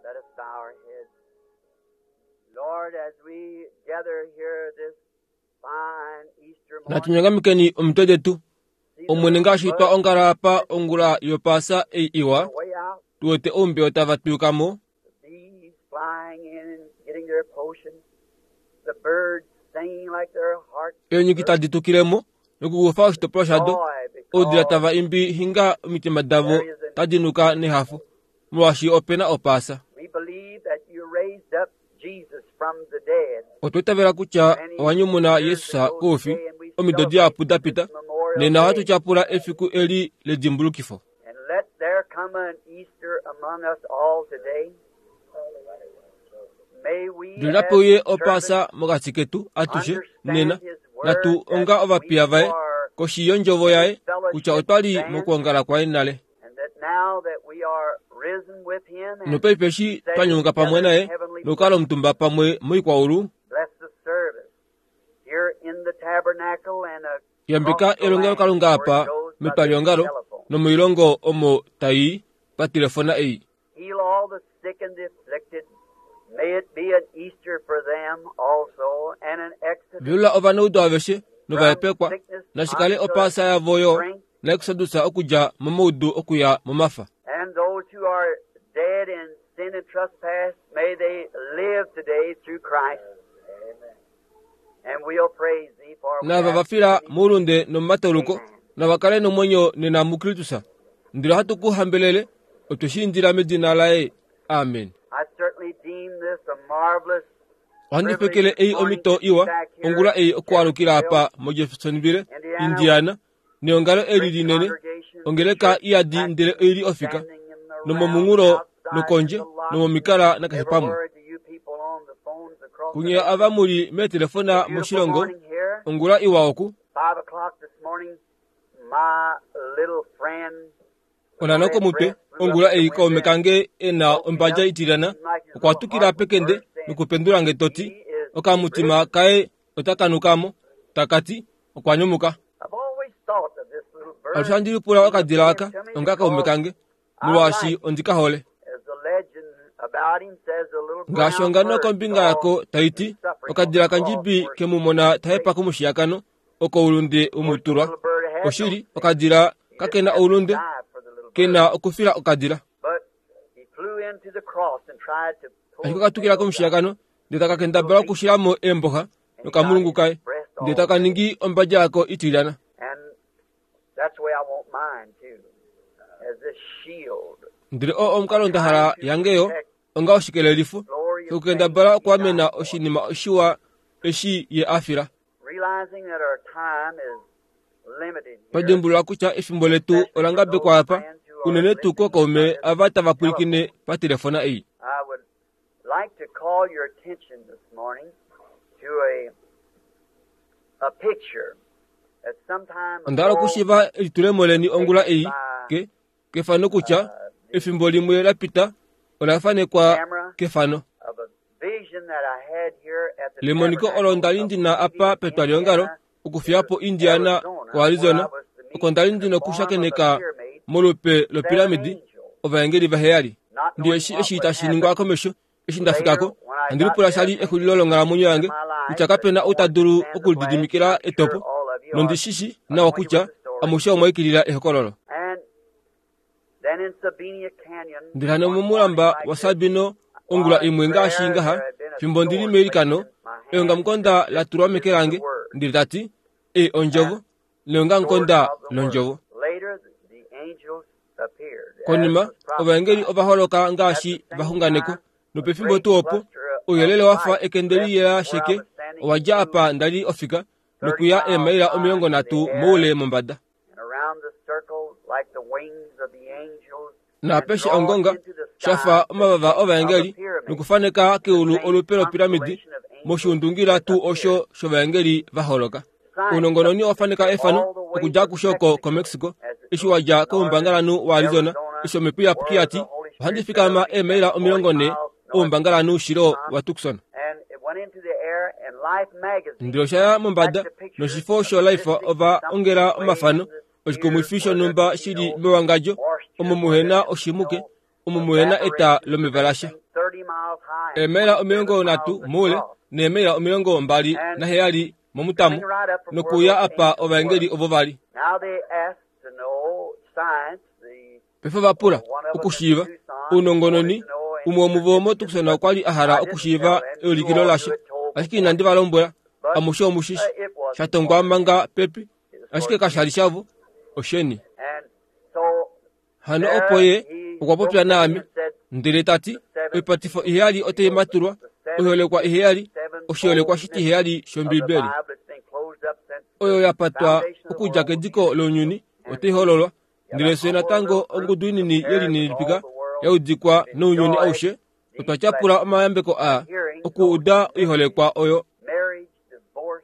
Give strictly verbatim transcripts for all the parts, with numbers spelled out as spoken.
Let us bow our heads. Lord, as we gather here this fine Easter morning, Natunyongamikeni omitwe detu see the Omwene ngaashi little twa buds ongala apa ongula yopaasa ei iwa on the way out, tu wete oumbeo tava twiyuka mo the bees flying in and getting their potion, the birds singing like their hearts eenyuki tadi tukile mo nokukufa oshitopolwa shado joy oudila because tava imbi hinga omitima davo there is an tadi nuka nehafo molwaashi opena opaasa. We believe that you raised up Jesus from the dead Otwa itavela kutya many owa nyumuna years Yesus ago koufi today, and we omido celebrate dihapu da this pita Memorial nena ohatu Day. tyapula efiku eli ledimbulukifo. And let there come an Easter among us all today. May we Ndele as napeuye servants opaasa mokati ketu atushe nena understand His word natu that onga ovapiya we vaye are koshi yondjovo in yaye kutya fellowship otwali then, mokwoongala kwaye nale. and that now that we are risen with Him and Nopaife eshi twa sitting nyumuka pamwe together in naye heavenly nokukala places, omutumba pamwe moikwaulu bless the service here in the tabernacle and yambeka across the land elongelokalunga where it apa goes by this metwaliongalo telephone. nomoilongo omo tai patelefona ei. Heal all the sick and the afflicted. May it be an Easter for them also and an exodus Vyula ovanaudu aveshe from novahepekwa sickness nashikale unto opaasa yavo yo strength, naekusadusa okudja momaudu okuya momafa. and those who are dead in sin and trespass, may they live today through Christ. And we'll praise thee for we Naava ask va it fila in thee. moulunde nomomatauluko Amen. nava kale nomwenyo nena muKristus. Ndele ohatu ku hambelele otwe shi indila medina laye. Amen. I certainly deem this a marvelous Ohandi privilege fekele this ei morning omhito to be iwa back here ongula in ei okualukila Jeffersonville, apa moJeffersonville, Indiana, with Indiana, neongalo eli great linene, congregation, the ongeleka church iyadi ndele practically oili ofika standing in the round nomomunghulo outside in nokondje the lot and nomomikala nakeshe pamwe. everywhere to you people on the phones across the Kunye nation. ava muli A meetelefona beautiful moshilongo morning here. ongula iwa oku Five o'clock this morning, my little friend with the onano red komutwe breast flew up ongula at the ei kaume window and kange ena woke me ombadja up. itilyana Seemed like his okwa little tukila heart was pekende bursting. nokupendula nge toti He is okamutima risen. kaye otakanuka mo takati okwa nyumuka. I've always thought of this little Alushe bird ohandi lipula being okadila appearing aka to me onga kaume because kange I molwaashi like it. ondika hole. As the legend about him says, a little Ngaashi brown ongano bird kombinga saw yako his taiti suffering on the okadila cross kandjibi where ke mu mona tahepa komushiyakano oko oulunde Of course, the umutulwa. little bird had no Oshili sin. okadila He ka didn't kena have to oulunde die for the little ke bird. na okufila okadila. But he flew into the cross and tried to Ashike pull the okatukila nails out. komushiyakano ndele taka Little kendabala beak, okushilamo eemboxa and he got nokamulungu his kaye breast ndele all taka red. ningi ombadja yako itilyana. And that's the way I want mine too, as this shield, Ndele oo omukalo nda trying hala to yange yo protect onga oshikelelifo glorious things shokukendabala he okuamena died for. oshinima oshiwa eshi ye a fila. Realizing that our time is limited Twa here, dimbulula kutya efimbo letu especially ola for those ngabekwa apa friends who are unene tuu listening kookaume by this ava tava pwilikine telephone. patelefona ei. I would like to call your attention this morning to a a picture that some time Onda hala ago okushiva elitulemo leni was ongula taken ei by ke kefano kutya uh, the efimbo limwe la pita ola fanekwa camera kefano. of a vision that I had here at the Lemoniko olo tabernacle ndali of ndina apa leaving petwaliongalo Indiana okufiyapo to Indiana Arizona, ko where I Arizona was to oko meet ndali in the ndina form of a okushakeneka pyramid molupe seven lopiramidi angels, ovaengeli vaheyali. not Ndiye knowing eshi what eshi would tashi ningwa happen. komesho eshi Later, ndafikako when I handi got lipula there, shali thinking exulilo longhalamwenyo in yange my life kutya that kapena no ou one ta could dulu stand the blast, okulididimikila I'm sure etopo all of you are nondishishi nawa acquainted kutya with the story. amushe omwaikilila ehokololo. And then in Sabina Canyon, Ndele hano one morning momulamba like wa this, Sabino ongula while in imwe ngaashi prayer, ngaha there had been a fimbo ndili sword placed meilikano in my hand and eongamukonda said, la This tulwa is meke the lange word. ndele tati ei ondjovo And neongamukonda sword of the word. londjovo. Later, the, the angels appeared as Konima was ovaengeli prophesied. ova holoka At the ngaashi same vaxunganekwa time, a nopefimbo great tuu opo cluster of ouyelele wa fa light ekende left liyela where I sheke was standing owa and dja flew apa ndali ofika thirty nokuya miles eemaila high omilongo in the nhatu air moule mombada. and around the circle like the wings of the angels and Naapeshe draw ongonga into the sha sky fa the omavava shape of a ovaengeli pyramid. nokufaneka The keulu same olupe lopiramidi constellation of angels moshiundungila that tuu appeared. osho shOvaengeli va holoka. Science Ounongononi owa faneka picture efano all the way okudja from kushoko Mexico koMexico as it eshi goes wa to dja northern koumbangalanhu waArizona Arizona, eshi omhepo iyapuki where ya the ti Holy ohandi Spirit said fikama it'll be eemaila some omilongo forty nhee miles north oumbangalanhu of shilo Tucson. wa Tucson. And it went into the air, and Life magazine Ndele osha ya mombada had the picture noshifo of sho Life mystic ova something ongela way in omafano the oshikumwifi sphere where there shonhumba could be shili no mewangadjo moisture, omo where muhena there could be oshimuke no omo muhena eta evaporation lomeva or lasha. anything. Eemaila omilongo nhatu moule neemaila omilongo mbali naheyali momutamo nokuuya apa ovaengeli ovo vali. Paife vapula okushiiva ounongononi. Umwe womuvo moTucson okwa li a hala okushiiva eulikilo lasho, ashike inandi va lombwela. Amushe omushishi shatongwa manga pepi, ashike kasha li shavo, osheni. Hano opo ye okwa popya naame ndele ta ti, oipatifo iheyali otai matulwa, oiholekwa iheyali, oshiholekwa shitiheyali shOmbibeli oyo ya patwa okudja kediko lounyuni otai hololwa. Ndele fye natango ongudu inini yelininipika ya udikwa nounyuni aushe, otwa tyapula omayambeko aa okuuda oiholekwa oyo,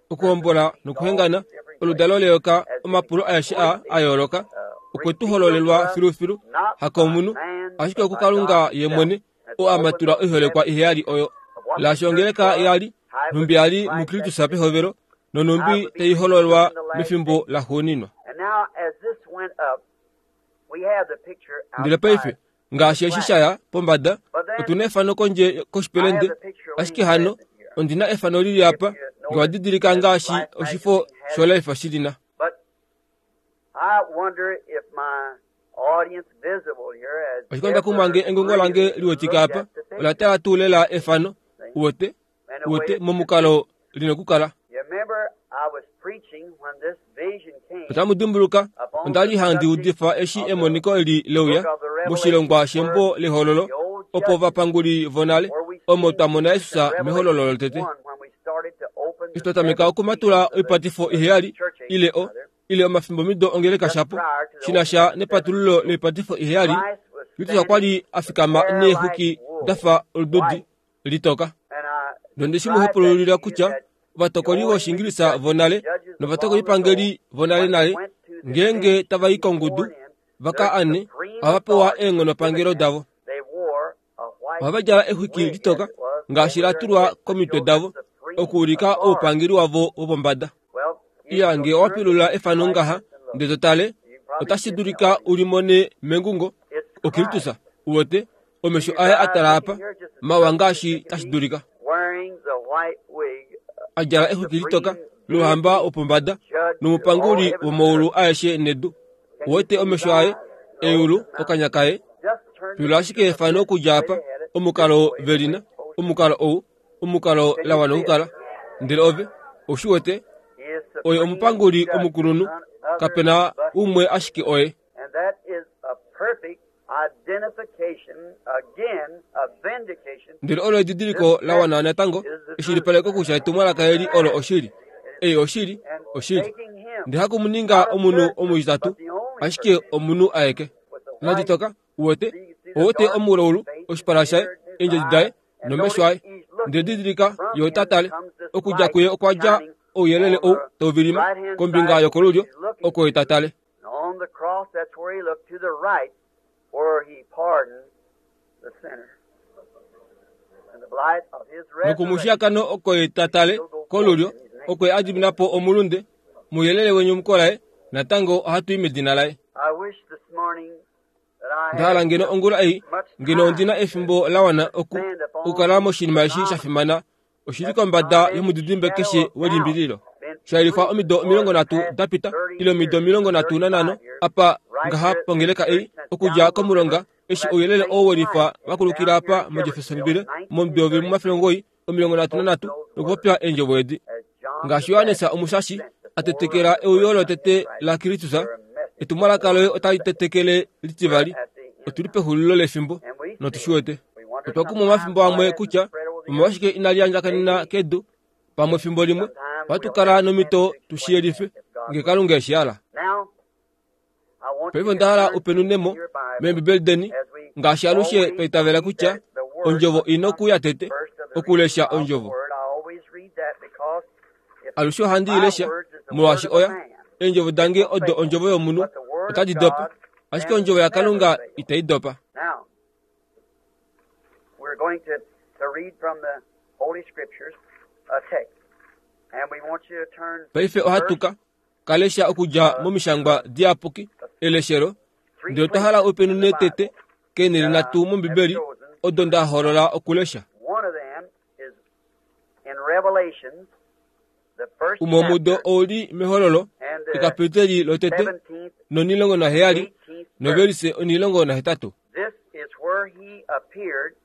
okuhombola nokuhengana, oludalo leyoka, omapulo aeshe aa a yooloka okwe tu hololelwa filufilu, hakomunhu, ashike okuKalunga ye mwene, oo a matula oiholekwa iheyali oyo. Laashi ongeleka yali, nhumbi yali muKristus pehovelo, nonhumbi tai hololwa mefimbo laxuuninwa. Ndele paife, ngaashi eshi shaya pombada, otu na efano kondje koshipelende, ashike hano ondi na efano lili apa, nge wa didilika ngaashi oshifo shoLife shi lina. Ashike onda kumwa nge engungo lange liwetike apa, ola tala tuu lela efano, uwete, uwete momukalo lina okukala. Otamu dimbuluka, onda li handi udifa eshi emoniko eli leuya moshilongwa shembo lehololo, opo ovapanguli vonale, omo twa mona Jesus mehololo lotete. Eshi twa tameka okumatula oipatifo iheyali, ile o ile omafimbomido ongeleka shapo, shi na sha nepatululo loipatifo iheyali, Kristus okwa li a fikama neexwiki da fa olududi litoka. Nonde shi mu hopululila kutya ovatokoli vOshingilisa vonale novatokolipangeli vonalenale, ngeenge tava i kongudu va ka ane, ohava pewa eenghonopangelo davo. Ohava djala exwiki litoka ngaashi la tulwa komitwe davo okuulika oupangeli wavo wopombada. Iya, nge owa pilula efano ngaha ndele to tale, otashi dulika u limone mengungo oKristus, uwete, omesho aye a tala apa, mawa ngaashi tashi dulika. A djala exwiki litoka louhamba wopombada nomupanguli womaulu aeshe nedu. Uwete omesho aye, eulu, okanya kaye. Pilula ashike efano okudja apa, omukalo velina, omukalo ou, omukalo la wana okukala. Ndele ove, ou shi wete, oye omupanguli omukulunhu, kapena umwe ashike oye. Ndele olo edidiliko la wana natango, eshilipaleko kutya etumwalaka eli olo oshili. Ei oshili, oshili. Ndele haku mu ninga omunhu omutitatu, ashike omunhu aeke. Naditoka, uwete, owete omulaulu, oshipala shaye, eendjodi daye, nomesho aye. Ndele didilika, ye ota tale. Okudja kuye okwa dja ouyelele ou tau vilima, kombinga yokolulyo, oko ye ta tale. Nokumushiyakano oko ye ta tale kolulyo, oko ye a dimina po omulunde. Mouyelele wenyumuko laye, natango ohatu i medina laye. Onda hala ngeno ongula ei, ngeno ondi na efimbo la wana oku okukala moshinima eshi sha fimana, oshili kombada yomudidimbe keshe welimbililo. Sha yelifwa omido omilongo nhatu da pita, ile omido omilongo nhatu nanhano, apa ngaha pongeleka ei, okudja komulonga, eshi ouyelele oo welifa wa kulukila apa moJeffersonville momudo womafele omugoyi omilongo nhatu nanhatu, nokupopya eendjovo edi. Ngaashi Johannes Omushashi a tetekela euyo lotete laKristus, etumwalaka loye otali tetekele litivali. Otu li pexulilo lefimbo, notu shi wete. Otwa kumwa omafimbo amwe kutya omolwashike inali andjakanena kedu. Pamwe efimbo limwe ohatu kala nomhito tu shi yelife, nge Kalunga eshi hala. Paife onda hala upenunemo mEembibeli deni, ngaashi alushe twa itavela kutya ondjovo ina okuuya tete, okulesha ondjovo. Alushe ohandi i lesha, molwaashi oya eendjovo dange odo ondjovo yomunhu, otadi dopa, ashike ondjovo yaKalunga itai dopa. Paife ohatu ka kalesha okudja momishangwa diyapuki eleshelo, ndele otwa hala upenune tete keenhele nhatu mOmbibeli odo nda holola okulesha. One of them is in Revelations, the first Umwe womudo chapter, ouli mehololo and the ekapiteli lotete seventeenth, nonilongo naheyali eighteenth verse. novelise onilongo nahetatu. This is where he appeared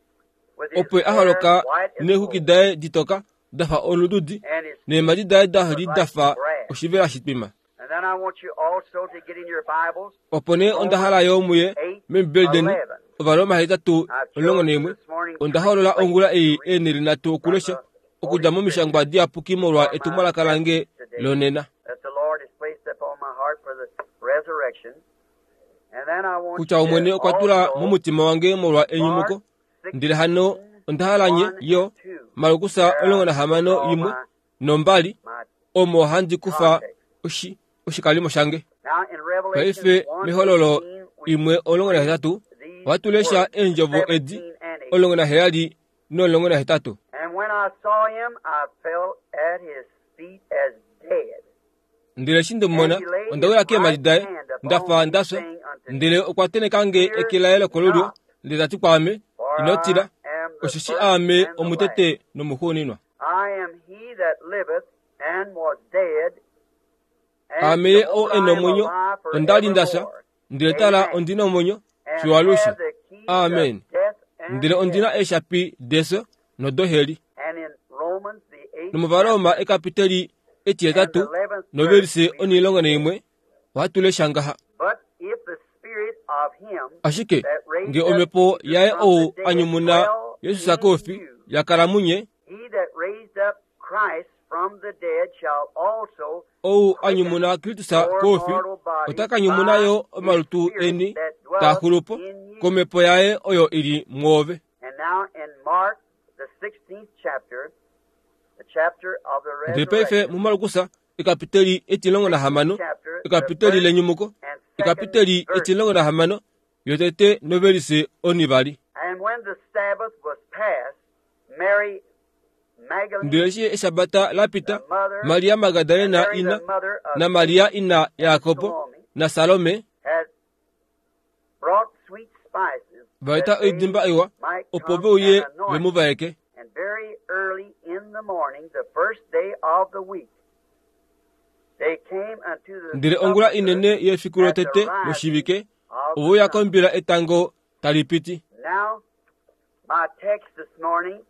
with his Opo a hair holoka white as neexuki wool, daye ditoka dafa olududi and his neemadi daye da li dafa brass. oshivela shitwima. And then I want you also to get in your Bibles, Opo nee onda hala yo muye eight, mEembibeli deni eleven. Ovaroma hetatu I've omulongo chosen naimwe. this morning Onda three holola ongula ei places to read eenhele nhatu from okulesha the Holy okudja momishangwa Scriptures diyapuki molwa for my etumwalaka lange message today lonena. that the Lord has placed upon my heart for the resurrection. And then I want Kutya you Omwene to okwa tula also momutima wange molwa enyumuko. Mark Ndele hano sixteen, onda hala nye one yo and two. Malukusa There omulongo I nahamano draw imwe my, nombali my omo handi kufa context. oshi oshikalimo shange. Now in Revelations Paife one mehololo eighteen we imwe omulongo read nahetatu these ohatu lesha words, eendjovo edi seventeen and eighteen. omulongo naheyali nomulongo nahetatu. And when I saw him, I fell at his feet as dead. Ndele eshi nde mu And mona he laid onda his wila keemhadi right daye hand upon ndafa me, ndafya. saying unto me, Ndele okwa teneka nge Fear eke laye lokolulyo not, ndele ta ti kwaame, for ino I tila, am the osheshi first aame and the last. omutete nomuxuuninwa. I am he that liveth and was dead, and Aame ye behold, ou I e na am omwenyo, alive onda li nda fya, forevermore. ndele tala Amen. ondi na omwenyo And fiyo alushe. have the keys of Amen. death and Ndele ondi na hell. eeshapi defyo nodoheli. And in Romans, the eighth NomOvaroma chapter ekapiteli and the etihetatu eleventh verse, novelise we read onilongo this. naimwe ohatu lesha ngaha. But if the spirit of him Ashike that raised nge up omhepo Jesus yaye from ou the a dead nyumuna dwell Jesus in koufi you, yakala munye, he that raised up Christ from the dead shall also ou a quicken nyumuna Kristus your koufi mortal ota bodies ka nyumuna by yo his omalutu spirit eni that taa dwelleth xulu po in you. komhepo yaye oyo ili mwoove. And now in Mark, the sixteenth chapter, the chapter of the Ndele paife resurrection, muMalukusa ekapiteli etilongo nahamano sixteenth chapter, the ekapiteli first lenyumuko and second ekapiteli verse. etilongo nahamano yotete novelise onivali. And when the Sabbath was past, Mary Ndele Magdalene, eshi eshabata la the pita, mother, Maria and Magdalena Mary ina the mother of na Maria James ina and Yakobo Salome na Salome had brought sweet spices vaeta that they oidimba iwa might opo come ve uye and anoint ve mu him. vaeke. And very early in the morning, the first day of the week, they came unto the Ndele ongula sepulchre inene yefiku at the lotete rising loshivike of the ove uya sun. kombila etango tali piti. Now, my text this morning,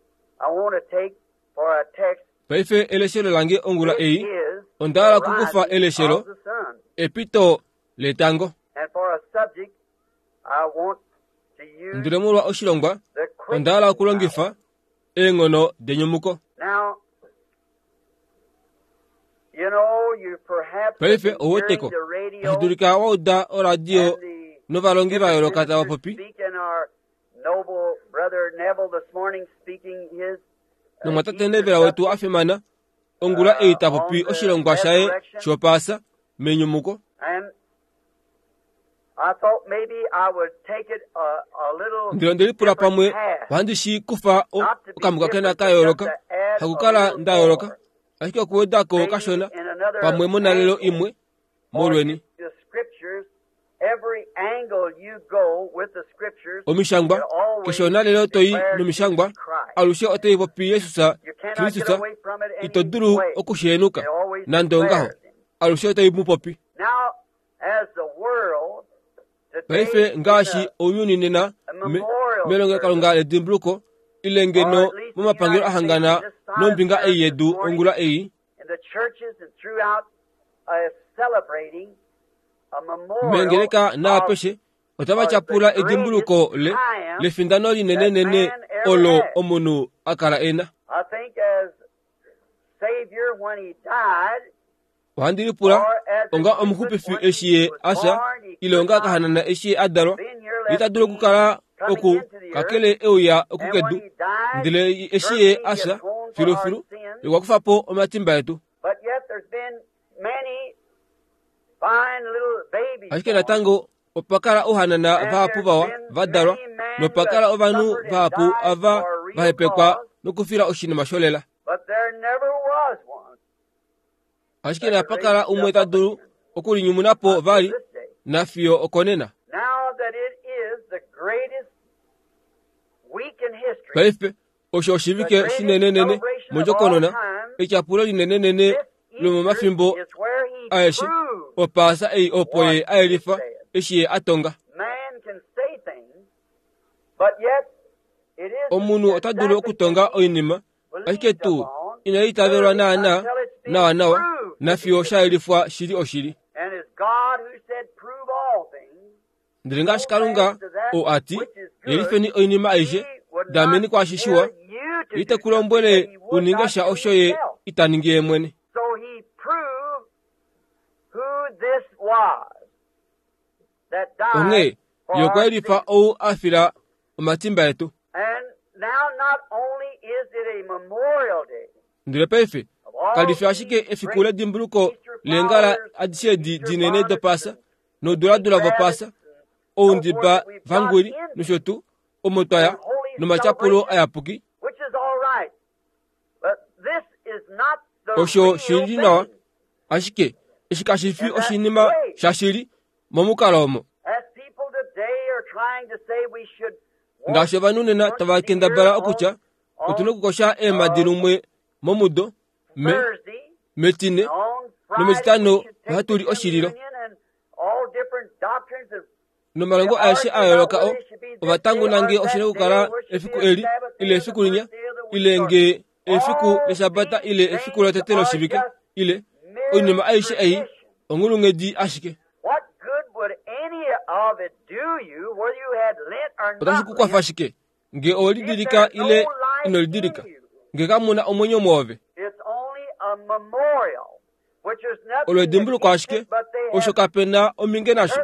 I want to take for a text, Paife eleshelo lange ongula it ei is onda the hala okukufa rising eleshelo of the sun. epito letango. And for a subject, I want to use Ndele molwa oshilongwa the onda hala quickening okulongifa power. eenghono denyumuko. Now, you know, you perhaps have Paife been hearing oweteko the radio tashi dulika wa uda oradio and the novalongi va different yooloka tava ministers popi speak, and our noble brother Neville this morning speaking his uh, nomwatate Easter Nevela wetu subject a fimana ongula ei uh, ta on popi the oshilongwa shaye resurrection. shopaasa menyumuko. And I thought maybe I would take it a, a little Ndele onde lipula different pamwe path, ohandi shi kufa o- not to be okamuka kena different, ka but just yooloka to add a hakukala little nda yooloka more, ashike okuwedako maybe kashona in another pamwe monalelo angle. imwe For molweni. you, the scriptures, every angle you go with the scriptures, Omishangwa it always keshe onalelo toyi declares nomishangwa Jesus Christ. alushe otai popi Jesus You cannot get Kristus away from it ito any dulu way. okushenuka It always nande ongaho declares him. alushe otai mu popi. Now, as the world today Paife in ngaashi a, ounyuni nena a me- memorial melongelokalunga service, ledimbuluko ile or ngeno at least the momapangelo United States ahangana on this side of nombinga the ei earth this yedu morning, ongula ei in the churches and throughout, uh, celebrating a memorial meengeleka of naapeshe otava uh, the tyapula greatest edimbuluko le triumph lefindano that linenenene man ever olo had. omunhu a kala ena. I think as Savior when he died, Ohandi lipula or as an onga infant omuxupifi when he eshi ye was afya born, he ile could onga not kahanana eshi ye a dalwa been here ye ta left dulu be okukala coming oku into the earth. kakele euya And when okukedu he died, ndele eshi ye certainly he afya atoned for our filufilu sins. okwa kufa po omatimba etu. But yet there's been many fine little babies Ashike born, natango opa kala ouhanana and vahapu there's vawa been va dalwa many men who nopa have kala ovanhu suffered and vahapu died ava for a real va hepekwa cause, nokufila oshinima sholela. but there never was one Ashike that could napa raise kala umwe himself ta up dulu again okulinyumuna po until vali this day. nafiyo okonena. Now that it is the greatest week Paife osho oshivike shinenenene mondjokonona, etyapulo linenenene lomomafimbo aeshe. Opaasa ei opo ye ayelifa eshi ye atonga. Omunhu ota dulu okutonga oinima, ashike tuu inai itavelwa naana nawa nawa nafiyo shayelifwa shili oshili. Ndele ngaashi Kalunga ou ati, yelifeni oinima aishe, dameni kwaashi shiwa, ite ku lombwele uninge sha osho ye ita ningi ye mwene. Onghee ye okwa yelifa ou a fila omatimba etu. Ndele paife kali fi ashike efiku ledimbuluko leengala adishe edi dinene dOpaasa nouduladula vOpaasa, oundiba vangwili nosho tuu, omo twaya nomatyapulo ayapuki. Osho shili nawa, ashike eshi kashi fi oshinima shashili momukalo omo. Ngaashi ovanhu nena tava kendabala okutya otuna okukosha eemadi lumwe momudo, me metine nometitano ohatu li oshililo. Nomalongo aeshe a yooloka o ovatangu nange oshina okukala efiku eli ile efiku linya, ile nge efiku leshabata ile efiku lotete loshivike, ile oinima aishe ei onghulunghedi ashike. Otashi ku kwafa shike nge owe lidilika ile ino lidilika, nge kamuna omwenyo mwoove? Olo edimbuluko ashike, osho kapena ominge nasho,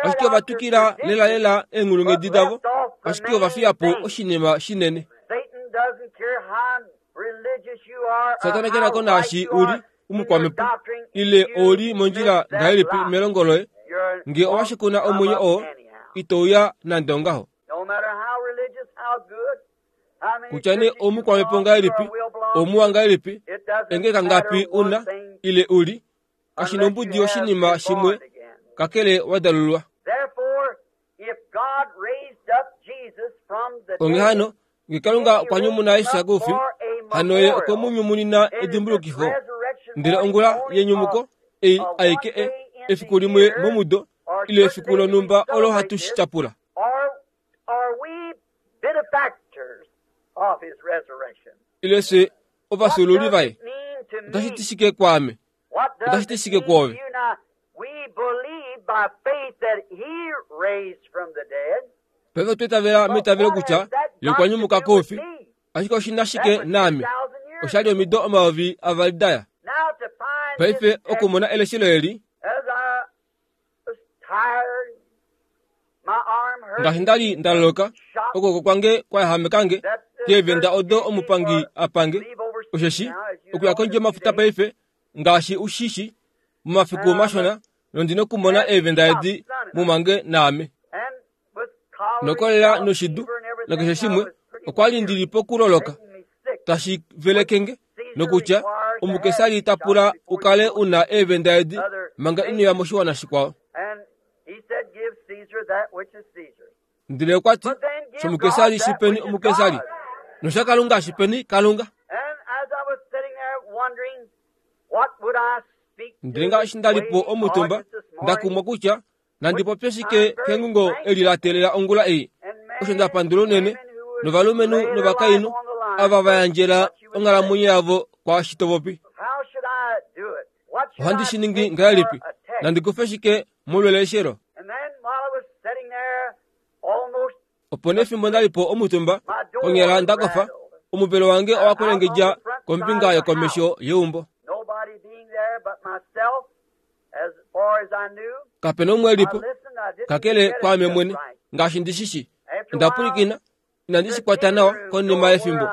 ashike ovatukila lela lela eenghulunghedi davo, ashike ovafiya po oshinima shinene. Satana kena ko naashi uli umukwamepo ile ouli mondjila ngahelipi melongo loye, nge owashikuna omwenyo oo itouya nande ongaho. Kutya nee oumukwamepo ngahelipi, oumuwa ngahelipi, engeka ngapi una ile uli, kashina ombudi oshinima shimwe kakele wadalulwa. Onghee hano nge Kalunga okwa nyumuna Jesus koufi, hano ye okwe mu nyumunina edimbulukifo. Ndele ongula yenyumuko ei aike e efiku limwe momudo ile efiku lonhumba olo hatu shi tyapula. Ile fye ovafyuululi vaye. Otashi ti shike kwaame? Otashi ti shike kwoove? Paife otwa itavela meitavelo kutya ye okwa nyumuka koufi, ashike oshi na shike naame? Oshali omido omayovi avali daya. Paife okumona eleshelo eli, ngaashi ndali ndaloloka, okwooko kwange kwayahamekange keevenda odo omupangi apange, osheshi okuya kondje yomafuta paife ngaashi ushishi momafiku mashona, nondina okumona eevenda edi mumange naame. Nokolela noshidu nakeshe shimwe, okwali ndili pokuloloka tashi velekenge, nokutya omukesari ta pula ukale una eevenda edi manga inoya moshiwana shikwao. Ndele okwa ti, shomukesari shipeni omukesari, noshaKalunga shipeni Kalunga. Ndele ngaashi ndalipo omutumba, ndakumwa kutya nandi popye shike kengungo eli la teelela ongula ei. Osho ndapandula unene novalumenhu novakainhu ava va yandjela onghalamwenyo yavo kwaashi to popi. Ohandi shi ningi ngahelipi? Nandi kufe shike molweleshelo? Opo nee fimbo ndalipo omutumba, konyala ndakofa, omuvelo wange owa kwelengedja kombinga yokomesho yeumbo. Kapena umwe elipo, kakele kwaame mwene, ngaashi ndishishi. Onda pwilikina, inandi shi kwata nawa konima yefimbo.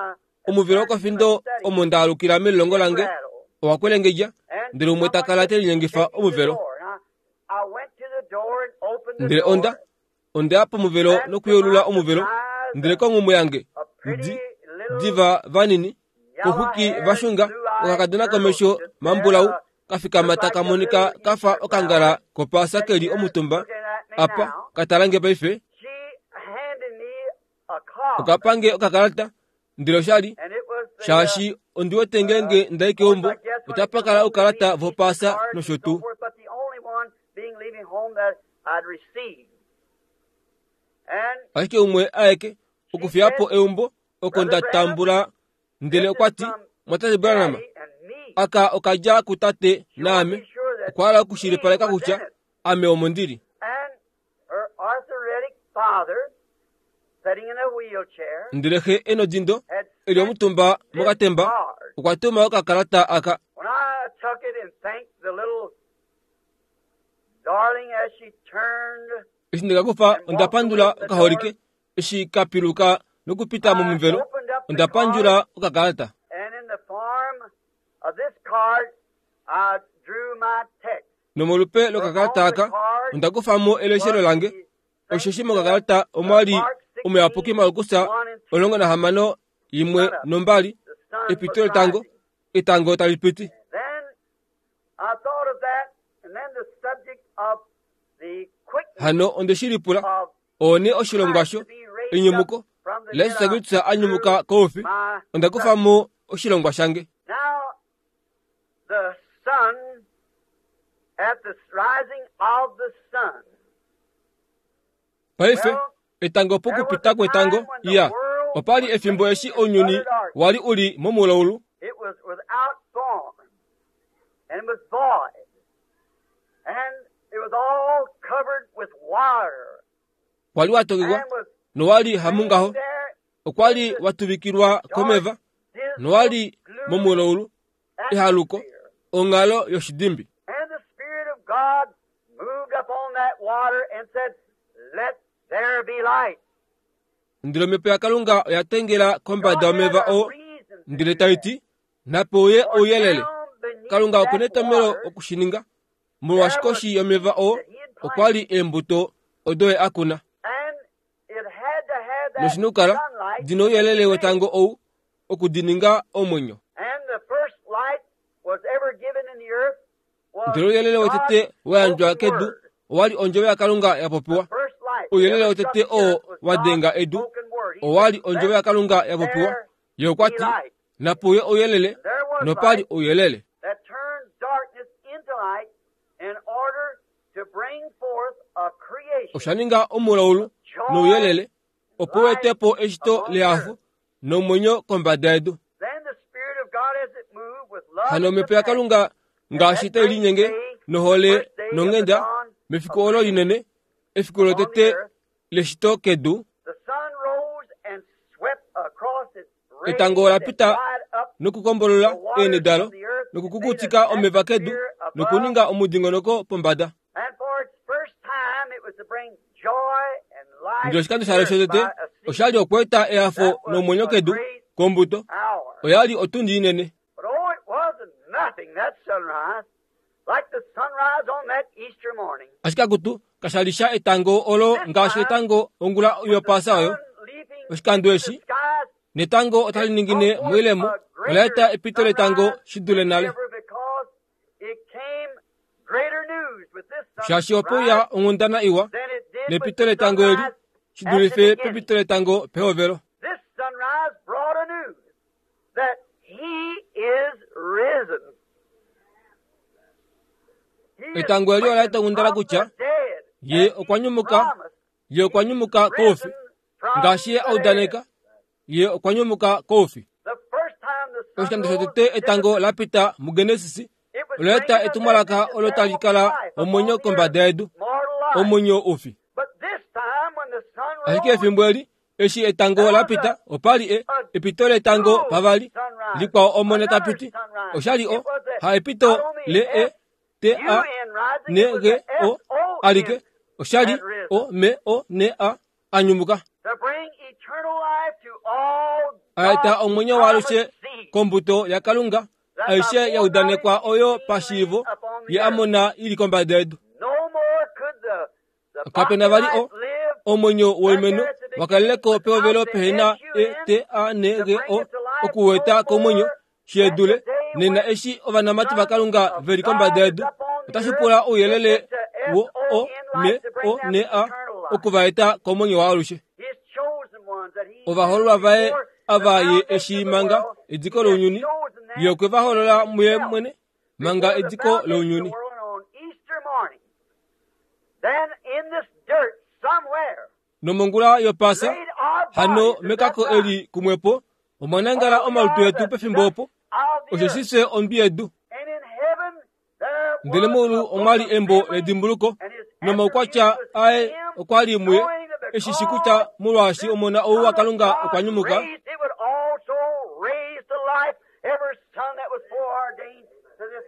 Omuvelo wokofindo omo ndaalukila melilongo lange owa kwelengedja, ndele umwe ta kala te linyengifa omuvelo. Ndele onda ondeya pomuvelo nokuyeulula omuvelo, ndele konghumwe yange di diva vanini koxwiki vashunga okakadona komesho mambulau kafikama taka monika kafa okangala kopaasa keli omutumba apa katalange paife. Okapange okakalata ndele oshali shaashi ondi wete ngeenge ndai keumbo otapa kala oukalata vopaasa nosho tuu. Ashike umwe aeke okufiyapo eumbo oko nda tambula ndele okwa ti, Mwatate Branham, aka okadja kutate naame okwa hala okushilipaleka kutya ame omo ndili. Ndele xe enodindo eli omutumba mokatemba okwa tuma okakalata aka. Eshi ndekakufa onda pandula okaholike eshi kapiluka nokupita momuvelo onda pandjula okakalata. Nomolupe lokakalata aka onda kufamo eleshelo lange osheshi mokakalata omwali omuyapuki Markus omulongo nahamano yimwe nombali epito letango etango tali piti. Hano onde shi lipula one oshilongwa sho enyumuko laJesus Kristus a nyumuka koufi onda kufamo oshilongwa shange. Paife etango pokupita kwetango iya opali efimbo eshi ounyuni wali uli momulaulu. Kwali watokekwa nowali hamungaho okwali watuvikilwa komeva nowali momulaulu ehaluko onghalo yoshidimbi. Ndele omhepo yaKalunga oya tengela kombada yomeva oo ndele tai ti nape uye ouyelele. Kalunga okuna etomhelo okushininga molwaashi koshi yomeva oo okwali eembuto odo ye a kuna. Noshinukala dina ouyelele wetango ou okudininga omwenyo. Ndele ouyelele wotete wa yandjwa kedu owali ondjovo yaKalunga ya popiwa. Ouyelele wotete oo wa denga edu owali ondjovo yaKalunga ya popiwa. Ye okwa ti nape uye ouyelele nopali ouyelele. Osha ninga omulaulu nouyelele opo u etepo eshito lehafo nomwenyo kombada yedu. Hano omhepo yaKalunga ngaashi tai linyenge nohole nonghenda mefiku olo linene efiku lotete leshito kedu etango ola pita nokukombolola eenhe dalo nokukukutika omeva kedu nokuninga omudingonoko pombada. Ndele oshikando shalo shotete oshali okweeta ehafo nomwenyo kedu kombuto oyali otundi inene. Ashike akutu kashali sha etango olo ngaashi etango ongula yopaasa oyo. Oshikando eshi netango otali ningine moilemo ola eta epito letango shi dule nale. Shaashi ope uya onghundana iwa nepito letango eli shi dulife pepito letango pehovelo. Etango eli ola eta onghundana kutya ye okwa nyumuka ye okwa nyumuka koufi ngaashi ye a udaneka ye okwa nyumuka koufi. Oshikando shotete etango la pita muGenesis ola eta etumwalaka olo tali kala omwenyo kombada yedu omwenyo ufi. Ashike efimbo eli eshi etango la pita opali e epito letango pavali likwao omona tapiti oshali o ha epito le e t a n g o alike oshali o m o n a anyumuka aeta omwenyo waalushe kombuto yaKalunga aishe ya udanekwa oyo pashiivo ye amona ili kombada yedu. Kapena vali o omwenyo woimeno wakaleleko pehovelo pehena e t a n g o okuweta komwenyo shedule nena eshi ovanamati vaKalunga veli kombada yedu otashi pula ouyelele wo o m o n a okuvaeta komwenyo waalushe. Ovahololwa vaye ava ye eshi manga ediko lounyuni, ye okwe va holola muye mwene manga ediko lounyuni. Nomongula yopasa hano mekako eli kumwepo omwa nangala omalutu etu pefimbo opo, osheshi fye ondwi yedu. Ndele meulu omwa li embo ledimbuluko, nomaukwatya aye okwa li muye, eshi shi kutya molwaashi omona ou waKalunga okwa nyumuka,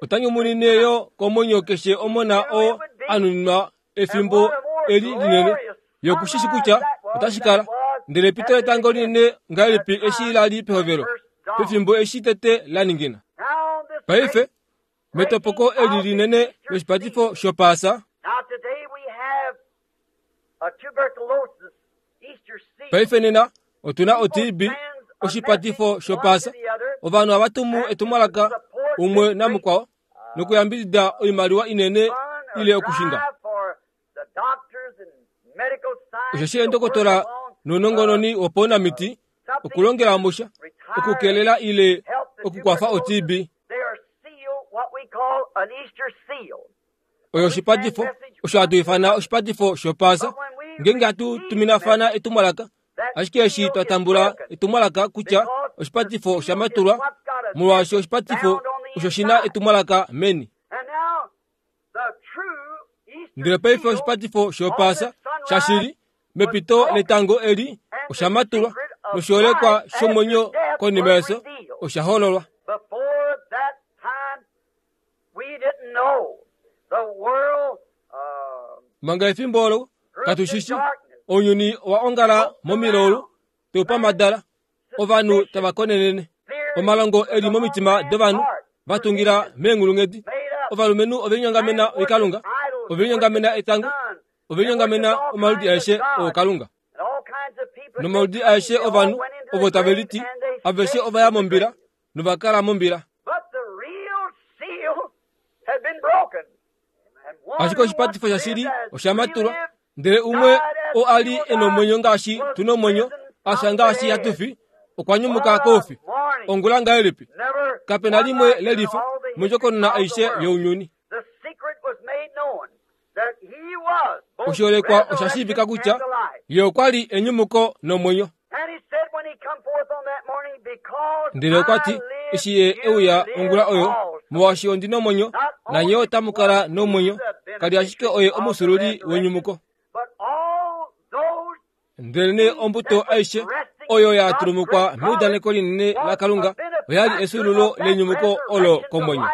ota nyumunine yo komwenyo keshe omona oo a nuninwa efimbo eli linene. Ye okushishi kutya otashi kala. Ndele epito letango linene ngahelipi eshi la li pehovelo, pefimbo eshi tete la ningina. Paife metopoko eli linene loshipatifo shopaasa, paife nena otuna o T B, oshipatifo shopaasa. Ovanhu ohava tumu etumwalaka umwe namukwao nokuyambidida oimaliwa inene ile okushinga. Osheshi eendokotola nounongononi wopaunamiti okulongela musha okukelela ile okukwafa o T B. Oyo oshipatifo osho hatu ifana oshipatifo shopaasa, ngeenge hatu tuminafana etumwalaka. Ashike eshi twa tambula etumwalaka kutya oshipatifo osha matulwa, molwaashi oshipatifo osho shi na etumwalaka meni. Ndele paife oshipatifo shopaasa shashili mepito letango eli osha matulwa, noshiholekwa shomwenyo konima yeso osha hololwa. Manga efimbo olo katushishi, ounyuni owa ongala momilaulu teupamadala, ovanhu tava konenene, omalongo eli momitima dovanhu va tungila meenghulunghedi. Ovalumenhu ovelinyongamena oikalunga, ovelinyongamena etango, ovelinyongamena omaludi aeshe ookalunga. Nomaludi aeshe ovanhu ovo tave liti, aveshe ova ya mombila nova kala mombila. Ashike oshipatifo shashili osha matulwa, ndele umwe oo a li e nomwenyo ngaashi tu nomwenyo, a fya ngaashi hatu fi, okwa nyumuka koufi. Ongula ngahelipi? Kape na limwe lelifa mondjokonona aishe younyuni. Oshiholekwa osha shiivika kutya ye okwa li enyumuko nomwenyo. Ndele okwa ti, eshi ye e uya ongula oyo, molwaashi ondi nomwenyo, nanye otamu kala nomwenyo. Kali ashike oye omusululi wenyumuko. Ndelenee ombuto aishe oyo ya tulumukwa meudaneko linene laKalunga oya li esulululo lenyumuko olo komwenyo.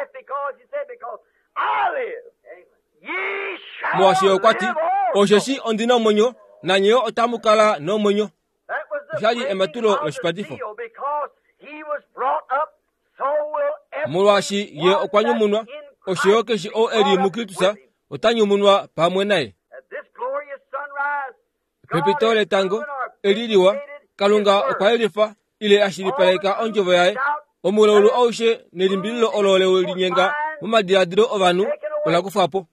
Molwaashi okwa ti, osheshi ondi nomwenyo, nanye otamu kala nomwenyo. Osha li ematulo loshipatifo. Molwaashi ye okwa nyumunwa, osho yo keshe ou e li muKristus ota nyumunwa pamwe naye. Pepito letango eli liwa, Kalunga okwa yelifa ile a shilipaleka ondjovo yaye. Omulaulu aushe nelimbililo olo le linyenga momadiladilo ovanhu ola kufwa po.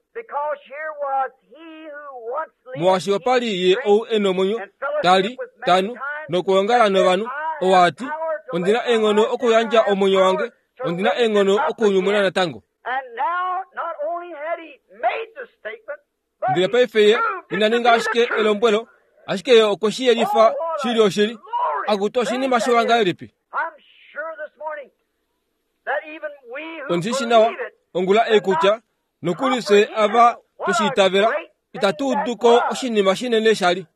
Molwaashi opa li ye ou e nomwenyo, ta li, ta nu, nokuongala novanhu, ou a ti, ondi na eenghono okuyandja omwenyo wange, ondi na eenghono okunyumuna natango. Ndele paife ye ina ninga ashike elombwelo, ashike ye okwe shi yelifa shili oshili. Akutu oshinima shiwa ngahelipi? Ondi shi nawa ongula ei kutya nokuli fye ava tweshi itavela itatu udu ko oshinima shinene sha li.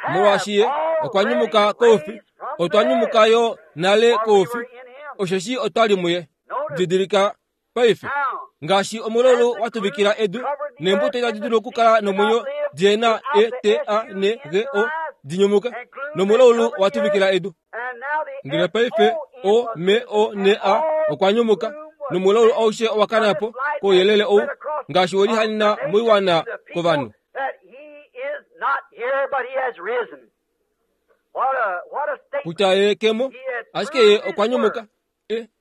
Molwaashi ye okwa nyumuka koufi, otwa nyumuka yo nale koufi, osheshi otwa li muye. Didilika paife, ngaashi omulaulu wa tuvikila edu, neembuto itadi dulu okukala nomwenyo di na E T A N G O di nyumuke, nomulaulu wa tuvikila edu. Ndele paife O M O N A okwa nyumuka, nomulaulu aushe owa kana po kouyelele ou, ngaashi we lihanena moiwana kovanhu. Kutya ye kemo, ashike ye okwa nyumuka.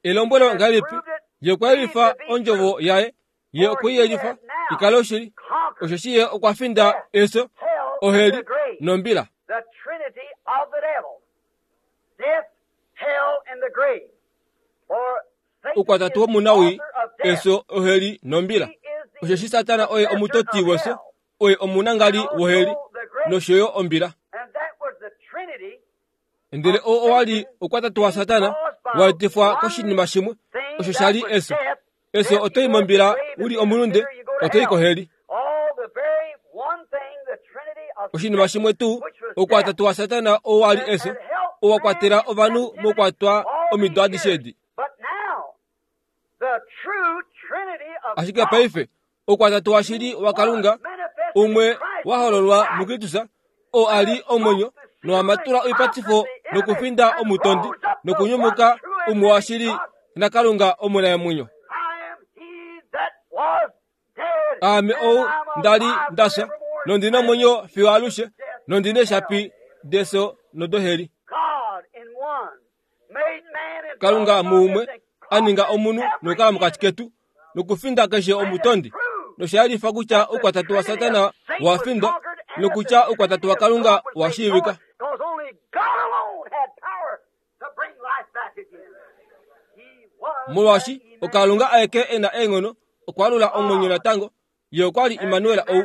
Elombwelo ngahelipi? Ye okwa yelifa ondjovo yaye, Ye okwe i yelifa i kale oshili, osheshi ye okwa finda efyo, oheli nombila. The trinity of the devil. Death, hell, and the grave. For Satan Oukwatatu is the womunawii, author of death. efyo, oheli nombila. He is the Osheshi Satana oye omutoti wefyo, oye omunangali woheli nosho yo ombila. And that was the trinity Ndele oo owa li oukwatatu waSatana wa etifwa koshinima shimwe, thing osho that sha li was efyo. death. Efyo Death, oto i you go to the mombila grave, u li if you omulunde, sinner, you go to oto i hell. koheli. All the very one thing, the trinity of Oshinima shimwe tuu, which was oukwatatu waSatana oo wa li death, efyo, that helped oo wa kwatela man in ovanhu captivity mokwatwa all omido these adishe years. edi. But now, the true trinity of Ashike God paife, oukwatatu washili waKalunga, umwe wa hololwa muKristus, oo a li omwenyo nowa matula oipatifo nokufinda omutondi nokunyumuka umwe washili naKalunga omunamwenyo. I am he that was dead, Aame and ou I'm nda li alive nda fya, forevermore, nondina omwenyo fiyo alushe, nondina eeshapi defyo nodoheli. God in one made man and Kalunga dwelt among muumwe us and a ninga conquered omunhu every nokukala mokati enemy. ketu nokufinda keshe omutondi. Nosha yelifa kutya oukwatatu waSatana wa findwa nokutya oukwatatu waKalunga wa shiivika. Because only God alone had power to bring life back again. He was Molwaashi that oKalunga aeke e na eenghono okwaalula omwenyo natango, ye okwa li Immanuel ou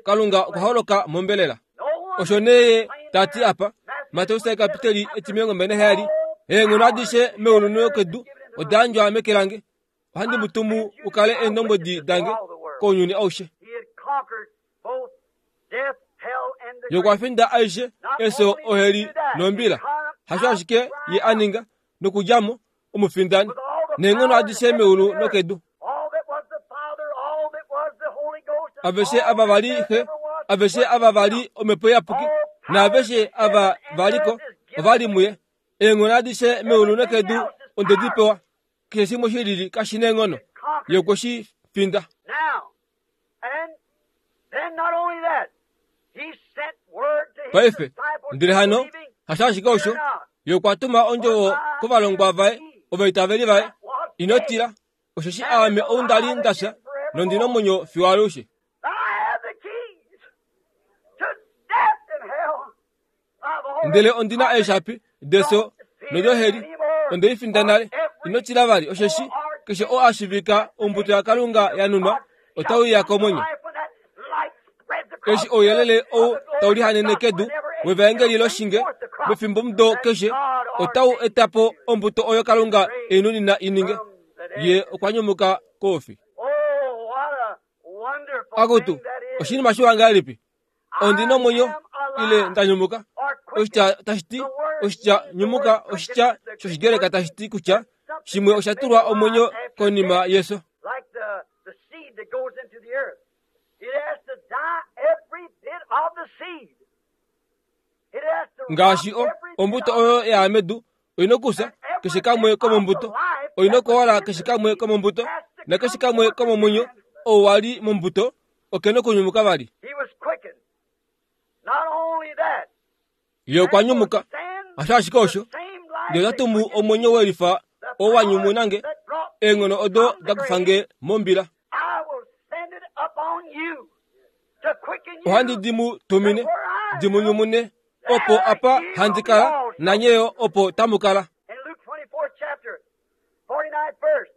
Kalunga okwa holoka mombelela. No one Osho nee ye ta ti apa, Mateus ekapiteli etimilongo mbali naheyali, eenghono adishe meulu nokedu oda yandjwa meke lange. Ohandi mu tumu u kale eendombwedi dange kounyuni aushe. He had conquered both death, hell, and the Ye okwa grave. finda aishe, efyo, oheli nombila. Hasho ashike ye a ninga nokudja mo omufindani With all the neenghono power in adishe heaven meulu and earth, nokedu. all that was the Father, all that was the Holy Ghost, and Aveshe all ava that va li there Xe, ever was, aveshe was ava in va him. li Omhepo Iyapuki, naaveshe ava va liko ova li muye. Eenghono adishe meulu nokedu onde di pewa. Keshe shimwe shilili kashi na eenghono, ye okwe shi finda. Now, and then not only that, he sent word to his Paife, disciples ndele hano, believing, hasho ashike osho, fear not. ye okwa tuma ondjovo kovalongwa vaye, ovaitaveli vaye, ino tila, osheshi aame ou nda li nda fya, nondina omwenyo fiyo alushe. I have the keys to death and hell. I've already Ndele ondina eeshapi defyo nodoheli, onde i finda nale. Ino tila vali, osheshi keshe oo a shivika ombuto yaKalunga ya nunwa, otau ya komwenyo. Eshi ouyelele ou tau lihanene kedu wevaengeli loshinge mefimbomudo keshe, otau eta po ombuto oyo Kalunga e i nunina i ninge. Ye okwa nyumuka koufi. Oh, what a wonderful Akutu, thing that is. oshinima shiwa ngahelipi? Ondina omwenyo ile nda nyumuka. Oshitya tashi ti oshitya nyumuka oshitya shOshigreka tashi ti kutya shimwe osha tulwa omwenyo konima yefyo. Like the, the seed that goes into the earth. It has to die every bit of the seed. It has to Ngaashi rot o every bit ombuto of oyo ya medu oyina okufya keshe kamwe komombuto, oyina okuwala keshe kamwe komombuto, nakeshe kamwe komomwenyo ou wa li mombuto okena okunyumuka vali. He was quickened. Not only that, Ye okwa nyumuka. Hasho ashike osho, ndele ota tumu omwenyo welifa oo wa nyumunange eenghono odo da kufa nge mombila. I will send it upon you to quicken you. Ohandi di mu tumine, di mu nyumune, opo apa handi kala, nanye yo opo tamu kala. In Luke twenty-fourth chapter, forty-ninth verse.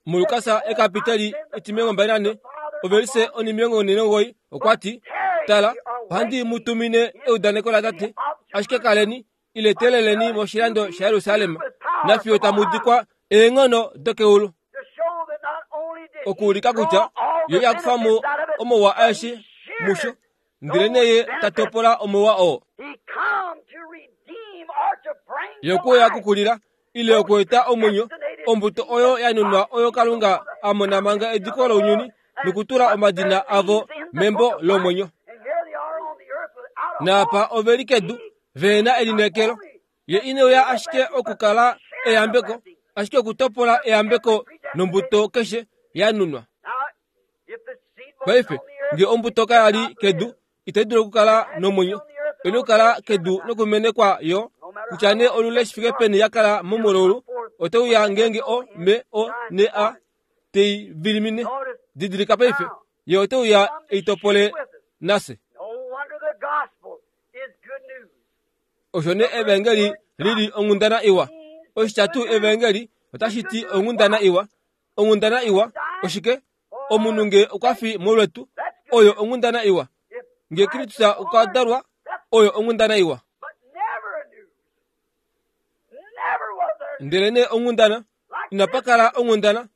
MuLukas ekapiteli etimilongo mbali nane, ovelise onimilongo nhee nomugoyi, okwa ti, Tala, ohandi mu tumine eudaneko laTate, ashike kaleni, ile teeleleni moshilando shaJerusalem, nafiyo tamu dikwa eenghono dokeulu. To show that not only did he Okuulika kutya draw all ye the ya kufa mo benefits out of it, omauwa but he aeshe musho, shared ndele nee ye ta topola omauwa oo. He come to redeem or to bring Ye to okwe uya life okukulila, ile okueta omwenyo, ombuto oyo ya nunwa oyo Kalunga a mona manga ediko lounyuni, nokutula omadina avo membo lomwenyo. And here they are on the earth without a Naapa hope. ove li kedu, ve na elineekelo. Ye ine uya ashike okukala eyambeko, ashike okutopola eyambeko nombuto keshe ya nunwa. Now, if the seed wasn't Paife, on the earth, nge ombuto kaya li kedu, itayi dulu okukala nomwenyo. Oyina okukala kedu nokumenekwa yo, kutya nee olule shi fike peni ya kala momulaulu, otau ya ngeenge o, me, o, ne, a, tei vilimine. Didilika paife, ye ote uya eitopole nase. Osho ne evangeli lili onghundana iwa. Oshitya tuu evangeli otashi ti onghundana iwa. Onghundana iwa oshike? Omunhu nge okwa fi molwetu, oyo onghundana iwa. Nge Kristus okwa dalwa, oyo onghundana iwa. Ndele ne onghundana inapa kala onghundana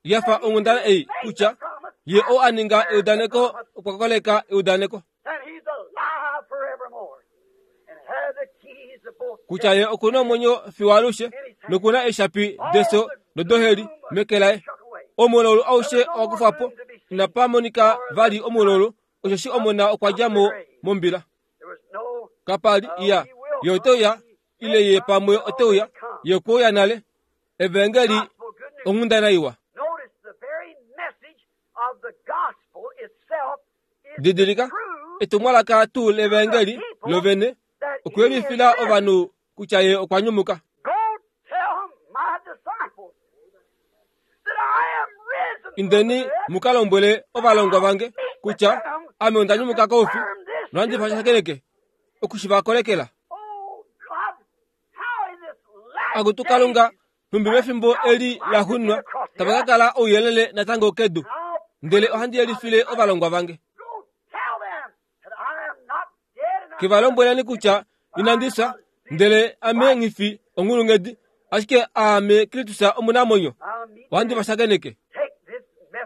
yafa onghundana ei kutya ye oo a ninga eudaneko okwa koleka eudaneko, kutya ye okuna omwenyo fiyo alushe nokuna eeshapi defyo nodoheli meke laye. Omulaulu aushe owa kufwa po, inapa monika vali omulaulu, osheshi omona okwa dja mo mombila. Kapa li iya ye ote uya ile ye pamwe ote uya, ye okwe uya nale. Evangeli onghundana iwa. Didilika etumwalaka tuu levangeli lovene okuyelifila ovanhu kutya ye okwa nyumuka. Indeni muka lombwele ovalongwa vange kutya ame onda nyumuka koufi nohandi va shakeneke oku va kolekela. Akutu Kalunga, nhumbi mefimbo eli la xunwa tava ka kala ouyelele natango kedu, ndele ohandi yelifile ovalongwa vange. Ke va lombweleni kutya inandi fya, ndele ame nghi onghulunghedi, ashike aame Kristus omunamwenyo, ohandi va shakeneke.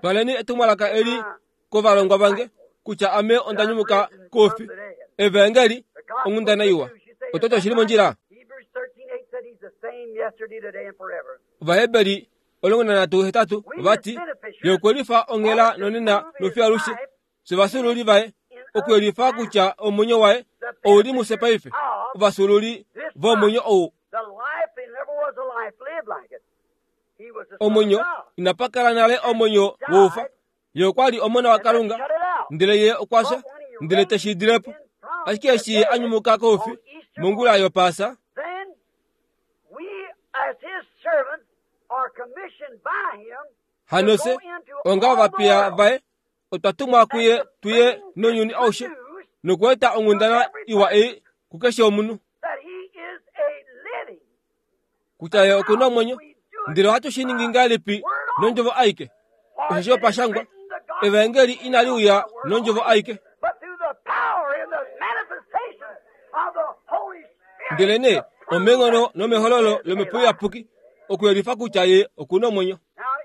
Twaleni etumwalaka eli kovalongwa vange kutya ame onda nyumuka koufi. Evangeli onghundana iwa. Oto oshili mondjila. Ovaheberi omulongo nanhatu hetatu ovati ye okwelifa onghela nonena nofiyo alushe. Fye ovafyuululi vaye, okuyelifa kutya omwenyo waye ouli mufye paife. Ovafyuululi vomwenyo ou. Omwenyo inapa kala nale omwenyo woufa. Ye okwa li omona waKalunga, ndele ye okwa fya, ndele te shi dilepo. Ashike eshi ye a nyumuka koufi mongula yopaasa, hano fye onga ovapiya vaye otwa tumwa kuye tuye nounyuni aushe nokweeta onghundana iwa ei kukeshe omunhu kutya ye okuna omwenyo. Ndele ohatu shi ningi ngahelipi nondjovo aike? Osheshi opashangwa, evangeli inali uya nondjovo aike, ndele nee omenghono nomehololo lomhepo iyapuki okuyelifa kutya ye okuna omwenyo.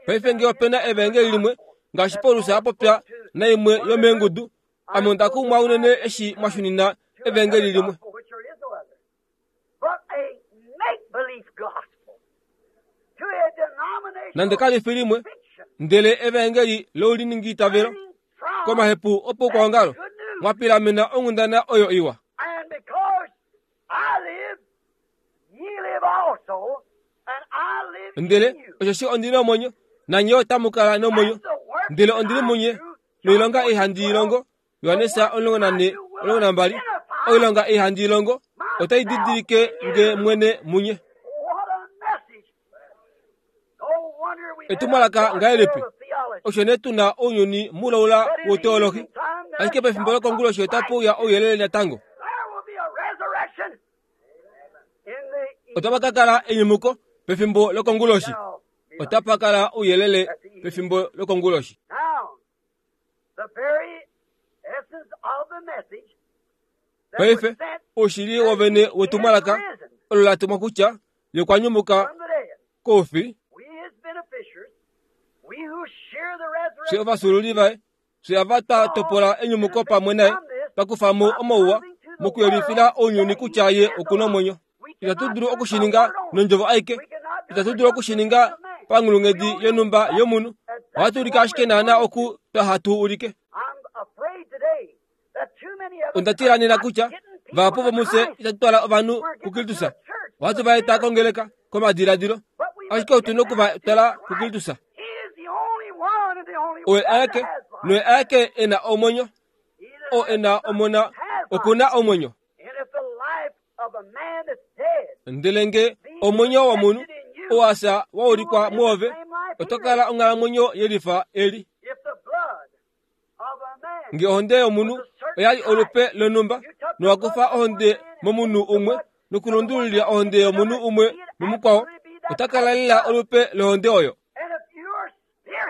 Paife nge opena evangeli limwe ngaashi Paulus a popya naimwe yomeengudu, ame onda kumwa unene eshi mwa shunina evangeli limwe. Nande kali fi limwe, ndele evangeli louliningiitavelo komahepu opoukwaongalo mwa pilamena onghundana oyo iwa. Ndele osheshi ondina omwenyo, nanye otamu kala nomwenyo. Ndele ondili munye noilonga ei handi i longo. Johannes omulongo nane omulongo nambali. Oilonga ei handi i longo otai didilike nge mwene munye. Etumwalaka ngahelipi? Osho nee tuna ounyuni mulaula woteolohi, ashike pefimbo lokonguloshi otapu uya ouyelele natango. Otapa ka kala enyumuko pefimbo lokonguloshi. Otapa kala ouyelele pefimbo lokonguloshi. Paife oushili wovene wetumwalaka olo la tumwa kutya ye okwa nyumuka koufi. Fye ovafyuululi vaye, fye ava twa topola enyumuko pamwe naye, twa kufa mo omauwa mokuyelifila ounyuni kutya ye okuna omwenyo. Itatu dulu okushininga nondjovo aike, itatu dulu okushininga panghulunghedi yonhumba yomunhu. Ohatu ulike ashike naana oku twa hatu ulike. Onda tila nena kutya vahapu vomufye itatu twala ovanhu kuKristus. Ohatu va eta kongeleka komadiladilo, ashike otu na oku va twala kuKristus. Oye aeke noye aeke e na omwenyo, oo e na omona okuna omwenyo. Ndele nge omwenyo womunhu oo a fya wa ulikwa mwoove, oto kala onghalamwenyo yelifa eli. Nge ohonde yomunhu oya li olupe lonhumba, nowakufa ohonde momunhu umwe nokulundululila ohonde yomunhu umwe momukwao, ota kala lela olupe lohonde oyo.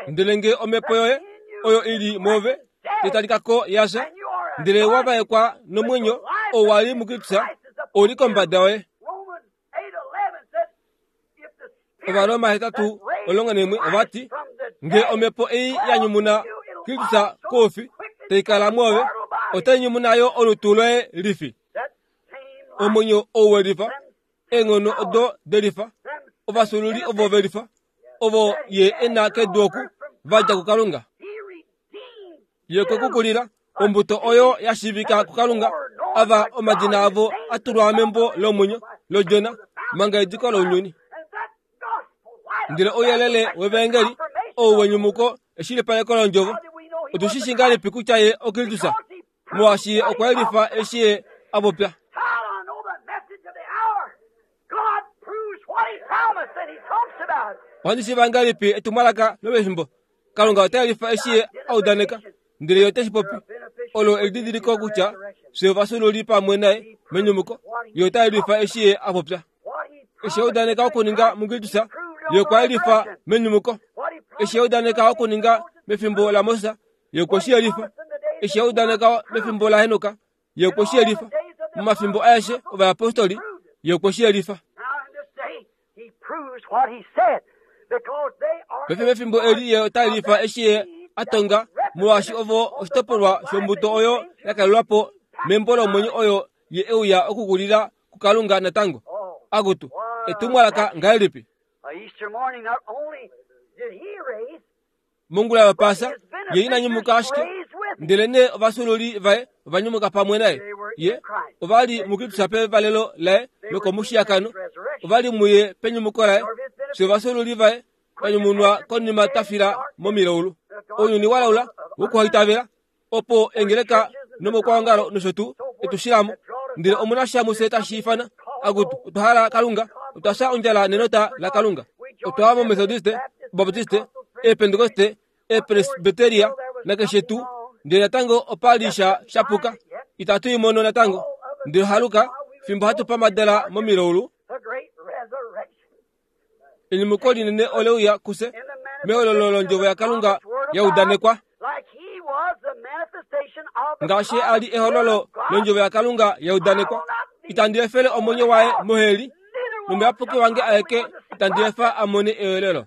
Ndele nge omhepo yoye oyo ili mwoove italikako yasha, ndele wavaekwa nomwenyo ou wa li muKristus ou li kombada yoye. Ovaroma hetatu omulongo naimwe ovati, nge omhepo ei ya nyumuna Kristus koufi tai kala mwoove, otai nyumuna yo olutu loye lifi. Omwenyo ou welifa, eenghono odo delifa, ovasululi ovo velifa, ovo ye ena kedu oku va dja kuKalunga. Ye okwe ku kulila ombuto oyo ya shiivika kuKalunga, ava omadina avo a tulwa membo lomwenyo lOdjona manga ediko lounyuni. Ndele ouyelele wevaengeli ou wenyumuko eshilipaleko londjovo. Otu shi shi ngahelipi kutya ye oKristus? Molwaashi ye okwa yelifa eshi ye a popya. Ohandi shiiva ngahelipi etumwalaka lopefimbo? Kalunga ota yelifa eshi ye a udaneka, ndele ye ote shi popi. Olo elididiliko kutya fye ovasululi pamwe naye menyumuko. Ye ota yelifa eshi ye a popya. Eshi a udaneka okuninga muKristus, ye okwa yelifa menyumuko. Eshi a udaneka okuninga mefimbo laMoses, ye okwe shi yelifa. Eshi a udaneka mefimbo laHenok, ye okwe shi yelifa. Momafimbo aeshe ovayapostoli, ye okwe shi yelifa. Paife mefimbo eli ye ota yelifa eshi ye a tonga, molwaashi ovo oshitopolwa shombuto oyo ya kalelwa po membo lomwenyo oyo ye euya okukulila kuKalunga natango. Akutu, etumwalaka ngahelipi? Mongula yOpaasa, ye ina nyumuka ashike, ndelenee ovasululi vaye ova nyumuka pamwe naye. Ye ova li muKristus pevalelo laye lokomushiyakano, ova li muye penyumuko laye. Fye ovasululi vaye twa nyumunwa konima twa fila momilaulu. Ounyuni wa laula wokuhaitavela, opo engeleka nomokwaongalo nosho tuu etu shilamo. Ndele omuna sha mufye tashi ifana, akutu, otwa hala Kalunga, otwa fya ondjala nenota laKalunga. Otwa wa moMethodiste, Baptiste, eepentekoste, eepresbyteria nakeshe tuu, ndele natango opa li sha shapuka. Itatu i mono natango. Ndele haluka, fimbo hatu pamadala momilaulu, enyumuko linene ole uya kufye mehololo londjovo yaKalunga ya udanekwa. Ngaashi a li ehololo londjovo yaKalunga ya udanekwa, itandi efele omwenyo waye moheli, nomuyapuki wange aeke itandi efa a mone eyolelo.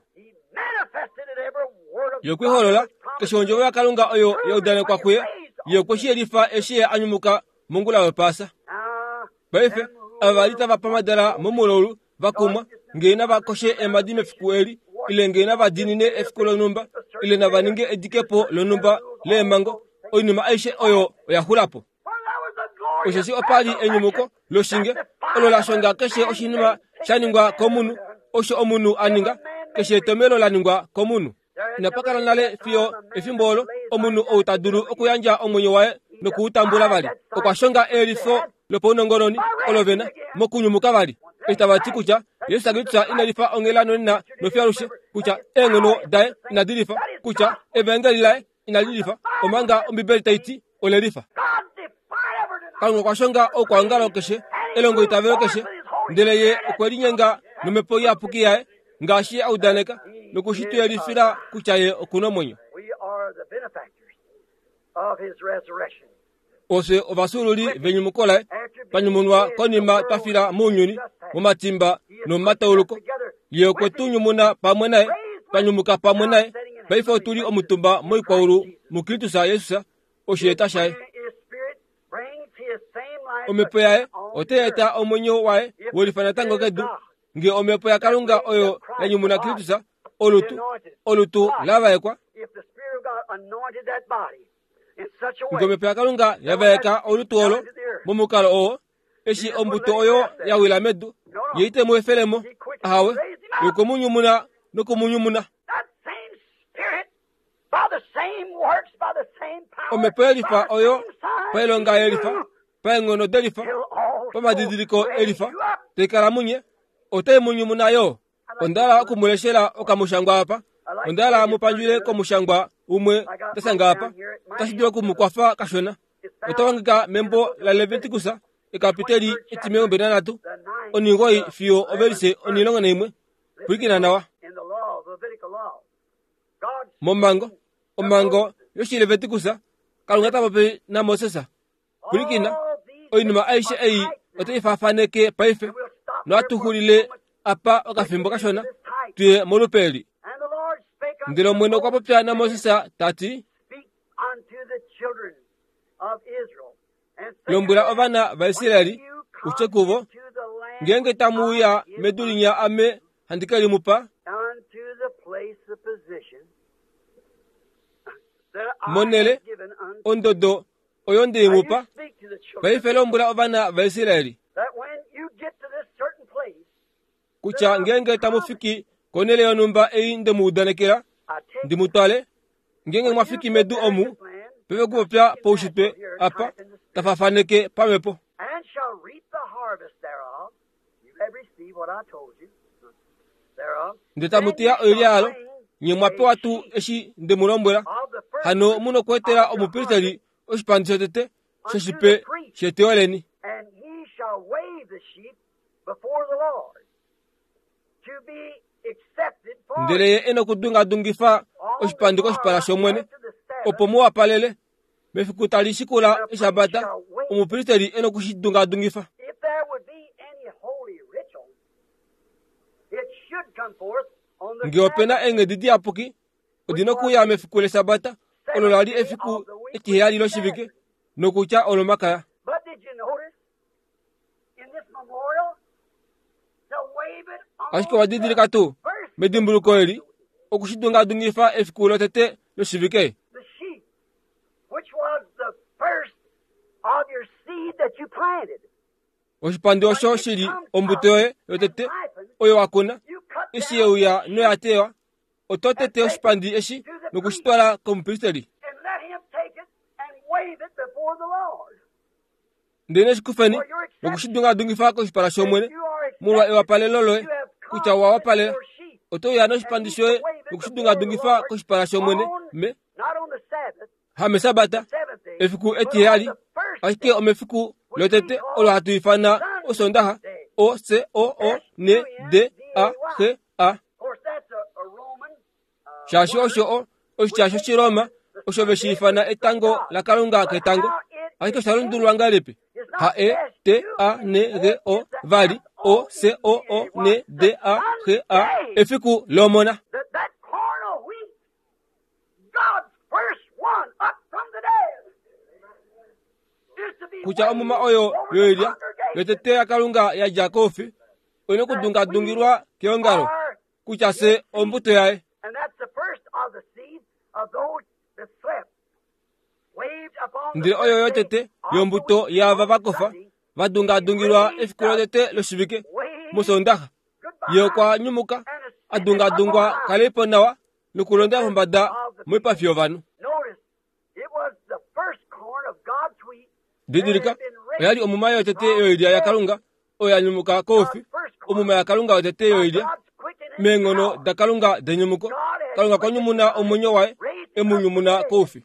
Ye okwe holola keshe ondjovo yaKalunga oyo ya udanekwa kuye. Ye okwe shi yelifa eshi ye a nyumuka mongula yOpaasa. Paife ava va li tava pamadala momulaulu va kumwa, ngee nava koshe eemhadi mefiku eli, ile ngee nava diinine efiku lonhumba, ile nava ninge edikepo lonhumba leemhango, oinima aishe oyo oya xula po. Osheshi opa li enyumuko loshinge olo la shonga keshe oshinima sha ningwa komunhu, osho omunhu a ninga, keshe etomelo la ningwa komunhu. Inapa kala nale fiyo efimbo olo omunhu ou ta dulu okuyandja omwenyo waye nokuutambula vali. Okwa shonga eyelifo lopaunongononi olo vena mokunyumuka vali, eshi tava ti kutya Jesus Kristus ina lifa onghela nonena nofiyo alushe, kutya eenghono daye inadi lifa, kutya evaengeli laye inali lifa, omanga Ombibeli tai ti ole lifa. Kalunga okwa shonga oukwaongalo keshe, elongoitavelo keshe, ndele ye okwe linyenga nomhepo iyapuki yaye ngaashi a udaneka, noku shi tu yelifila kutya ye oku na omwenyo. Ofye ovasululi venyumuko laye, twa nyumunwa konima twa fila mounyuni, momatimba nomomatauluko. Ye okwe tu nyumuna pamwe naye, twa nyumuka pamwe naye. Paife otu li omutumba moikwaulu muKristus Jesus, osheeta shaye. Omhepo yaye otai eta omwenyo waye welifa natango kedu. Nge omhepo yaKalunga oyo ya nyumuna Kristus, olutu olutu la vaekwa, nge omhepo yaKalunga ya vaeka olutu olo momukalo oo, eshi ombuto oyo ya wila medu, ye ite mu efelemo, ahawe, ye okwe mu nyumuna nokumunyumuna. Omhepo yelifa oyo pailonga yelifa, paenghono delifa, pamadidiliko elifa, tai kala munye, otai mu nyumuna yo. Onda hala okumuleshela okamushangwa apa, Onda hala mupandjule komushangwa umwe ndasanga apa otashi dulu okumukwafa kashona. Otawangika membo la Leviticus ekapiteli etimilongo mbali nanhatu oningoi fiyo ovelise onilongo naimwe. Pwilikina nawa. Momango omango yoshiLeviticus Kalunga ta popi naMoses. Pwilikina, oinima aishe ei otai faafaneke paife nohatu xulile apa okafimbo kashona tuye molupe eli. Ndele Omwene okwa popya naMoses tati, lombwela ovana vaIsraeli utye kuvo, ngeenge tamu uya medu linya ame handi ke limupa, monele ondodo oyo nde imupa. Paife lombwela ovana vaIsraeli kutya ngeenge tamu fiki konele yonhumba ei nde mu udanekela ndi mu twale, ngeenge mwafiki medu omu, peve kupopya poushitwe apa tafafaneke pamhepo. Ndele tamu teya oilya yalo, nye mwa pewa tuu eshi nde mu lombwela. Hano mu nokweetela omupristeli oshipandi shotete shoshipe sheteyo leni. Ndele ye e nokudungadungifa oshipandi koshipala shOmwene, opo mu wapalele. Mefiku tali shikula Eshabata, omupristeli e nokushidungadungifa. Ngee opena eenghedi diyapuki, odi nokuuya mefiku lEshabata, olo la li efiku etiheyali loshivike, nokutya olomakaya. Ashike owa didilika tuu medimbuluko eli okushidungadungifa efiku lotete loshivike? Oshipandi osho shili ombuto yoye yotete oyo wa kuna, eshi yeuya noya teywa, oto tete oshipandi eshi nokushitwala komupristeli. Ndele neshikufeni nokushidungadungifa koshipala shOmwene molwa ewapalelo loye, kutya wa wapalela. Oto uya noshipandi shoye nokushidungadungifa koshipala shOmwene me hamesabata efiku etiheyali, ashike omefiku lotete olo hatu ifana Osondaha, O C O O N D A H A. Shaashi osho o oshitya shOshiroma osho veshi ifana etango laKalunga ketango, ashike osha lundululwa ngahelipi? H E T A N G O vali O C O O N D A H A, efiku lomona. Kutya omuma oyo yoilya yotete yaKalunga yadja koufi oina okudungadungilwa keongalo, kutya fye ombuto yaye. Ndele oyo yotete yombuto yaava vakofa vadungadungilwa efiku lotete loshivike mOsoondaxa. Ye okwa nyumuka adungadungwa kalipo nawa nokulonda pombada moipafi yovanhu. Didilika, oya li omuma yotete yoilya yaKalunga oyo ya nyumuka koufi, omuma yaKalunga yotete yoilya meenghono daKalunga denyumuko. Kalunga okwa nyumuna omwenyo waye, e mu nyumuna koufi.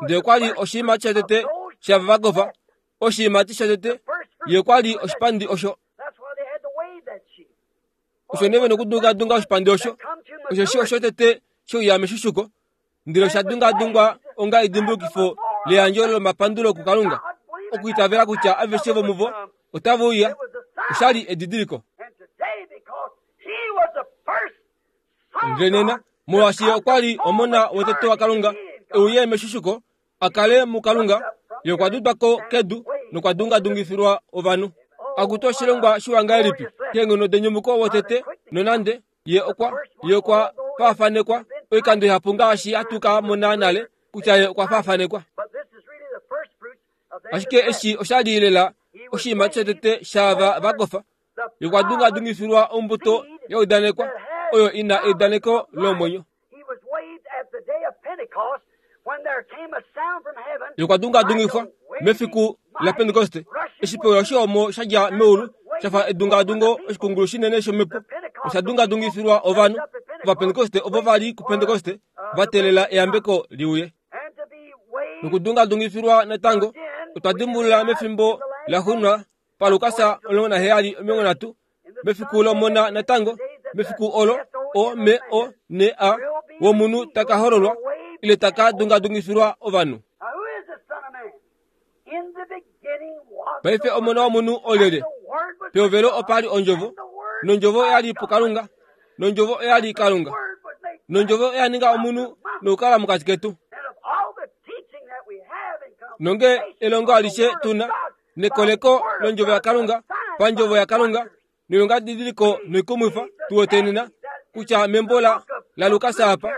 Ndele okwa li oshiimati shotete shava vakofa, oshiimati shotete, ye okwa li oshipandi osho. Osho nee vena okudungadunga oshipandi osho, osheshi oshotete shouya meshushuko, ndele osha dungadungwa onga edimbulukifo leyandjo lomapandulo kuKalunga, okwiitavela kutya aveshe vomuvo otava uya. Osha li edidiliko. Ndele nena, molwaashi ye okwa li omona wotete waKalunga e uye meshushuko a kale muKalunga, ye okwa dudwa ko kedu nokwa dungadungifilwa ovanhu. Akutu oshilongwa shiwa ngahelipi keenghono denyumuko wotete, nonande ye okwa ye okwa faafanekwa oikando ihapu ngaashi hatu ka mona nale kutya ye okwa faafanekwa. Ashike eshi osha li lela oshiimati shotete shaava vakofa, ye okwa dungadungifilwa ombuto ya udanekwa oyo ina eudaneko lomwenyo. Ye okwa dungadungifwa mefiku laPentekoste, eshi pewa oshihomo sha dja meulu shafa edungadungo oshikungulu shinene shomhepo, osha dungadungifilwa ovanhu. Ovapentekoste ovo va li kuPentekoste va teelela eyambeko liuye. Nokudungadungifilwa natango otwa dimbulula mefimbo laxuuninwa paLukas omulongo naheyali omilongo nhatu mefiku lomona natango mefiku olo O M O N A womunhu taka hololwa ile taka dungadungifilwa ovanhu. Paife omona womunhu olyelye? Pehovelo opa li ondjovo, nondjovo oya li puKalunga, nondjovo oya li Kalunga, nondjovo oya ninga omunhu nokukala mokati ketu. Nonge elongo alishe tuna nekoleko londjovo yaKalunga pandjovo yaKalunga noilongadidiliko noikumwifa tuwetenena kutya membo la laLukas apa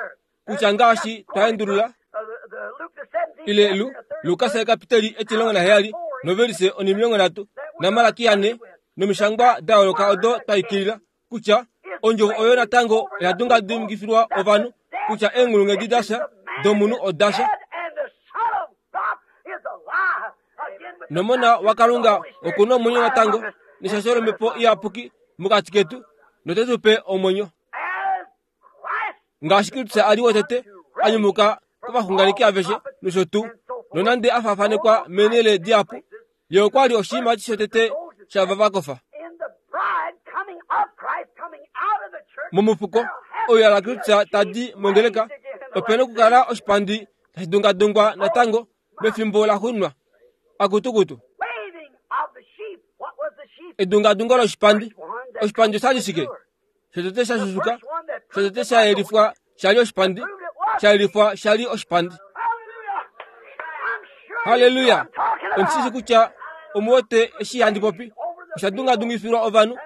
kutya ngaashi twaendulula ile Lu Lukas ekapiteli etilongo naheyali novelise onimilongo nhatu naMalaki ane nomishangwa da yooloka odo twaikilila kutya ondjovo oyo natango oya dungadungifilwa ovanhu kutya eenghulunghedi dasha domunhu odasha. Nomona waKalunga okuna omwenyo natango neshasho lomhepo iyapuki mokati ketu note tu pe omwenyo. Ngaashi Kristus a li wotete a nyumuka kovaxunganeki aveshe nosho tuu, nonande a faafanekwa meenhele dihapu, ye okwa li oshiimati shotete shava va kofa. Momufuko oyo laKristus tadi mongeleka, ope nokukala oshipandi tashi dungadungwa natango mefimbo laxuuninwa. Akutukutu. Edungadungo loshipandi. Oshipandi oshali shike? Shotete sha shushuka, shotete sha yelifwa shali oshipandi, sha yelifwa shali oshipandi. Haleluya! Ondishishi kutya omuwete eshi handi popi. Osha dungadungifilwa ovanhu,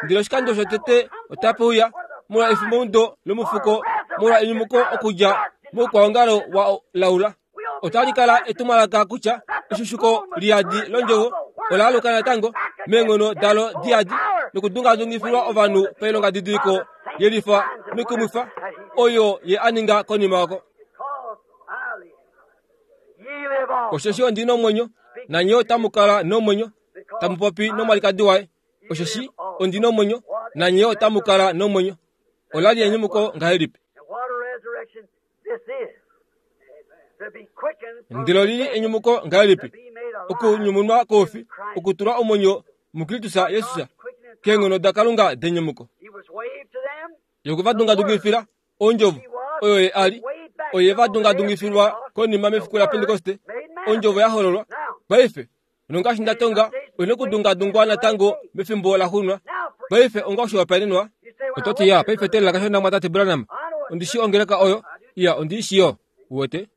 ndele oshikando shotete otape uya molwa efimbomudo lomufuko molwa enyumuko okudja moukwaongalo wa laula. Otali kala etumwalaka kutya eshushuko liyadi londjovo ola aluka natango meenghono dalo diyadi nokudungadungifilwa ovanhu pailongadidiliko yelifa noikumwifa oyo ye a ninga konima oko. Osheshi ondi nomwenyo, nanye otamu kala nomwenyo, tamu popi nomwalikadi waye. Osheshi ondi nomwenyo, nanye otamu kala nomwenyo. Ola li enyumuko ngahelipi? Ndele oli li enyumuko ngahelipi? Okunyumunwa koufi, okutulwa omwenyo muKristus Jesus keenghono daKalunga denyumuko. Yokuvadungadungifila ondjovo oyo ye a li, oye va dungadungifilwa konima mefiku laPentekoste, ondjovo ya hololwa. Paife nongaashi nda tonga, oina okudungadungwa natango mefimbo laxuuninwa. Paife onga oshihopaenenwa, oto ti ya paife teelela kashona mwatate Branham, ondi shi ongeleka oyo, iya ondi shi yo, uwete.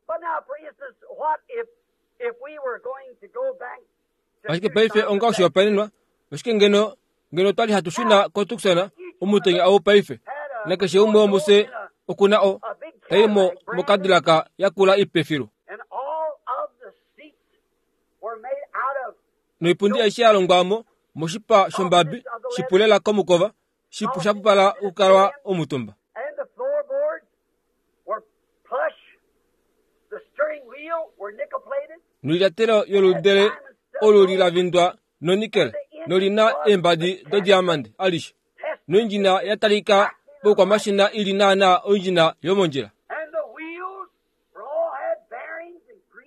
Ashike paife onga oshihopaenenwa, oshike ngeno ngeno twali hatu shuna koTucson omutenya ou paife, nakeshe umwe womufye okuna o tai mo mokadilaka yakula ipefilu. Noipundi aishe ya longwamo moshipa shombabi shipulela komukova, shipu shapupala okukalwa omutumba. Noilyatelo yoludele olu lilavindwa nonikel nolina eembadi dodiamande alishe. Noindjina ya talika poukwamashina ili naana oindjina yomondjila.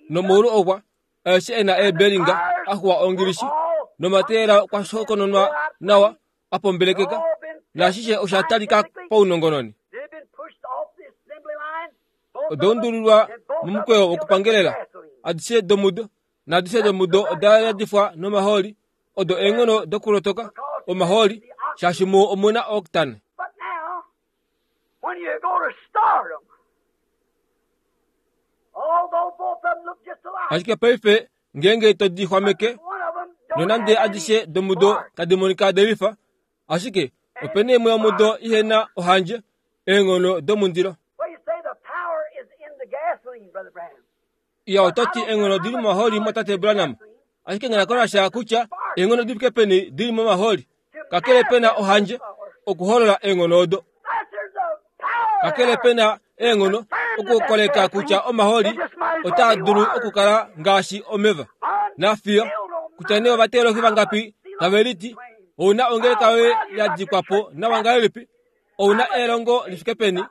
Nomaulu okwa aeshe e na eebelinga axuwa ongilishi nomateyela kwa shokononwa nawa apombelekeka, naashishe osha talika paunongononi. Oda undulilwa momukweyo wokupangelela adishe domudo, naadishe domudo oda yadifwa nomahooli, odo eenghono dokulotoka omahooli, shaashi muo omuna octane. Ashike paife ngeenge to di xwameke, nonande adishe domudo tadi monika delifa, ashike opena imwe yomudo ihena ohandje, eenghono domundilo. Iya oto ti eenghono dili momahooli mwatate Branham, ashike nghenakonasha kutya eenghono di fike peni dili momahooli, kakele pena ohandje okuholola eenghono odo. Kakele pena eenghono okukoleka kutya omahooli otaa dulu okukala ngaashi omeva. Nafiyo kutya nee ovateologi vangapi tave liti ouna ongeleka yoye ya dikwa po nawa ngahelipi, Ouna elongo lifike peni?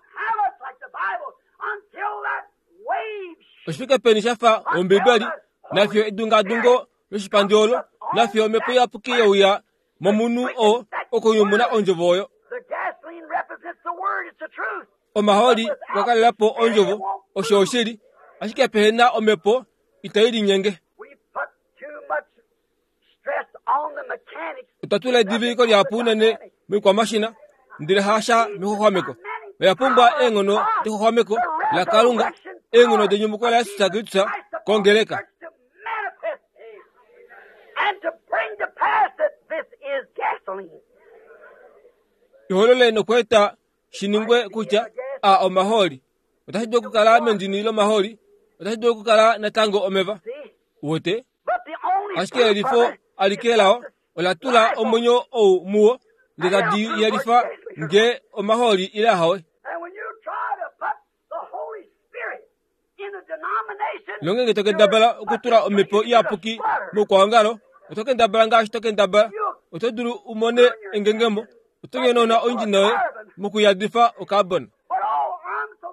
Oshifike peni shafa ombibeli nafiyo edungadungo loshipandi olo nafiyo omhepo iyapuki youya momunhu oo okunyumuna ondjovo oyo. Omahooli okwa kalelapo ondjovo osho oshili, ashike pehena omhepo itai linyenge. Otwa tula ediviliko lihapu unene moikwamashina ndele hasha mexuxwameko. Oya pumbwa eenghono dexuxwameko laKalunga, eenghono denyumuko laJesus Kristus kongeleka. Iholole nokweeta shiningwe kutya a omahooli. Otashi dulu okukala mendini lomahooli, otashi dulu okukala natango omeva. Wote? Ashike elifo alike lao ola tula omwenyo ou muwo ndele tadi yelifa nge omahooli ile ahawe. Nongenge tokendabala okutula omhepo iyapuki moukwaongalo, oto kendabala ngaashi to kendabala, oto dulu umone engengemo, oto nyonauna oindjina yoye mokuyadifa okarbon.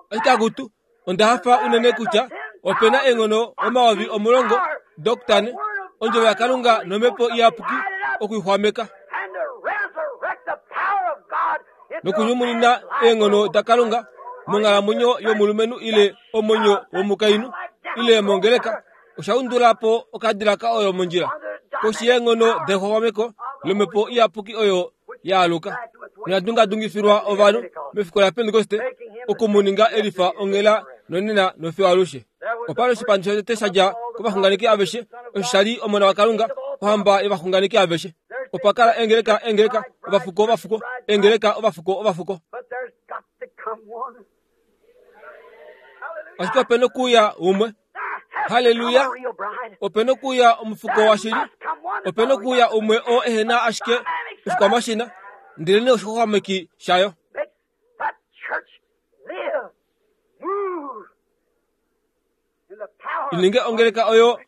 Ashike akutu, onda hafa unene kutya opena eenghono omayovi omulongo doktane ondjovo yaKalunga nomhepo iyapuki okuixwameka nokunyumunina eenghono daKalunga monghalamwenyo yomulumenhu ile omwenyo womukainhu ile mongeleka. Osha po okadilaka oyo mondjila koshi yeenghono dexuxwameko lomhepo iyapuki oyo yaaluka noyadungadungifilwa ovanhu mefiku laPentekoste okumuninga elifa onghela nonena nofiyo alushe. Opali oshipandi shotete sha dja kovaxunganeki aveshe, osho sha li omona waKalunga, ohamba yovaxunganeki aveshe. Opa kala eengeleka eengeleka ovafuko ovafuko eengeleka ovafuko ovafuko. Ashike opena okuuya umwe. Haleluya! Opena okuuya omufuko washili. Opena okuuya umwe oo ehena ashike oshikwamashina ndelene oshixwaxwameki shayo. Ininge ongeleka oyo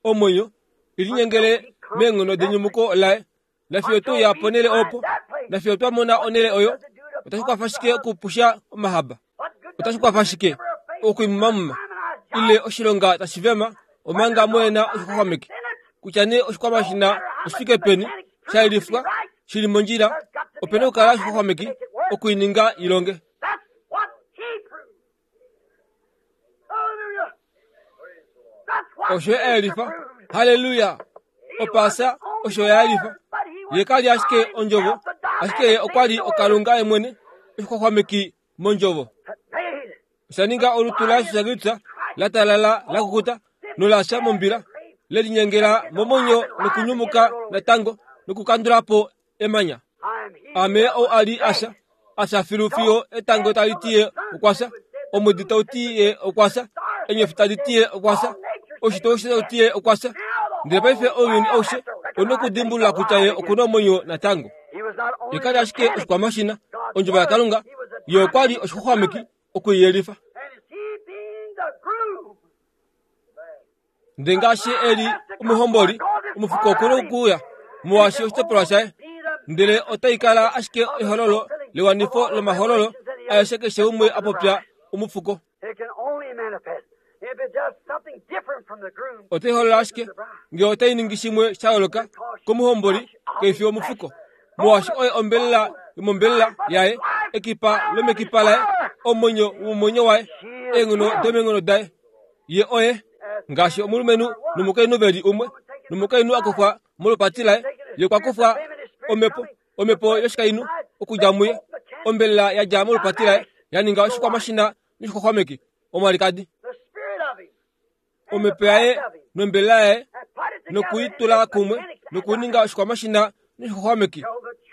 omwenyo ilinyengele meenghono denyumuko laye. Nafiyo tuya ponele opo, nafiyo twamona onele oyo, otashi kwafa shike okupusha omahaba? Otashi kwafa shike okuimumamuma ile oshilonga tashi vema omanga muena oshixwaxwameki? Kutya nee oshikwamashina oshifike peni sha yelifwa shili mondjila, opena okukala oshixwaxwameki okuininga ilonge. Osho eyelifa. Haleluya! Opaasa osho yayelifa. Ye kali ashike ondjovo, ashike ye okwa li oKalunga yemwene, oshixwaxwameki mondjovo. Osha ninga olutu laJesus Kristus la talala la kukuta nolasha mombila, lelinyengela momwenyo nokunyumuka natango nokukandula po emanya. Ame ou a li asha, asha filu fiyo etango tali ti ye okwasha, omwedi tau ti ye okwasha, enyofi tadi ti ye okwasha, oshito oshe tau ti ye okwasha. Ndele paife ounyuni aushe ouna okudimbulula kutya ye okuna omwenyo natango. Ye kali ashike oshikwamashina, ondjovo yaKalunga, ye okwa li oshixwaxwameki okuiyelifa. Ndele ngaashi e li omuhomboli, omufuko okuna okuuya molwaashi oshitopolwa shaye, ndele otai kala ashike ehololo lewanifo lomahololo aeshe keshe umwe a popya omufuko. Otai holola ashike ngee otai ningi shimwe sha yooloka komuhomboli keifi omufuko, molwaashi oye ombelela yomombelela yaye, ekipa lomekipa laye, omwenyo womomwenyo waye, eenghono domeenghono daye. Ye oye ngaashi omulumenhu nomukainhu veli umwe, nomukainhu a kufwa molupati laye, ye okwa kufwa omhepo, omhepo yoshikainhu okudja muye, ombelela ya dja molupati laye ya ninga oshikwamashina noshixwaxwameki omwalikadi. Omhepo yaye nombelela yaye nokuitula kumwe nokuninga oshikwamashina noshixwaxwameki.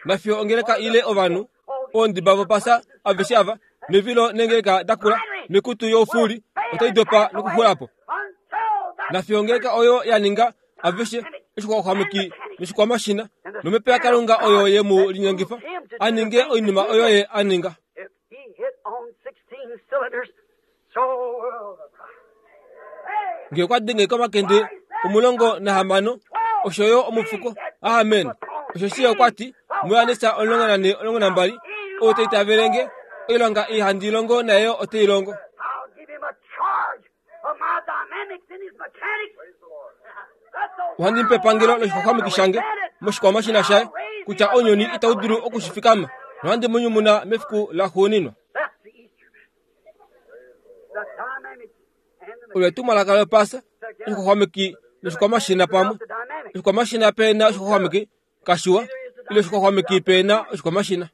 Nafiyo ongeleka ile ovanhu oondiba vopasa aveshe ava nevilo nengeleka dakula nekutu youfuli otai dopa nokuxula po. Nafiyo ongeleka oyo ya ninga aveshe oshixwaxwameki noshikwamashina nomhepo yaKalunga oyo ye mu linyengifa a ninge oinima oyo ye a ninga. Ngee okwa denge komakende omulongo nahamano osho yo omufuko. Amen. Osho shi okwa ti muJohannes omulongo nane omulongo nambali Ou ta itavele nge, oilonga ei handi longo naye otei longo. I'll give him a charge of my dynamics in his mechanics. That's the Ohandi mu pe epangelo loshixwaxwameki shange moshikwamashina shaye, kutya ounyuni itau dulu okushifikama, nohandi mu nyumuna mefiku laxuuninwa. That's the Easter message. The dynamics and the Olo etumwalaka lopasa, oshixwaxwameki noshikwamashina pamwe. The dynamics. Oshikwamashina pena oshixwaxwameki kashiwa, ile oshixwaxwameki pena oshikwamashina.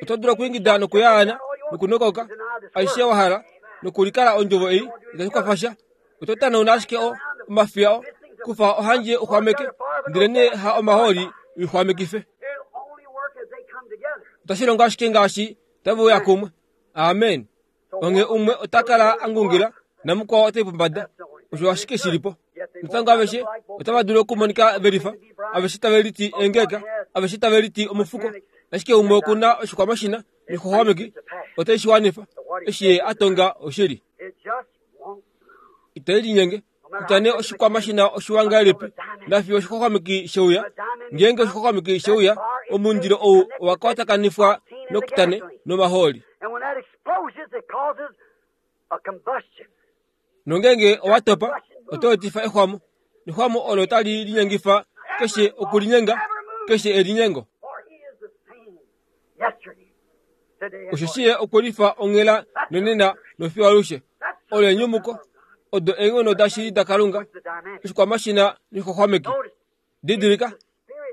Oto dulu okwiingida nokuyaana nokunokoka aishe wa hala nokulikala ondjovo ei itashi kwafasha. Oto tanauna ashike o omafiya o kufa ohandje uxwameke, ndele nee ha omahooli uixwamekife. It'll only work as they come together. Otashi longo ashike ngaashi tave uya kumwe. Amen. Onge umwe ota kala a ngungila namukwao otai pombada. Osho ashike shilipo. Natango aveshe otava dulu okumonika velifa, aveshe tave liti engeka, aveshe tave liti omufuko. Ashike umwe okuna oshikwamashina noshixwaxwameki otai shi wanifa. Eshi ye a tonga oshili. It just won't. Itai linyenge. Kutya nee oshikwamashina oshiwa ngahelipi, nafiyo oshixwaxwameki sheuya. Ngeenge oshixwaxwameki sheuya, omundilo ou owa kwatakanifwa nokutane nomahooli. And when that explodes, it causes a combustion. Nongeenge owa topa, oto etifa exwamo. Nexwamo olo tali linyengifa keshe okulinyenga, keshe elinyengo. For he is the same yesterday, today, and Osho forever. shiye okulifa onghela nonena nofiyo alushe. Olo enyumuko, odo eenghono dashili daKalunga, The dynamic. oshikwamashina noshixwaxwameki. Notice, Didilika,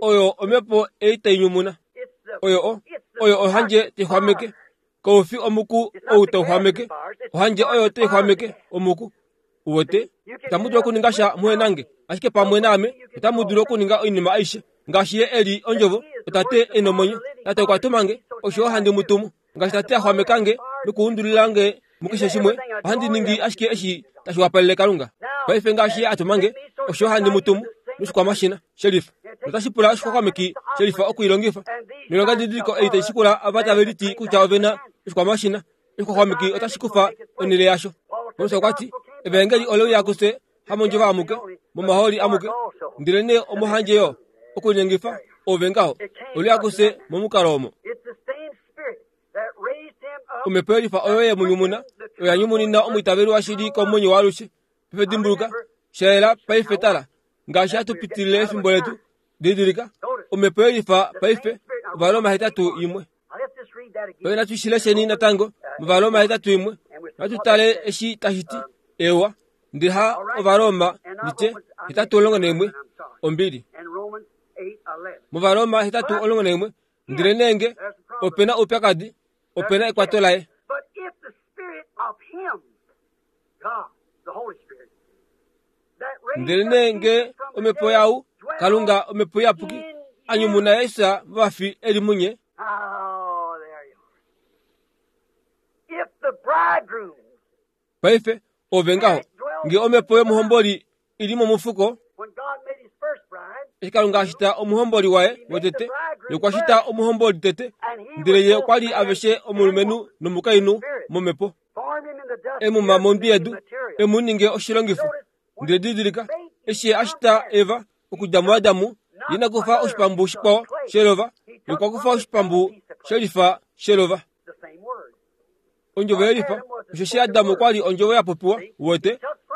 oyo omhepo ei tai nyumuna. it's the Oyo o, oyo ohandje tai xwameke. Koufi omuku ou tau xwameke, ohandje oyo tai xwameke omuku. Uwete, itamu dulu okuninga sha muhe nange, ashike pamwe naame otamu dulu okuninga oinima aishe. Ngaashi ye e li ondjovo, otate e nomwenyo. Tate okwa tuma nge, osho handi mu tumu. Ngaashi tate a xwameka nge nokuundulila nge mukeshe shimwe, ohandi ningi ashike eshi tashi wapalele Kalunga. Paife ngaashi ye a tuma nge, osho handi mu tumu noshikwamashina shelifa. Notashi pula oshixwaxwameki shelifa okuilongifa. Noilonga didiliko ei tai shikula ava tave liti kutya ove na oshikwamashina, oshixwaxwameki otashi kufa onhele yasho. Paulus okwa ti, Evangeli ole uya kufye hamondjovo amuke, momahooli amuke, ndele nee omohandje yo okulinyengifa ove ngaho. Ole uya kufye momukalo omo. It's the same spirit that raised him up. Omhepo yelifa oyo ye mu nyumuna, oya nyumunina omwiitaveli washili komwenyo waalushe. Paife dimbuluka, shayela paife tala, ngaashi hatu pitilile efimbo letu. Didilika, omhepo yelifa paife, Ovaroma hetatu imwe. Now let's just read that again. Paife natu shilesheni natango, mOvaroma hetatu imwe. Natu tale eshi tashi ti, ewa, ndele ha Ovaroma nditye hetatu omulongo naimwe, ombili. And Romans eight eleven. Movaroma hetatu omulongo naimwe, ndele nee nge opena oupyakadi, opena ekwato laye. But if the spirit of him, God, the Holy Spirit, that raised Ndele up nee nge Jesus from the omhepo dead yau, dwell Kalunga omhepo iyapuki, in a nyumuna Jesus movafi e li munye. Oh, there you are. If the bridegroom, Paife ove ngaho, nge omhepo yomuhomboli ili momufuko, when God made his first bride, eshi Kalunga a shita omuhomboli waye wotete, ye okwa shita omuhomboli tete, ndele ye okwa li aveshe omulumenhu nomukainhu momhepo. formed him in the dust Emuma mondwi yedu, material. emu ninge oshilongifo. Ndele didilika, eshi ye a shita Eva okudja muAdamu, ye na kufa oshipambu shikwao shelova, ye okwa kufa oshipambu shelifa shelova. The same word. Ondjovo yelifa, osheshi Adamu okwa li ondjovo ya popiwa, uwete,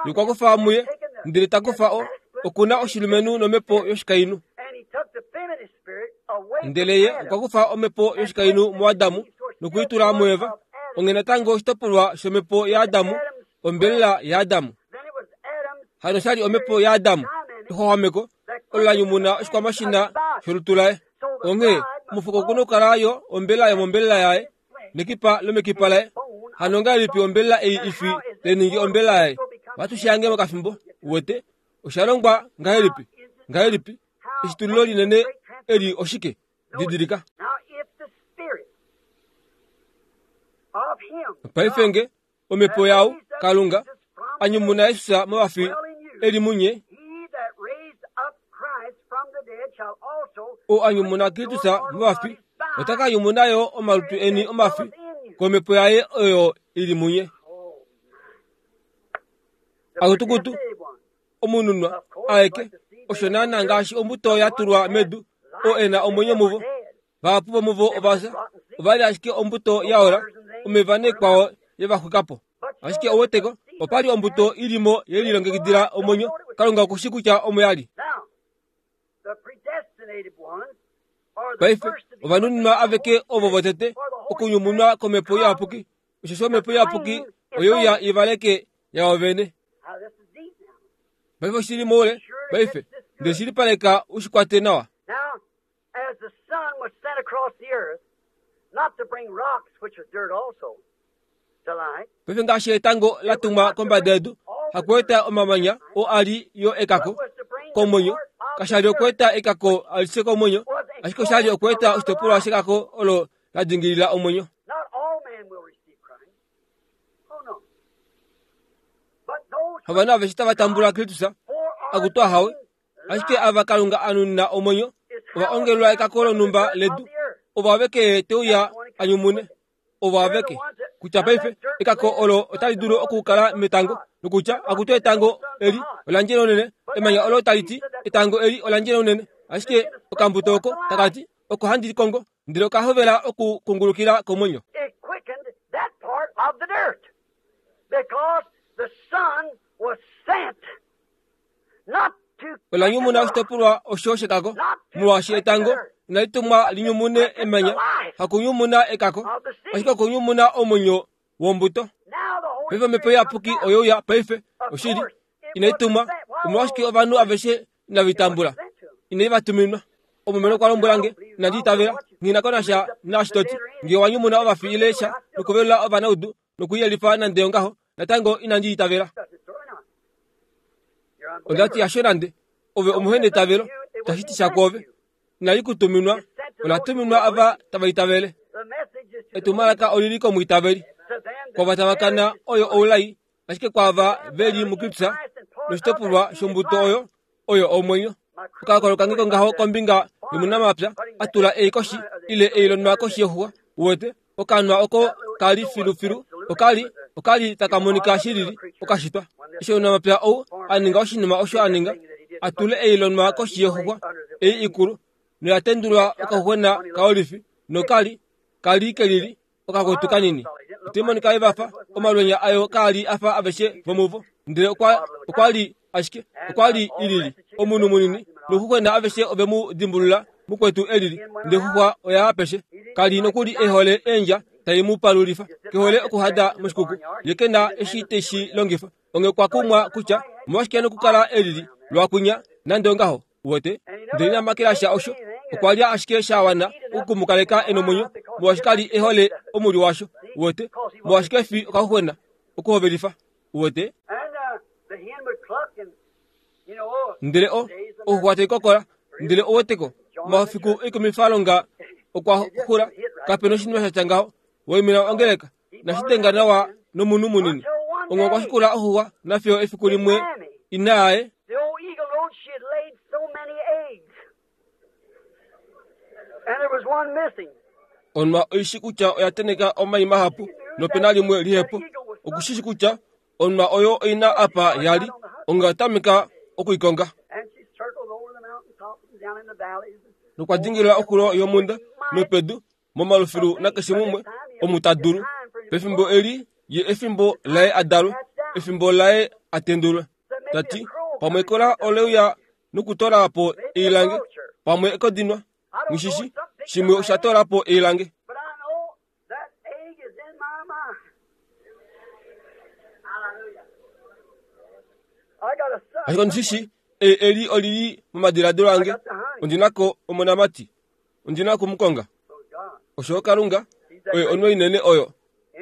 ye okwa kufa muye, ndele ta kufa o, okuna oshilumenhu nomhepo yoshikainhu. And he took the feminine spirit away from Ndele ye Adam. okwa kufa omhepo yoshikainhu muAdamu nokuitula muEva, onge natango oshitopolwa shomhepo yaAdamu, ombelela yaAdamu. Then it was Adam's Hano shali omhepo yaAdamu, exwaxwameko, olo la nyumuna oshikwamashina sholutu laye. Onghee omufuko okuna okukala yo ombelela yomombelela yaye, nekipa lomekipa laye. Hano ngahelipi ombelela ei ifi tai ningi ombelela yaye? Ohatu shi hange mokafimbo, uwete, osha longwa ngahelipi? Ngahelipi? Eshitululo linene eli oshike? Didilika. Now if the spirit of him, Paife nge omhepo yau, Kalunga, a nyumuna Jesus movafi e li munye, he that raised up Christ from the dead shall also oo a nyumuna Kristus movafi, ota ka nyumuna yo omalutu eni omafi komhepo yaye oyo ili munye. Oh, Akutukutu, the one. omununwa aeke, osho naana ngaashi ombuto ya tulwa medu, oo e na omwenyo muvo, Vahapu vomuvo ovafya ova li ashike ombuto ya ola omeva nekwao ye va xwika po. Ashike ouweteko opa li ombuto i li mo ye lilongekidila omwenyo. Kalunga okushi kutya omo ya li. Paife ovanuninwa aveke ovo votete okunyumunwa komhepo iyapuki, osheshi omhepo iyapuki oyeuya ivaleke yawo vene. Paife oshili moule, paife ndele shilipaleka ushikwate nawa. Now, as the sun was sent across the earth, not to bring rocks, which are dirt also, to light, Paife ngaashi etango la tumwa kombada yedu, hakueta omamanya oo a li yo ekako but was to bring the komwenyo, part of kasha li the okueta ekako alishe komwenyo, ashike osha li okueta oshitopolwa shekako olo la dingilila omwenyo. Not all men will receive Christ. Oh no. But those Havanhu aveshe tava tambula Kristus akutwa hawe, ashike ava Kalunga a nunina omwenyo ova ongelwa ekako lonhumba ledu, ovo aveke teuya a nyumune, ovo aveke. Kutya paife ekako olo otali dulu okukala metango, nokutya akutu etango eli olandjele unene, emanya olo tali ti etango eli olandjele unene, ashike okambuto oko takati oko handi kongo, ndele okahovela okukungulukila komwenyo. It quickened that part of the dirt because the sun was sent not to Ola nyumuna oshitopolwa osho shekako, molwaashi etango inali tumwa linyumune emanya, hakunyumuna ekako, ashike okunyumuna omwenyo wombuto. Now the Holy Paife omhepo iyapuki oyeuya paife oshili inai tumwa, omolwashike ovanhu aveshe inava itambula, inai va tuminwa. Omumeno okwa lombwela nge, inandi itavela, nghi na ko nasha naashi to ti, ngee wa nyumuna ovafi ile sha nokuvelula ovanaudu nokuyelifa nande ongaho, natango inandi itavela. Onda ti hasho nande, ove omuhenetavelo, tashi ti sha kwoove. Inali ku tuminwa, ola tuminwa ava tava itavele. The message is to Etumwalaka olili komwiitaveli. to them that Kwava tava kana oyo oulai, ashike kwaava ve li muKristus noshitopolwa shombuto oyo oyo omwenyo. Okakolo kange kongaho kombinga yomunamapya a tula ei koshi ile eilonwa koshi yexuwa, uwete okanwa oko kali filufilu okali okali taka monika shilili okashitwa. Eshi omunamapya ou a ninga oshinima osho a ninga, a tule eilonwa koshi yexuwa ei ikulu noya tendulwa okaxuxwena kaolifi nokali kali kelili okakwetu kanini. Ite monika evafa omalwenya ayo kaali afa aveshe vomuvo, ndele okwa okwa li ashike okwa li ilili omunhu munini noxuxwena aveshe ove mu dimbulula mukwetu elili, ndele xuxwa oya apeshe. Kali nokuli ehole eendja tai mu palulifa, kehole okuhada moshikuku, ye ke na eshi teshi longifa. Onge kwa kumwa kutya omolwashike nokukala elili lwakwinya nande ongaho, uwete. Ndele ina makela sha osho, okwa lya ashike sha wana okumukaleka e nomwenyo, molwaashi kali ehole omuli washo, uwete, molwaashi kefi okaxuxwena okuhovelifa, uwete. And uh, the hen would cluck and you know, oh, Ndele o oxuxwa tai kokola, ndele ouweteko omafiku ekumifalonga okwa xula, kapena oshinima sha tya ngaho. Waimina ongeleka nashitenga nawa nomunhu munini. Onge okwa shikula oxuxwa nafiyo efiku limwe ina yaye the old eagle knowed she had laid so many eggs. And there was one missing. Onwa oishi kutya oya teneka omai mahapu nopena limwe lihepo. Okushishi kutya onwa oyo oina apa yali, onge otameka okuikonga. And she circled over the mountaintops and down in the valleys. Nokwa dingilila oxulo yomhunda nopedu momalufilu nakeshe mumwe omu ta dulu. Pefimbo eli ye efimbo laye a dalwe, efimbo laye a tendulwe. Tati pamwe ekola oleuya nokutola po eilange, pamwe ekodinwa ngishishi shimwe osha tola po eilange. But I know that egg is in my mind. Hallelujah. I got a son. Ashike ondishishi ei eli olili momadiladilo ange, ondinako omonamati, ondina okumukonga. Oh, God. Osho Kalunga oye onwe inene oyo.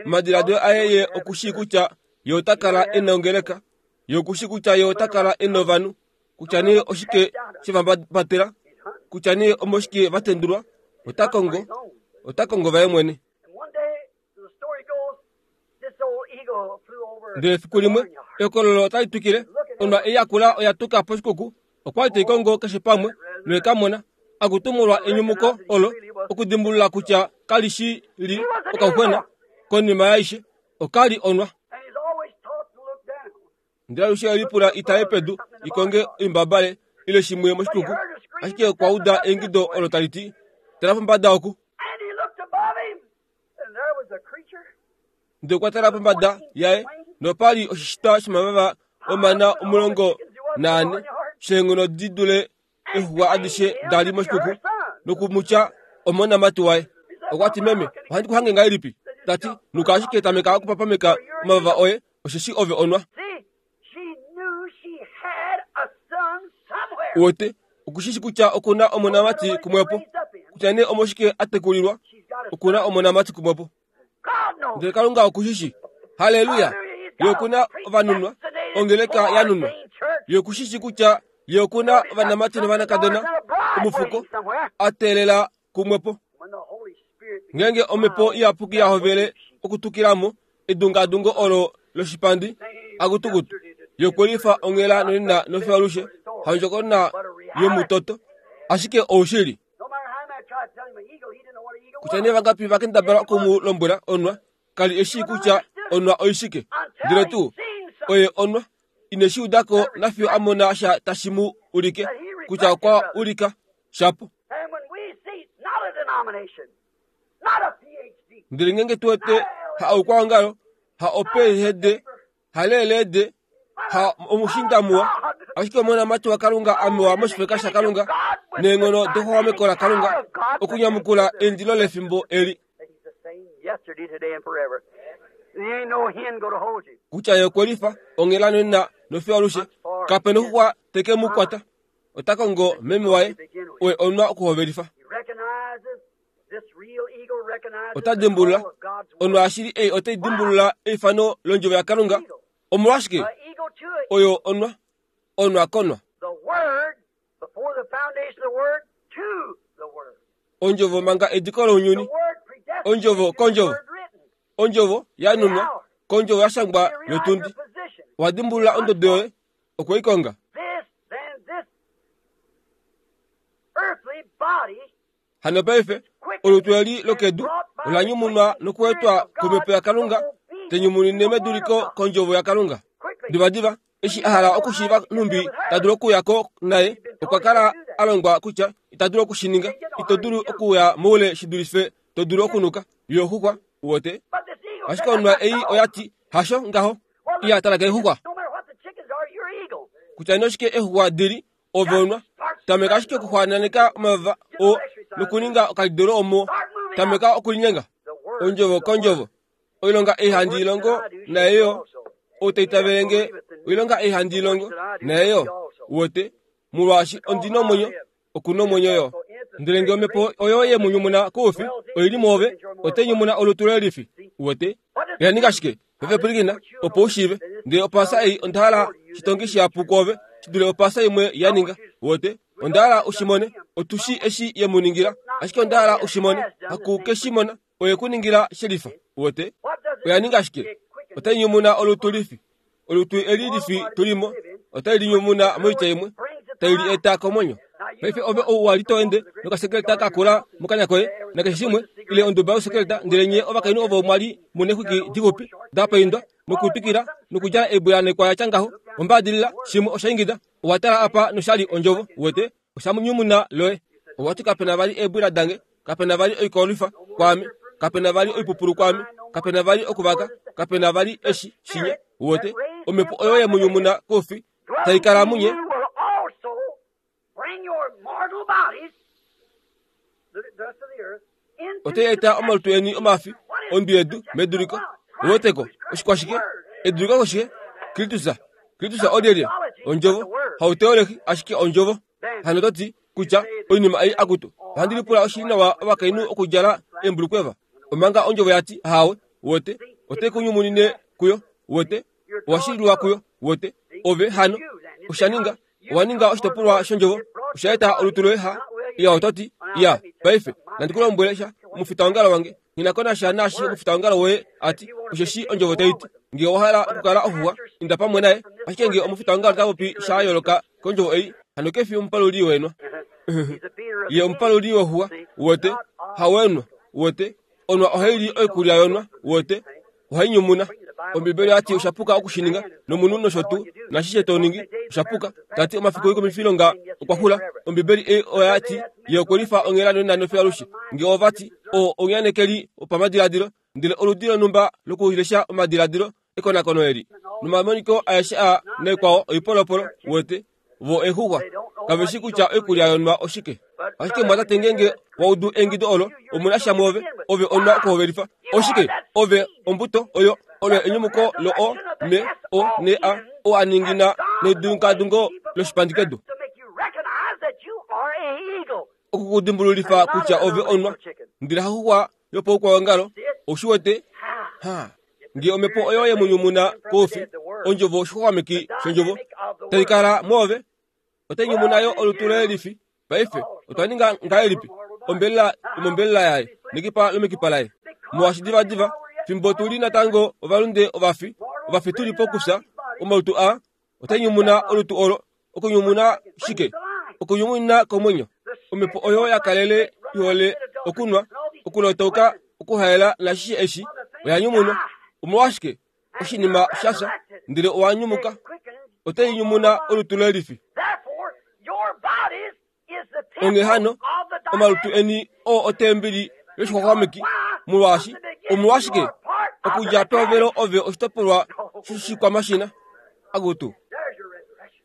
Omadiladilo aye ye okushii kutya ye ota kala e na ongeleka, ye okushii kutya ye ota kala e na ovanhu, kutya nee oshike shevambatela, kutya nee omoshike va tendulwa, ota kongo, ota kongo vaye mwene. And one day, the story goes, this old eagle flew over Ndele efiku limwe ekololo otali twikile, onwa ei yakula oya tuka poshikuku, okwa li tai kongo keshe pamwe noye ka mona. Akutumulwa enyumuko olo okudimbulula kutya kali shi li okaxuxwena konima yaishe, okali onwa. And he's always taught to look down. Ndele alushe elipula itale pedu ikonge oimbabale ile shimwe moshikuku, ashike okwa uda eingido olo tali ti, Tala pombada oku. Ndele okwa tala pombada yaye nopali oshishitwa shomavava omana omulongo naane sheenghono di dule exuwa adishe dali moshikuku nokumutya omonamati waye. Okwa ti, meme, ohandi ku hange ngahelipi? Tati, nuka ashike tameka okupapameka omavava oye, osheshi ove onwa. Uwete, okushishi kutya okuna omonamati kumwepo. Kutya nee omoshike a tekulilwa, okuna omonamati kumwepo. Ndele Kalunga okushishi. Haleluya! Ye okuna ovanunwa, ongeleka yanunwa. Ye okushishi kutya ye okuna ovanamati novanakadona, omufuko, a teelela kumwepo. Ngeenge omhepo iyapuki ya hovele okutukilamo edungadungo olo loshipandi akutukutu, yokulifa onghela nonena nofyalushe, haundjokonona yomutoto, ashike oushili. Kutya nee vangapi vakendabala okumu lombwela onwa, kali eshi kutya onwa oishike. Ndele tuu, oye onwa, ineshi udako nafiyo a mona sha tashi mu ulike, kutya okwa ulika shapo. Ndele ngeenge tu wete ha oukwaongalo, ha o P H D, ha L L D, ha omushinda muwa, ashike omonamati waKalunga amewa moshifeka shaKalunga neenghono dexuxwameko laKalunga okunyamukula eindilo lefimbo eli. Kutya ye okwe lifa onghela nonena nofiyo alushe, kape noxuxwa teke mu kwata. Ota kongo meme waye, oye onwa okuhovelifa. Ota dimbulula onwa yashili ei otai dimbulula eifano londjovo yaKalunga. Omolwashike? Oyo onwa, onwa konwa. Ondjovo manga ediko lounyuni, ondjovo kondjovo, ondjovo yanunwa kondjovo yashangwa yotundi. Owa dimbulula ondodo yoye, okwe i konga. Hano paife, olutu eli lokedu ola nyumunwa nokuetwa komhepo yaKalunga, tenyumunine meduliko kondjovo yaKalunga. Divadiva, eshi a hala okushiiva nhumbi ta dulu okuya ko naye, okwa kala a longwa kutya ita dulu okushininga. Ito dulu okuya moule shi dulife to dulu okunuka. Yo xuxwa, uwete. Ashike onwa ei oya ti, hasho ngaho. Iya tala keexuxwa. Kutya noshike eexuxwa dili, ove onwa. Tameka ashike okuxwaananeka omavava oo nokuninga okalidolo omo. Tameka okulinyenga. Ondjovo kondjovo. Oilonga ei handi ilongo naye yo, ou ta itavele nge, oilonga ei handi ilongo naye yo, uwete, molwaashi ondi nomwenyo, oku nomwenyo yo. Ndele nge omhepo oyo ye mu nyumuna koufi oili mwoove, otai nyumuna olutu loye lifi, uwete. Oya ninga shike? Paife pwilikina, opo u shiive. Ndele opaasa ei onda hala shitongi shihapu kwoove shi dule opaasa imwe ya ninga, uwete. Onda hala u shi mone. Otu shi eshi ye mu ningila, ashike onda hala u shi mone. Haku ke shi mona, oye ku ningila shelifa, uwete. Oya ninga shike? Otai nyumuna olutu lifi. Olutu eli lifi tulimo, otai linyumuna moitya imwe, tai li eta komwenyo. Paife ove ou wa li to ende nokasekeleta ka kula mokanya koye, nakeshe shimwe, ile onduba yosekeleta, ndele nye ovakainhu ovo mwa li mu neexwiki dixupi da paindwa nokutwikila nokudjala eebula ya tya ngaho, ombaadilila, shimwe osha ingida, owa tala apa noshali ondjovo, uwete, osha nyumuna loye. Owa ti kapena vali eebwila dange, kapena vali oikolwifa kwaame, kapena vali oipupulu kwaame, kapena vali okuvaka, kapena vali eshi shinye, uwete, omhepo oyo ye mu nyumuna koufi tai kala munye. Otai eta omalutu eni omafi ondwi yedu meduliko. Uweteko oshikwashike? Eduliko koshike? Kristus. Kristus olyelye? Ondjovo. Hauteolehi, ashike ondjovo. Hano to ti kutya oinima ei akutu. Ohandi lipula oshili nawa ovakainhu okudjala eembulukweva. Omanga ondjovo ya ti hawe, uwete, otai ku nyumunine kuyo, uwete, owa shililwa kuyo, uwete, ove hano osha ninga, owa ninga oshitopolwa shondjovo, osha eta olutu loye ha. Iya oto ti, iya, paife, nandi ku lombwele sha, omufitaongalo wange, nghi ko nasha naashi omufitaongalo woye ati, osheshi ondjovo tai ti, nge owa hala okukala oxuxwa, inda pamwe naye, ashike nge omufitaongalo ta popi sha yooloka kondjovo ei, hano kefi omupaluli wenwa. Ye omupaluli woxuxwa, uwete, hawenwa, uwete, onwa ohai li oikulya yonwa, uwete, ohai nyumuna. Ombibeli oyati oshapuka okushininga nomunhu nosho tuu nashishe toningi oshapuka. Tati omafiku oikumifilonga okwa xula. Ombibeli ei oyati ye okwelifa onghela nonena nofiyo alushe. Nge ovati oo omunyanekeli wopamadiladilo ndele oludi lonhumba lokulesha omadiladilo ekonakono eli nomamoniko aeshe a naikwao oipolopolo wete vo exuxwa kaveshi kutya oikulya yonwa oshike. Ashike mwatate ngenge waudu engido olo omuna sha mwove ove onwa okuhovelifa oshike ove ombuto oyo olo enyumuko lo o me o ne a o aningina nedunkadungo loshipandikedu okukudimbululifa kutya ove onwa ndele haxuxwa yopaukwaongalo oshiwete ha nge omhepo oyo yemunyumuna koufi ondjovo oshixwaxwameki shondjovo tai kala mwoove otai nyumuna yo olutu loye lifi. Paife otwa ninga ngahelipi ombelela yomombelela yaye nekipa lomekipa laye molwaashi divadiva fimbo tuli natango ovalunde ovafi ovafi tuli pokufya omalutu a otai nyumuna olutu olo okunyumuna shike okunyumuna komwenyo. Omhepo oyo yakalele ihole okunwa okulotauka okuhaela nashishe eshi oya nyumunwa. Omolwashike oshinima shafya ndele owa nyumuka otai nyumuna olutu loye lifi. Onghee hano omalutu eni oo otembeli yoshixwaxwameki molwaashi omolwashike okudja pehovelo ove oshitopolwa shoshikwamashina akutu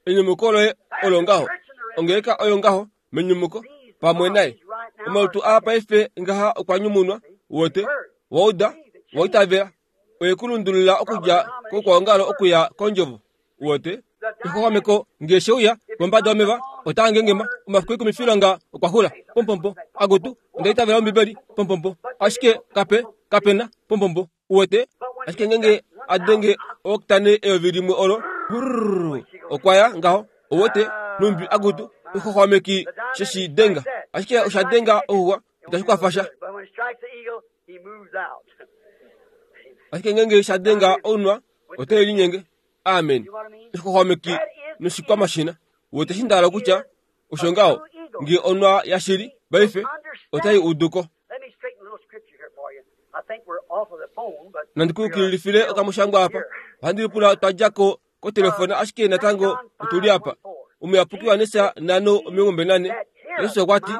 enyumuko loye olo ngaho ongeleka oyo ngaho menyumuko pamwe naye. Omalutu aa paife ngaha okwa nyumunwa wote wauda waitavela oye kulundulula okudja kokwaongalo okuya kondjovo wote exwaxwameko nge sheuya kombada yomeva otaa ngengema omafiku ekumifilonga okwa xula pompompo akutu ondaitavela ombibeli pompompo ashike kape kapena pompompo uwete ashike ngenge adenge oktane eyovi limwe olo brrr okwaya ngaho owete numbi akutu exwaxwameki sheshidenga ashike oshadenga ouwa itashi kwafasha ashike ngenge shadenga ounwa ote linyenge. Amen. Exwaxwameki noshikwamashina wete shindala kutya osho ngaho nge onwa yashili paife otai uduko. Nandikuyukililifile okamushangwa apa ohandi lipula twadjako kotelefona ashike natango otuli apa. Omuyapuki waNesa nano omilongo mbali nane Jesus okwa ti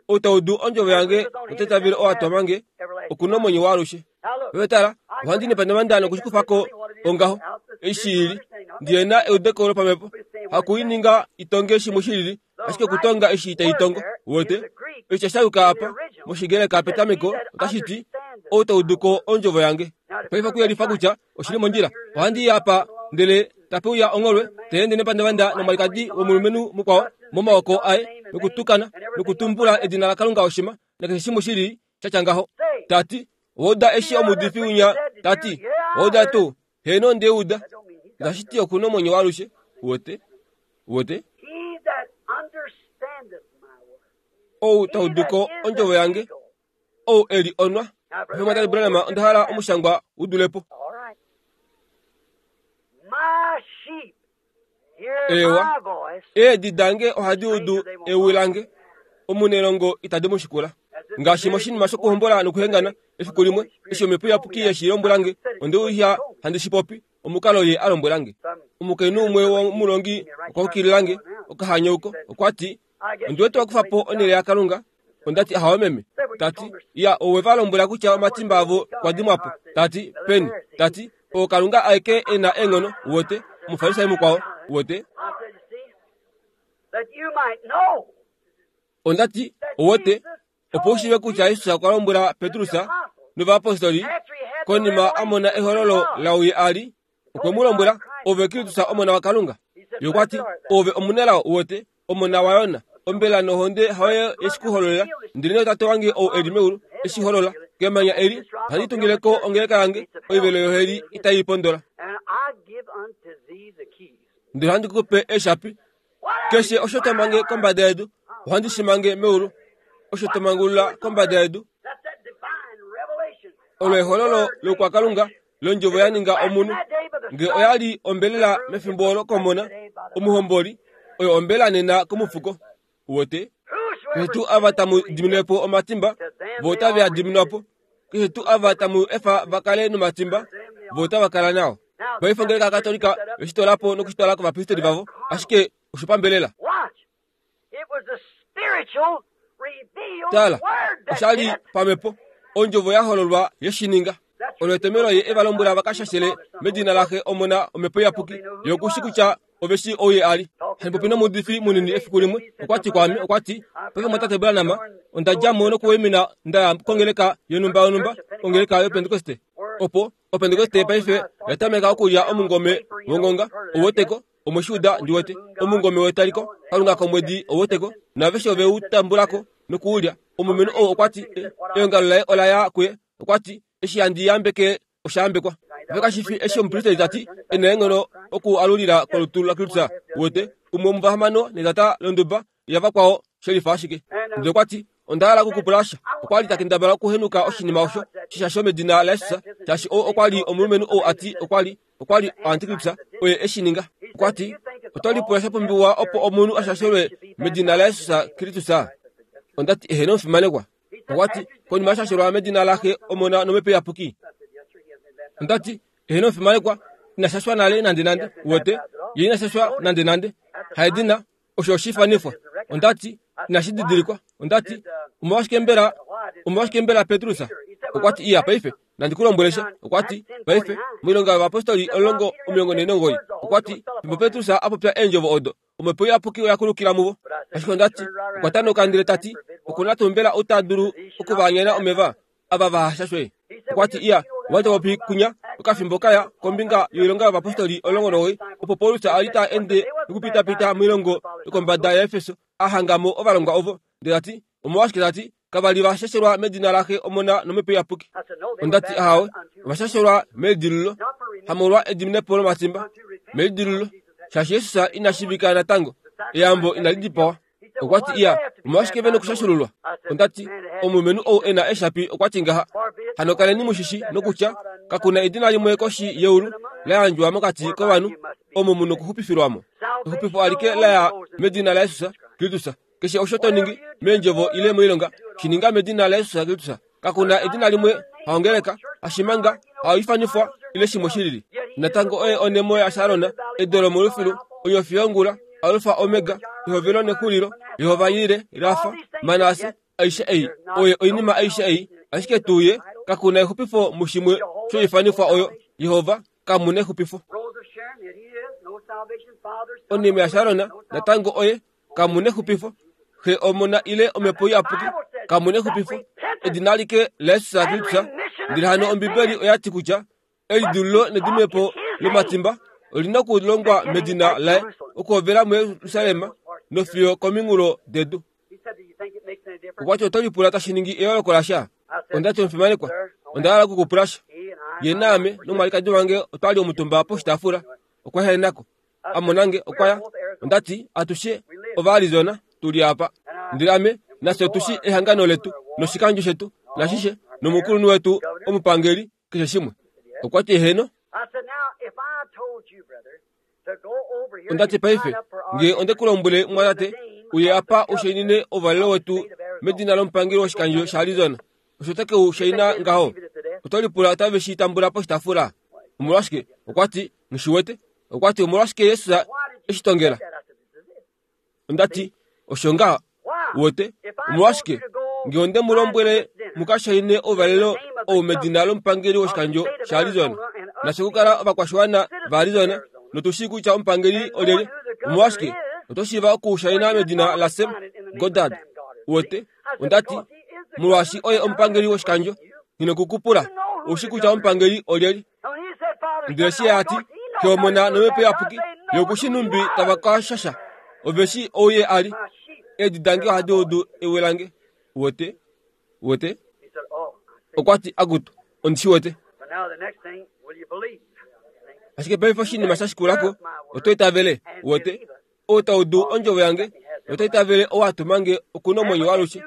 ou taudu ondjovo yange notaitavele oo atwamange okuna omwenyo waalushe. Paife tala ohandi nepandavanda nokushikufako ongaho eshi ili ndiyena eudeko lopamhepo hakuininga itonge shimwe shilili ashike okutonga eshi itai tongo wote eshi shayuka apa moshigreka petameko otashi ti ou tauduko ondjovo yange. Paife okuyelifa kutya oshili mondjila ohandi i apa ndele tapeuya ongholwe teende nepandavanda nomwalikadi womulumenhu mukwao momaoko aye nokutukana nokutumbula edina laKalunga oshima nakeshe shimwe shili shatya ngaho. Tati owauda eshi omuudifi winya tati owauda tuu heeno ndeuda ngashiti okuna omwenyo waalushe wote wote ou tauduko ondjovo yange ou eli onwa. Mwatate Branham onda hala omushangwa udulepo. Ewa eedi dange ohadi udu ewi lange omunelongo itadi mu shikula. Ngaashi moshinima shokuhombola nokuhengana efiku limwe eshi omhepo iyapuki yeshi lombwelange ondeuya handi shipopi omukalo ye alombwelange. Omukainhu umwe womulongi okwa ukililange okahanyauko okwa ti ondiwete wakufapo onhele yaKalunga. Ondati ahawe meme. Tati ya owe va lombwela kutya omatimba avo kwa dimwapo. Tati peni. Tati o Kalunga aeke ena eenghono wote omufarisayo mukwao wote. Ondati owote opo ushive kutya Jesus okwa lombwela Petrus novayapostoli konima amona ehololo lauye ali okwe mu lombwela ove Kristus omona waKalunga. Ye okwa ti ove omunelao wote omona waYona ombela nohonde hayo yeshikuhololela ndele tate wange ou eli meulu eshiholola kemanya eli ohandi tungileko ongeleka yange oivelo yoheli itai pondola. Ndele ohandi kupe eeshapi keshe osho tomange kombada yedu ohandi shimange meulu osho tomangulula kombada yedu olo ehololo lokwakalunga londjovo ya ninga omunhu nge oyali ombelela mefimbo olo komona omuhomboli oyo ombela nena komufuko wote keshe tuu ava tamu diminepo omatimba vo otave a diminwapo Keshe tuu ava tamu efa va kale nomatimba, vo otava kala nao. Paife ongeleka yaKatolika oshitolapo nokushitwala kovapristeri vavo, ashike oshopambelela. Tala, osha li pamhepo, ondjovo ya hololwa yeshininga. Olo etomelo ye eva lombwela va ka shashele medina laxe Omona Omhepo Iyapuki, ye okushi kutya ove shi ouye a li. Handi popi nomuudifi munini efiku limwe, okwa ti kwaame, okwa ti, paife mwatate Branham, onda dja mo nokuwaimina nda ya kongeleka yonhumba yonhumba, ongeleka yoPentekoste. Opo oPentekoste paife oya tameka okulya omungome wongonga, ouweteko, omweshiuda ndi wete, omungome wetaliko, Kalunga komwedi ouweteko, naaveshe ove u tambulako nokuulya. Omulumenhu ou okwa ti, eongalo laye ola ya kuye, okwa ti, eshi handi yambeke osha yambekwa. Ove kashi fi eshi omupristeri ta ti, e na eenghono oku alulila kolutu laKristus, uwete, umwe womuvahamano netata londuba yavakwao shelifa ashike. Ndele okwa ti, onda hala okukupula sha. Okwa li ta kendabala okuhenuka oshinima osho, shishasho medina laJesus, shaashi ou okwa li omulumenhu ou a ti okwa li, okwa li oantikristus, oye e shi ninga. Okwa ti, oto lipula sha pumbiwa opo omunhu a shashelwe medina laJesus Kristus? Onda ti, eheno omufimanekwa. Okwa ti, konima yashashelwa medina laxe Omona nOmhepo Iyapuki. Onda ti, eheno omufimanekwa, ina shashwa nale nande nande, uwete, ye ina shashwa nande nande. Haedina, osho oshifanifwa. Onda ti, inashi didilikwa. Onda ti, omolwashike mbela, omolwashike mbela Petrus? Okwa ti, iya paife, nandi ku lombwele sha. Okwa ti, paife, moilonga yovapostoli omulongo omilongo nhee nomugoyi. Okwa ti, fimbo Petrus a popya eendjovo odo, Omhepo Iyapuki oya kulukila muvo. Ashike onda ti, okwa tanuka ndele ta ti, okuna tuu mbela ou ta dulu okuvaanyena omeva ava va hashashwe? Okwa ti, iya, owali ta popi kunya okafimbo kaya kombinga yoilonga yovapostoli omulongo nomugoyi, opo Paulus a li ta ende nokupitapita moilongo yokombada yaEfeso, a hanga mo ovalongwa ovo. Ndele ta ti, omolwashike ta ti, kava li va shashelwa medina laxe Omona nOmhepo Iyapuki? Onda ti, ahawe, ova shashelwa melidilululo, hamolwa ediminepo lomatimba, melidilululo, shaashi Jesus ina shiivika natango, eyambo inali dipawa. Okwa ti, iya, omolwashike ve nokushashululwa? Onda ti, omulumenhu ou e na eeshapi okwa ti ngaha, hano kaleni mushishi nokutya, kakuna edina limwe koshi yeulu la yandjwa mokati kovanhu omo mu nokuxupifilwa mo. Exupifo alike la ya medina laJesus Kristus. Keshe osho to ningi meendjovo ile moilonga, shi ninga medina laJesus Kristus. Kakuna edina limwe haongeleka, hashimanga, haifanifwa ile shimwe shilili. Natango oye onemo yaSharon, edo lomolufilu, onyofi yongula, Alfa Omega, ehovelo nexulilo, Jehova Yire, Rafa, Manase, aishe ei, oye oinima aishe ei, ashike tuu ye, kakuna exupifo mushimwe shoifanifwa oyo, Jehova, kamuna exupifo. Onime yaSharon, natango oye, kamuna exupifo. Xe Omona ile Omhepo Iyapuki, kamuna exupifo. Edina alike laJesus Kristus. Ndele hano Ombibeli oya ti kutya elidululo nedimepo lomatimba olina okulongwa medina laye, okuhovela muJerusalem nofiyo kominghulo dedu. Okwa ti, oto lipula tashi ningi eyooloko lasha? Onda ti, omufimanekwa, onda hala okukupula sha. Ye naame nomwalikadi wange otwa li omutumba poshitaafula. Okwa ehenako, a mona nge, okwa ya. Onda ti, atushe Ovaarizona tu li apa. Ndele ame nafye otu shi ehangano letu noshikandjo shetu nashishe nomukulunhu wetu omupangeli, keshe shimwe. Okwa ti, eheno. Onda ti, paife, nge onde ku lombwele mwatate, uye apa u shainine ouvalelo wetu medina lomupangeli woshikandjo shaArizona, osho ote ke u shaina ngaho? Oto lipula otave shi tambula poshitaafula? Omolwashike? Okwa ti, nghi shi wete. Okwa ti, omolwashike Jesus eshi tongela? Onda ti, osho ngaha. Uwete? Omolwashike? Nge onde mu lombwele mu ka shaine ouvalelo ou medina lomupangeli woshikandjo shaArizona, nafye okukala ovakwashiwana vaArizona, notu shii kutya omupangeli olyelye, omolwashike oto shiiva oku shaina medina laSam Goddard? Uwete? Onda ti, molwaashi oye omupangeli woshikandjo, nghi nokukupula, ou shii kutya omupangeli olyelye. Ndele shi a ti, Xe Omona nOmhepo Iyapuki, ye oku shi nhumbi tava ka shasha. Ove shi ou ye a li. Eedi dange ohadi udu ewi lange. Uwete? Uwete? Okwa ti, akutu, ondi shi wete. Ashike paife oshinima sha shikulako, oto itavele, uwete? Ou ta udu ondjovo yange, nota itavele ou a tuma nge oku na omwenyo waalushe.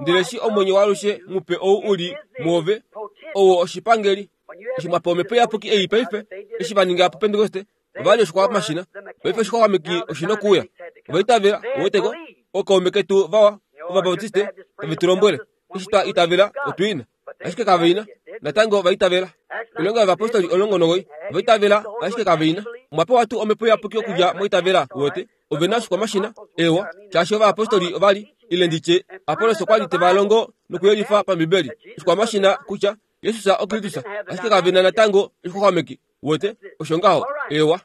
Ndele eshi omwenyo waalushe mupe ou u li muove, owo oshipangeli. Eshi mwa pewa Omhepo Iyapuki ei paife, eshi va ninga puPentekoste, ova li oshixwamashina. Paife oshixwameki oshi nokuuya. Ova itavela, uweteko, ookaume ketu vawa, Ovabaptiste, tave tu lombwele, eshi twa itavela, otu ina. Ashike kaveina natango vaitavela. Oilonga yovapostoli omulongo nogoi vaitavela ashike kaveina. Omwa pewa tuu omhepo iyapuki okudja moitavela wote. Ovena oshikwamashina ewa shaashi ovayapostoli ovali ile nditye Apollos okwali teva longo nokuyelifa pambibeli oshikwamashina kutya Jesus oKristus ashike kavena natango oshixwaxwameki wote osho ngaho ewa.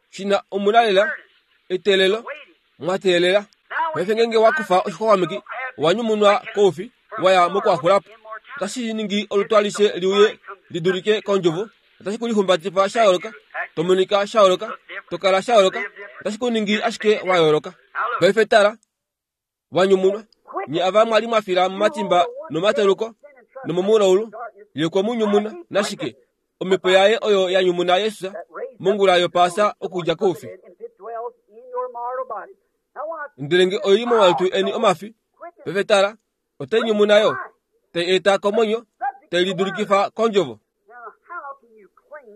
Shina omuna lela eteelelo mwateelela. Paife ngenge wakufa oshixwaxwameki owanyumunwa koufi waya mokuhaxulapo. Otashi ningi olutu alishe liuye lidulike kondjovo. Otashi kulihumbatifa sha yooloka, tomonika sha yooloka, tokala sha yooloka, otashi kuningi ashike wa yooloka. Paife tala, wanyumunwa nye ava mwali mwafila momatimba nomateluko nomomulaulu ye kwemunyumuna nashike omhepo yaye oyo yanyumuna Jesus mongula yopaasa okudja koufi. Ndele nge oili momalutu eni omafi, paife tala, otai nyumuna yo, tai eta komwenyo, tai lidulikifa kondjovo.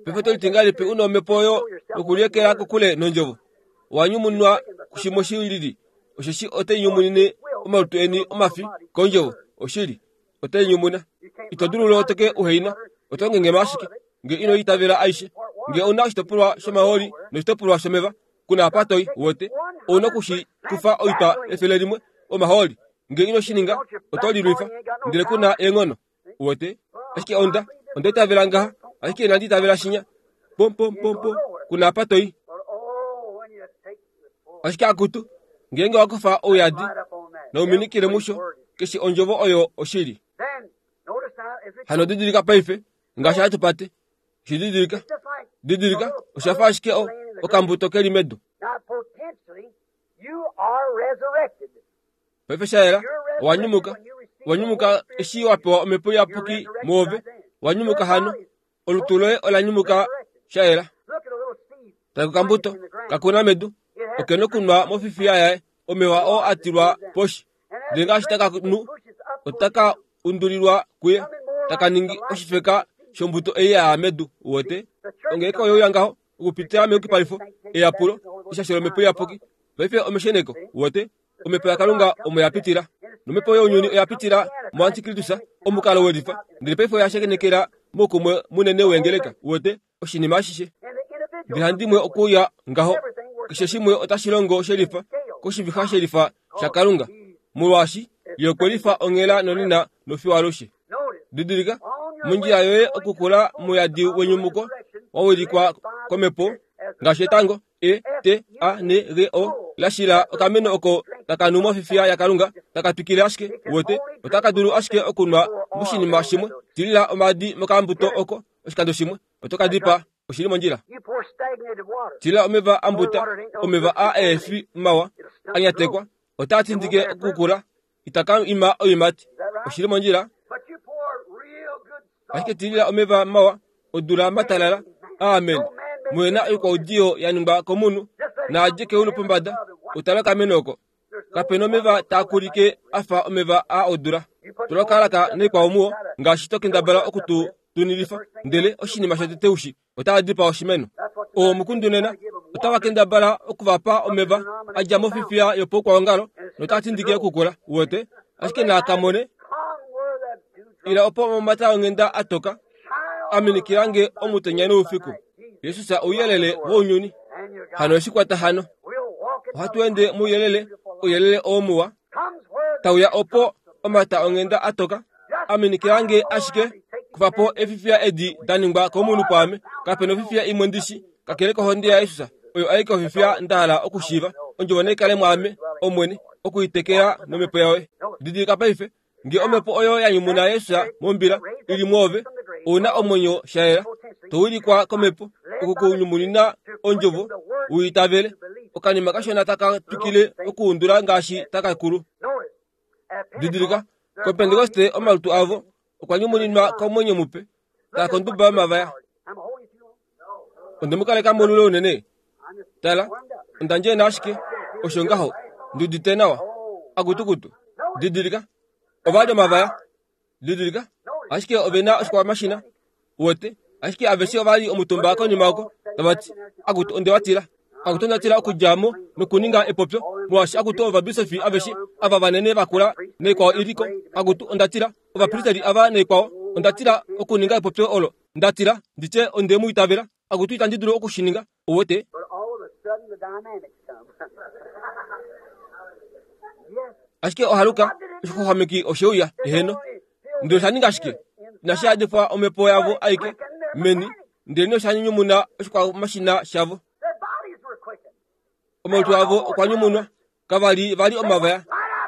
Paife toliti ngahelipi una omhepo oyo yokuliekela kokule nondjovo? Owanyumunwa kushimwe shilili, osheshi otai nyumunine omalutu eni omafi kondjovo. Oshili, otai nyumuna. Ito dulu loteke uheina, oto ngengema ashike nge ino itavela aishe. Nge ouna oshitopolwa shomahooli noshitopolwa shomeva, kuna apa toi wote, ouna okushi kufa oitwa efele limwe omahooli. Nge ino shi ninga, oto lilwifa, ndele kuna eenghono wote. Ashike onda, onda itavela ngaha, ashike inandi itavela shinya. Pom pom pom pom, kuna apa toi. Ashike akutu, ngeenge wakufa ouyadi nouminikile musho, keshe ondjovo oyo oshili. Hano didilika paife, ngaashi hatu pate. Shididilika, didilika, oshafa ashike o okambuto keli medu. Paife shayela, owanyumuka, owanyumuka eshi wapewa omhepo iyapuki mwoove, wanyumuka hano, olutu loye olanyumuka shayela. Tala kokambuto, kakuna medu, okena okunwa mofifiya yaye, omeva oo atilwa poshi. Ndele ngaashi taka nu, otaka undulilwa kuye, taka ningi oshifeka shombuto ei ya medu wote. Ongeleka oyeuya ngaho, okupitila meyukipalifo, eyapulo, eshasho lomhepo iyapuki. Paife omesheneko wote, omhepo yaKalunga omo yapitila. Nomhepo younyuni oya pitila moantikristus, omukalo welifa. Ndele paife oya shakenekela moukumwe munene wengeleka wote, oshinima ashishe. Ndele handimwe okuuya ngaho, keshe shimwe otashi longo shelifa, koshivixa shelifa shaKalunga, molwaashi ye okwe lifa onghela nonena nofiyo alushe. Didilika, mondjila yoye okukula mouyadi wenyumuko wawilikwa komhepo ngaashi etango E T A N G O lashila okameno oko taka nu mofifiya yaKalunga taka twikile ashike wote, otaka dulu ashike okunwa moshinima shimwe. Tilila omaadi mokambuto oko oshikando shimwe, oto ka dipaa. Oshili mondjila. Tilila omeva ambuta, omeva a eefi mawa anyatekwa, otaa tindike okukula, itaka ima oiimati. Oshili mondjila. Ashike tilila omeva mawa odula matalala. Amen. Mwena oikwaudiyo ya ningwa komunhu, naadje keulu pombada, utala okameno oko. Kapena omeva taa kulike afa omeva a odula. Tula okalaka noikwao muwo, ngaashi to kendabala okutu tunilifa, ndele oshinima shotete ushi, otaa dipaa oshimeno. Oo omukundu nena, otava kendabala okuvapa omeva a dja mofifiya yopoukwaongalo, notaa tindike okukula wote, ashike naa kamone ila opo omamata onghenda a toka, a minikila nge omutenya noufiku. Jesus ouyelele wounyuni. Hano oshikwata hano. Ohatu ende mouyelele, ouyelele oo muwa, tauya opo omata onghenda a toka, a minikila nge ashike, kufa po efifiya edi da ningwa komunhu pwaame. Kapena ofifiya imwe ndishi, kakele kohonde yaJesus, oyo aike ofifiya nda hala okushiiva. Ondjovo naikale mwaame, Omwene, okuitekela nomhepo yaye. Didilika paife, nge omhepo oyo ya nyumuna Jesus mombila ili mwoove, ouna omwenyo shayela, to wilikwa komhepo, okukunyumunina ondjovo, uitavele. Okanima kashona taka twikile okuundula ngaashi taka kulu. Didilika, koPentekoste omalutu avo okwa nyumuninwa komwenyo mupe, taa konduba yomavaya. Onde mu kaleka molule unene. Tala, onda ndjena ashike, osho ngaho, ndi udite nawa. Akutukutu. Didilika, ova li omavaya. Didilika, ashike ove na oshikwamashina wote, ashike aveshe ova li omutumba konima oko, tava ti, akutu, onde wa tila. Akutu onda tila okudja mo nokuninga epopyo molwaashi akutu ovabisofi aveshe ava vanene vakula naikwao iliko. Akutu onda tila ovapristeli ava naikwao, onda tila okuninga epopyo olo. Nda tila nditye onde mu itavela. Akutu itandi dulu okushininga. Uwete? Ashike ohaluka oshixwaxwameki osheuya eheno. Ndele osha ninga shike? Inashi yadifwa omhepo yavo aike meni, ndele osha nyumuna oshikwamashina shavo. Omalutu avo okwa nyumunwa, kava li vali omavaya,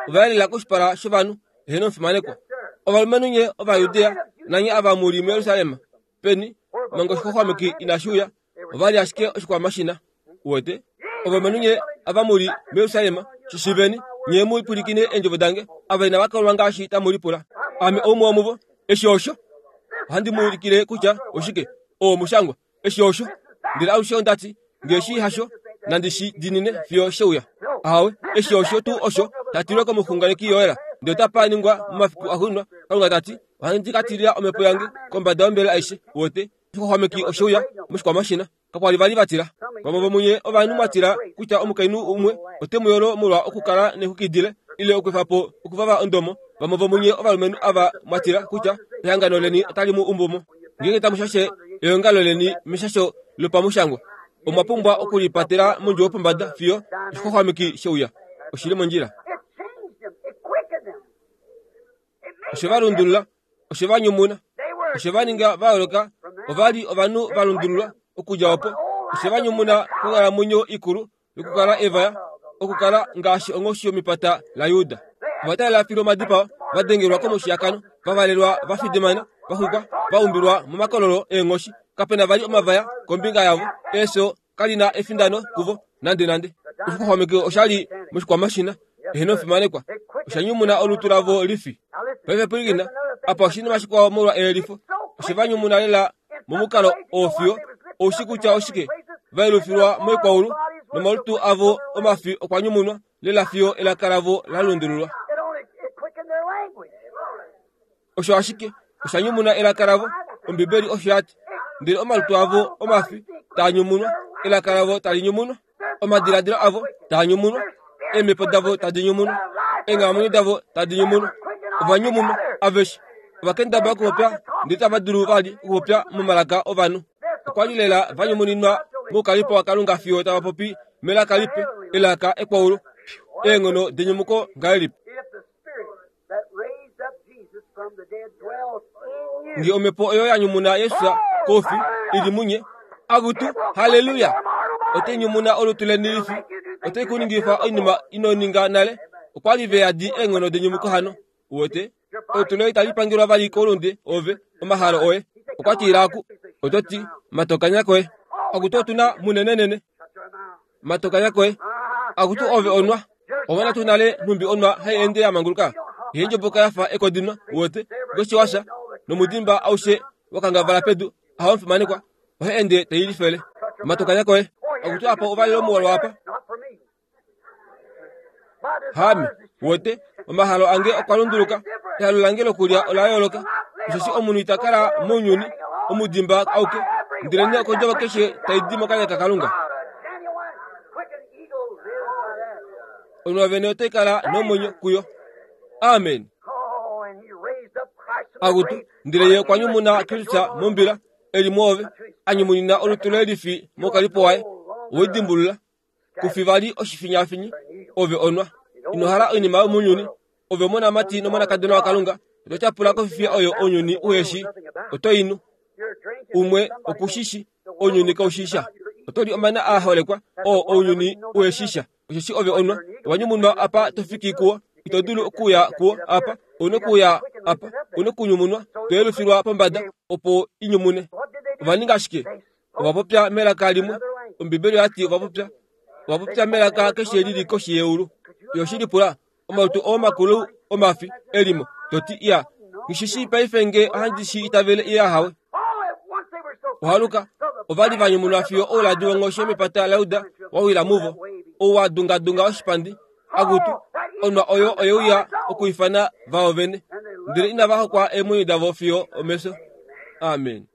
ova yelela koshipala shovanhu, eheno omufimanekwa. Ovalumenhu nye Ovajudea nanye ava mu li muJerusalem, peni manga oshixwaxwameki inashi uya, ova li ashike oshikwamashina. Uwete? Ovalumenhu nye ava mu li muJerusalem, shishiveni, nye mu pwilikine eendjovo dange, ava inava kolwa ngaashi tamu lipula. Ame oumwe womuvo. Eshi osho ohandi mu ulikile kutya oshike oo mushangwa. Eshi osho ndele alushe ondati ngeshi hasho nandi shi dinine fiyo sheuya. Ahawe, eshi osho tuu osho tatilwe komuxunganeki Yoela. Ndele otapa ningwa momafiku axuuninwa, Kalunga tati, ohandi ka tilila omhepo yange kombada yombele aishe. Uwete? Oshixwaxwameki osheuya moshikwamashina. Kakwa li vali vatila. Vamwe vomunye ovanhu mwatila kutya omukainhu umwe ote mu yolo molwa okukala nexukidile ile okwefa po okuvava ondomo. Vamwe vomunye ovalumenhu ava mwatila kutya ehangano leni otali mu umbumo. Ngeenge tamu shashe eongalo leni meshasho lopamushangwa, omwa pumbwa okulipatela mondjuwo yopombada fiyo oshixwaxwameki sheuya. Oshili mondjila. Oshe va lundulula, oshe va nyumuna, oshe va ninga va yooloka. Ova li ovanhu va lundululwa okudja opo. Oshe va nyumuna konghalamwenyo ikulu yokukala evaya, okukala ngaashi onghoshi yomepata laJuda. Ova talela filu omadipao, va dengelwa komushiyakano, va valelwa va fidimana, va xwikwa, va umbilwa momakololo eenghoshi. Kapena vali omavaya kombinga yavo. Efyo kali na efindano kuvo nande nande. Oshixwaxwameki osha li moshikwamashina, eheno omufimanekwa. Osha nyumuna olutu lavo lifi. Paife pwilikina, apa oshinima shikwao molwa eyelifo. Oshe va nyumuna lela momukalo oo fiyo oushi kutya oshike va yelufilwa moikwaulu, nomalutu avo omafi okwa nyumunwa lela fiyo elaka lavo la lundululwa. Osho ashike osha nyumuna elaka lavo. Ombibeli osho yati, ndele omalutu avo omafi taa nyumunwa, elaka lavo tali nyumunwa, omadiladilo avo taa nyumunwa, eemhepo davo tadi nyumunwa, eenghalamwenyo davo tadi nyumunwa. Ova nyumunwa aveshe. Ova kendabala okupopya ndele tava dulu vali okupopya momalaka ovanhu. Okwa li lela va nyumuninwa moukalipo waKalunga fiyo tava popi melaka lipe, elaka ekwaulu. Eenghono denyumuko ngahelipi? Nge omhepo oyo ya nyumuna Jesus koufi ili munye, akutu haleluya! Ote nyumuna olutu leni lifi, ote kuningifa oinima ino ninga nale. Okwa li ve yadi eenghono denyumuko hano. Uwete? Olutu loye itali pangelwa vali koulunde ove, omahalo oye. Okwa tila aku, oto ti, matokanya koye. Akutu otuna munenenene. Matokanya koye. Akutu ove onwa. Omona tu nale nhumbi onwa hai ende ya manguluka. Ihe ndjoboka yafa ekodinwa. Uwete? Ngoshiwasha nomudimba aushe wakangavala pedu, aho omufimanekwa, ohe ende tei lifele. Matokanya koye. Akutu apa ovalelo omuwalwa apa. Hame, uwete, omahalo ange okwa lunduluka. Ehalo lange lokulya ola yooloka. Osheshi omunhu ita kala mounyuni omudimba auke, ndele okondjovo keshe tai di mokanya kaKalunga. Onwa vene otai kala nomwenyo kuyo. Amen. Akutu, ndele ye okwa nyumuna Kristus mombila eli muove, a nyumunina olutu loye lifi mokalipo waye. Owedimbulula kufi vali oshifinyafinyi, ove onwa. Ino hala oinima yomounyuni. Ove omonamati nomonakadona waKalunga, oto tyapula kofifiya oyo ounyuni uheshi. Oto inu umwe okushishi, ounyuni kaushisha. Oto li omana a holekwa oo ounyuni uheshisha. Osheshi ove onwa, owa nyumunwa apa to fiki kuwo. Ito dulu okuya kuwo apa, ouna okuya apa, ouna okunyumunwa, to yelufilwa pombada opo inyumune. Ova ninga shike? Ova popya melaka limwe. Ombibeli oyati ova popya, ova popya melaka keshe lili koshi yeulu. Yoshilipula omalutu oo makulu omafi elimo toti iya ngishishi paife nge ohandi shi itavele iya hawe. Ohaluka ova li va nyumunwa fiyo ouladi wonghoshi yomepata laJuda wa wila muvo, ou wa dungadunga oshipandi. Akutu, onwa oyo oyeuya okuifana vao vene, ndele inava hokwa eemwenyo davo fiyo omefyo. Amen.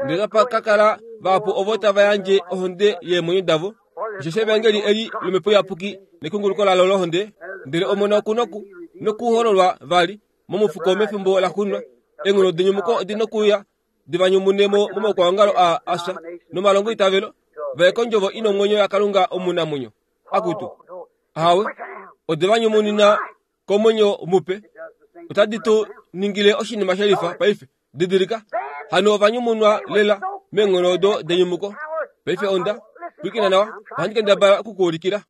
Ndele tapa ka kala vahapu ovo tava yandje ohonde yeemwenyo davo Osheshi evangeli eli lomhepo iyapuki nekunguluko lalo lohonde, ndele omona oku noku nokuhololwa vali momufuko mefimbo laxuuninwa. Eenghono denyumuko odi nokuuya divanyumunemo momaukwaongalo a afya nomalongo itavelo, vaye kondjovo ina omwenyo yaKalunga omunamwenyo. Akutu ahawe, ode vanyumunina komwenyo mupe. Otadi tu ningile oshinima shelifa paife. Didilika, hano ovanyumunwa lela meenghono odo denyumuko. Paife onda pwilikina nawa, ohandi kendabala okukuulikila.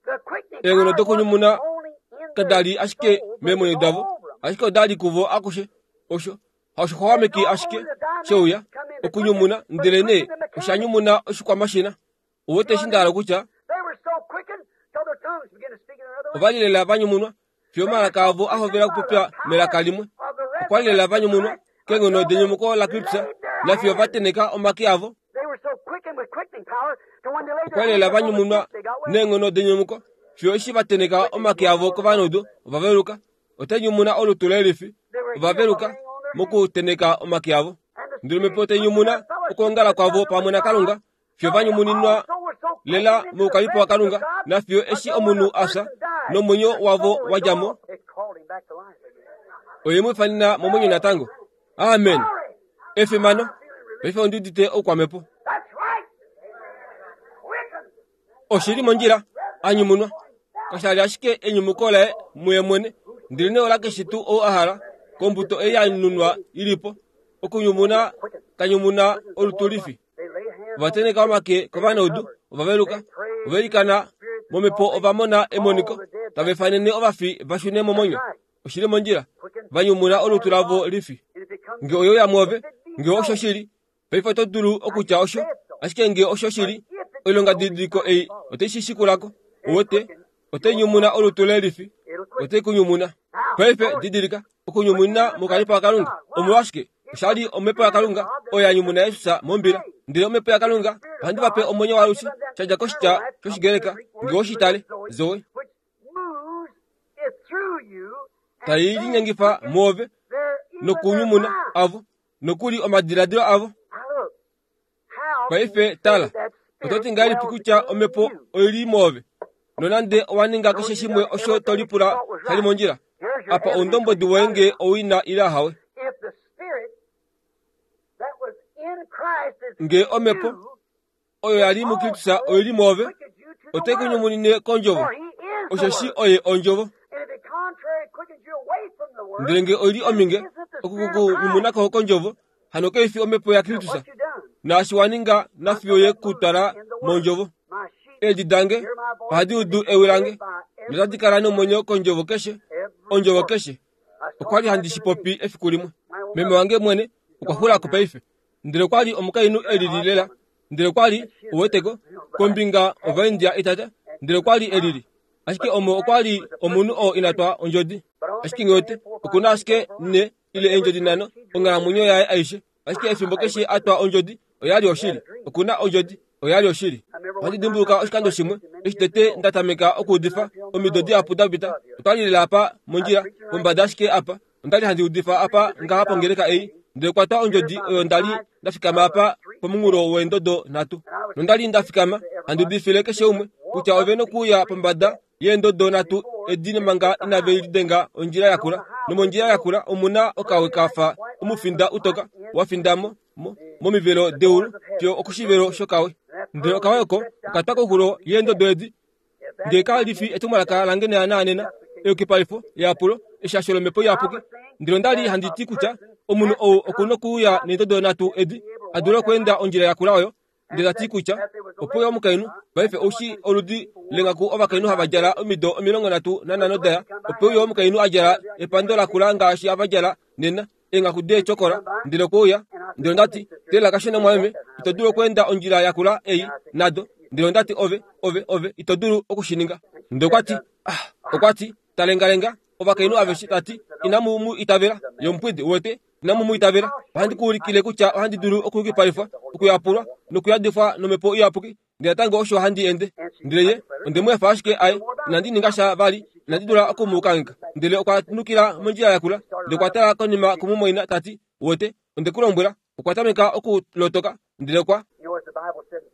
Eenghono dokunyumuna kadali ashike meemwenyo davo, ashike odali kuvo akushe. Osho haoshixwaxwameki ashike sheuya okunyumuna, ndele nee oshanyumuna oshikwamashina. Uwete eshi nda hala kutya ovali lela vanyumunwa fiyo omalaka avo a hovela okupopya melaka limwe. Okwali lela vanyumunwa keenghono denyumuko laKristus nafiyo va teneka omake avo. Okwali lela vanyumunwa neenghono denyumuko fiyo eshi va teneka omake avo kovanaudu ovaveluka. Otai nyumuna olutu lelifi ovaveluka mokuteneka omake avo. Ndele omhepo tai nyumuna okwoongala kwavo pamwe naKalunga fiyo vanyumuninwa lela moukalipo waKalunga nafiyo eshi omunhu afya nomwenyo wavo wadja mo, oye mu ifanena momwenyo natango. Amen. Efimano. Paife ondi udite oukwamhepo. Oshili mondjila anyumunwa. Kasha li ashike enyumuko laye muye mwene, ndele nee ola keshe tuu ou a hala kombuto ei ya nunwa ilipo okunyumuna kanyumuna olutu lifi. Ovateneka omake kovanaudu ovaveluka, ovailikana momhepo ova mona emoniko, tava ifanene ovafi va shune momwenyo. Oshili mondjila, vanyumuna olutu lavo lifi. Nge oyo mwoove, nge osho shili, paife oto dulu okutya osho, ashike nge osho shili, oilonga didiliko ei otai shi shikulako. Uwete, otai nyumuna olutu lelifi, otai kunyumuna. Paife didilika, okunyumuna mokalipo kaKalunga. Omolwashike? Oshali omhepo yaKalunga oyo ya nyumuna Jesus mombila. Ndele omhepo yaKalunga ohandi va pe omwenyo waalushe, shadja koshitya shOshigreka nge oshitale zoe, tai linyengifa mwoove nokunyumuna avo nokuli omadiladilo avo. Paife tala, oto ti ngahelipi kutya omhepo oili mwoove nonande owa ninga keshe shimwe osho to lipula shali mondjila? Apa oundombwedi woye nge owina ile ahawe. Nge omhepo oyo yali muKristus oili mwoove, otai kunyumunine kondjovo, osheshi oye ondjovo. Ndele nge oili ominge okukunyumunako kondjovo, hano kaifi omhepo yaKristus, naashi wa ninga nafiyo ye kutwala mondjovo. Eedi dange ohadi udu ewi lange notadi kala nomwenyo kondjovo keshe, ondjovo keshe. Okwali handi shi popi efiku limwe. Meme wange mwene okwa xulako paife, ndele okwali omukainhu elili lela, ndele okwali uweteko kombinga ovaindia itata, ndele okwali elili. Ashike omo okwali omunhu oo inatwa ondjodi. Ashike ngewete okuna ashike ne ile eendjodi nhano onghalamwenyo yaye aishe. Ashike efimbo keshe atwa ondjodi oyali oshili. Okuna ondjodi oyali oshili. Ohandi dimbuluka oshikando shimwe eshi tete nda tameka okuudifa omido dihapu da pita. Otwali lela apa mondjila pombada ashike apa. Ondali handi udifa apa ngaha pongeleka ei, ndele kwatwa ondjodi oyo ndali nda fikama apa pomunghulo weendodo nhatu. Nondali nda fikama handi udifile keshe umwe kutya ove nokuuya pombada yeendodo nhatu edi manga inave lidenga ondjila yakula. Nomondjila yakula omuna okawe kafa omufinda utoka wa findamo momivelo deulu fiyo okushivelo shokawe. Ndele okawe oko okatwa koxulo yeendodo edi. Nge kalifi etumwalaka lange naanena eyukipalifo yeyapulo eshasho lomhepo iyapuki. Ndele ondali handi ti kutya omunhu ou okuna okuuya neendodo nhatu edi a dule okweenda ondjila yakula oyo. Ndele tati kutya opo omukainhu paife oushi oludi lengaku ovakainhu hava djala omido omilongo nhatu nanhano daya, opo uyo omukainhu a djala epando lakula ngaashi ava djala nena eengaku deechokola. Ndele okouya, ndele ondati tela kashona mwameme, ito dulu okweenda ondjila yakula ei nado. Ndele ondati ove ove ove ito dulu okushininga. Ndele okwati ah, okwati talengalenga ovakainhu aveshe, tati inamu mu itavela yomupwidi uwete, inamu mu itavela. Ohandi kuulikile kutya ohandi dulu okuyukipalifwa, okuyapulwa nokuyadifwa nomhepo iyapuki. Ndele natango osho handi ende. Ndele ye onde mu efa ashike aye, inandi ninga sha vali, Inandi dula okumukangheka. Ndele okwa nukila mondjila yakula, ndele okwa tala konima kumumwaina tati, "Wote, onde ku lombwela." Okwa tameka okulotoka, ndele okwa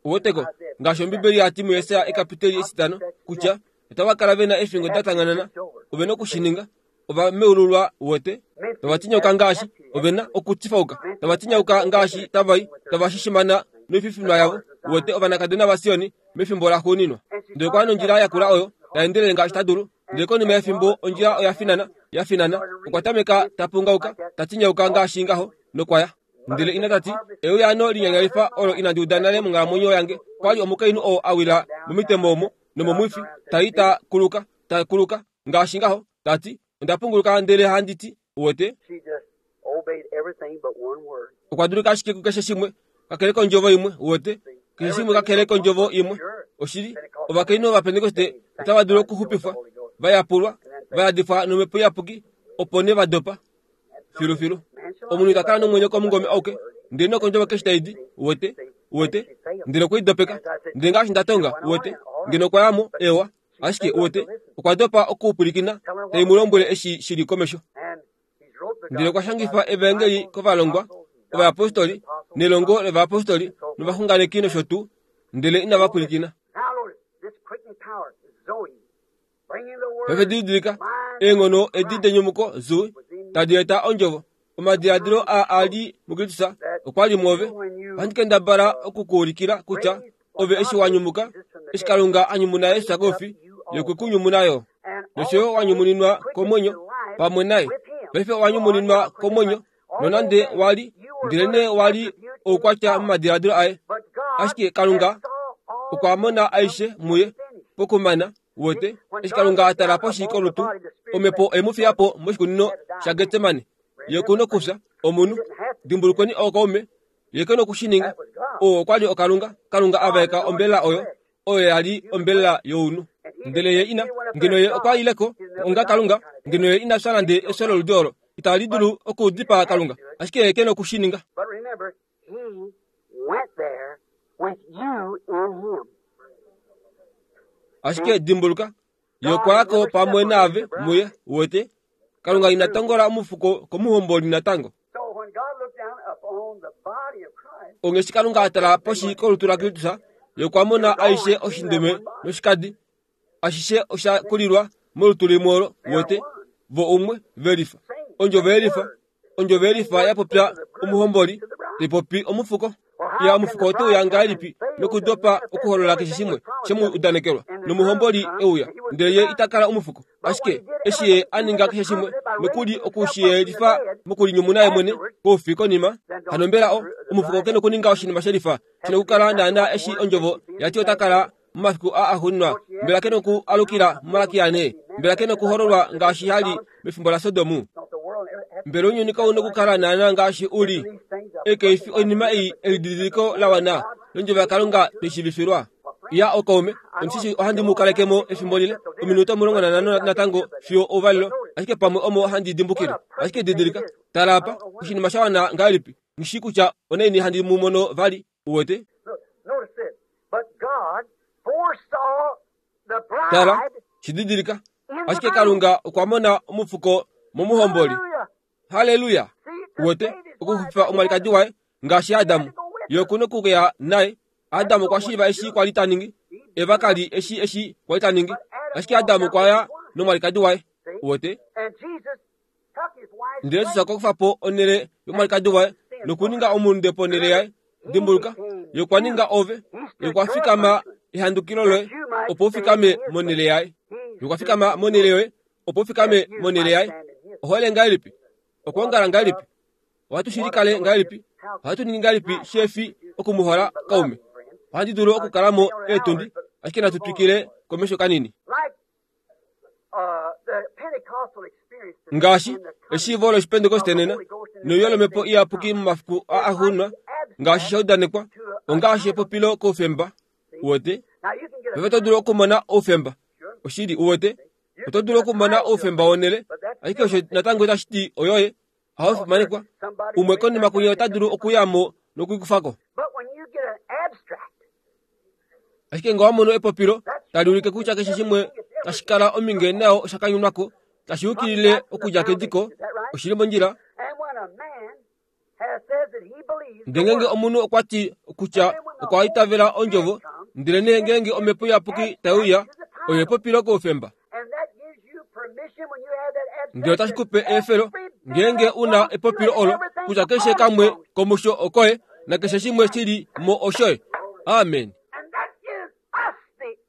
woteko ngaashi Ombibeli yati muYesaya ekapiteli etitano kutya otava kala vena efingo da tanganana, ovena okushininga, ova meululwa wote, tava tinyauka ngaashi ovena okutifauka, tava tinyauka ngaashi tavai, tava shishimana noififinwa yavo wote, ovanakadona vaSioni mefimbo laxuuninwa. Ndele okwa nondjila yakula oyo taendelele ngaashi ta dulu, ndele konima yefimbo ondjila oya finana, ya finana, okwa tameka tapungauka, tatinyauka ngaashi ngaho nokwaya. Ndele ina tati, euyaano linyanyalifa olo inandi uda nale monghalamwenyo yange, kwali omukainhu oo a wila momitemo omo nomomwifi, tai ta kuluka, ta kuluka ngaashi ngaho, tati onda punguluka ndele handi ti, wote. Okwa dulika ashike kukeshe shimwe kakele kondjovo imwe, wote, keshe shimwe kakele kondjovo imwe. Oshili, ovakainhu Ovapentekoste otava dulu okuxupifwa, va yapulwa, va yadifwa nomhepo iyapuki, opo ne va dopa filufilu. Omunhu ita kala nomwenyo komungome auke, ndele nokondjovo keshe tai di, wote, wote, ndele okwe i dopeka. Ndele ngaashi nda tonga, wote, ngeno okwa yamo, ewa, ashike wote, okwa dopa okupwilikina, tai mu lombwele eshi shili komesho. Ndele okwa shangifa evangeli kovalongwa, ovayapostoli, nelongo lovayapostoli, novaxunganeki nosho tuu, ndele inava pwilikina. Paife didilika, eenghono edi denyumuko Zoe tadi eta ondjovo. Omadiladilo a ali muKristus okwa li muove. Ohandi kendabala okukuulikila kutya ove eshi wa nyumuka, eshi Kalunga a nyumuna Jesus koufi, ye okwe ku nyumuna yo. Nosho yo wa nyumuninwa komwenyo pamwe naye. Paife owa nyumuninwa komwenyo, nonande wali, ndelenee wali oukwatya momadiladilo aye. Ashike Kalunga okwa mona aishe muye pokumana, wote, eshi Kalunga a tala poshi kolutu, omhepo e mu fiya po moshikunino shaGetsemane. Ye ku nokufya, omunhu. Dimbulukweni ookaume, ye ke nokushininga. Oo okwa li oKalunga, Kalunga a vaeka ombelela oyo, oyo ya li ombelela younhu. Ndele ye ina, ngeno ye okwa ileko onga Kalunga, ngeno ye ina fya nande efyo loludi olo, itali dulu okudipaa Kalunga, ashike ye ke nokushininga. Ashike dimbuluka, ye okwa yako pamwe naave muye, wote. Kalunga ina tongola omufuko komuhomboli natango. Ongeshi Kalunga a tala poshi kolutu laKristus, ye okwa mona aishe oshindume noshikadi, ashishe osha kulilwa molutu limwe olo, wote, vo umwe velifa. Ondjovo yelifa, ondjovo yelifa ya popya omuhomboli, tai popi omufuko. Ya omufuko ote uya ngahelipi nokudopa okuholola keshe shimwe shemu udanekelwa, nomuhomboli euya, ndele ye ita kala omufuko. Ashike eshi ye a ninga keshe shimwe nokuli okushiyelifa mokulinyumuna ye mwene koufi konima, hano mbela o omufuko ke nokuninga oshinima shelifa shina okukala naana eshi ondjovo yati ota kala momafiku a axuuninwa? Mbela ke noku alukila muMalakia ane? Mbela ke nokuhololwa ngaashi hali mefimbo laSodomu? Mbela ounyuni kau nokukala naana ngaashi u li? Ekeifi oinima ei elididiliko la wana londjovo yaKalunga tweshivifilwa. Ya okaume, omushishi ohandi mu kalekemo efimbo lile, ominute omulongo nanhano natango fiyo ouvalelo, ashike pamwe omo handi dimbukile. Ashike didilika, tala apa, oshinima sha wana ngahelipi, nghishi kutya onaini handi mu mono vali, uwete. Tala, shididilika, ashike Kalunga okwa mona omufuko momuhomboli. Haleluya! Uwete, okuxupifa omwalikadi waye ngaashi Adamu, ye oku nokuya naye. Adamu okwa shiiva eshi kwa li ta ningi, Eva ka li eshi eshi kwa li ta ningi, ashike Adamu okwa ya nomwalikadi waye. Uwete? Ndele Jesus okwa kufa po onhele yomwalikadi waye nokuninga omulunde ponhele yaye. Dimbuluka, ye okwa ninga ove, ye okwa fikama ehandukilo loye, opo u fikame monhele yaye. Ye okwa fikama monhele yoye, opo u fikame monhele yaye. Ohole ngahelipi? Okwoongala ngahelipi? Ohatu shilikale ngahelipi? Ohatu ningi ngahelipi shefi okumuhola kaume? Ohandi dulu okukalamo eetundi, ashike natu twikile komesho kanini. Ngaashi eshiivo lOshipentekoste nena, noiyo lomhepo iyapuki momafiku a axuuninwa, ngaashi sha udanekwa, ongaashi epopilo koufemba, uwete. Paife oto dulu okumona oufemba, oshili, uwete. Oto dulu okumona oufemba wonhele, ashike osho natango itashi ti oyoye, ohaufimanekwa. Umwe konima kunye ota dulu okuyamo nokuikufako. Ashike ngee owa mono epopilo tali ulike kutya keshe shimwe tashi kala ominge nao osha kanyunwako tashi yukilile okudja kediko oshili mondjila. Ndele ngeenge omunhu okwa ti kutya okwa itavela ondjovo, ndele nee ngeenge omhepo iyapuki tai uya, oyo epopilo koufemba. Ndele otashi kupe eefelo ngeenge una epopilo olo kutya keshe kamwe komusho okoye nakeshe shimwe shili mo oshoye. Amen.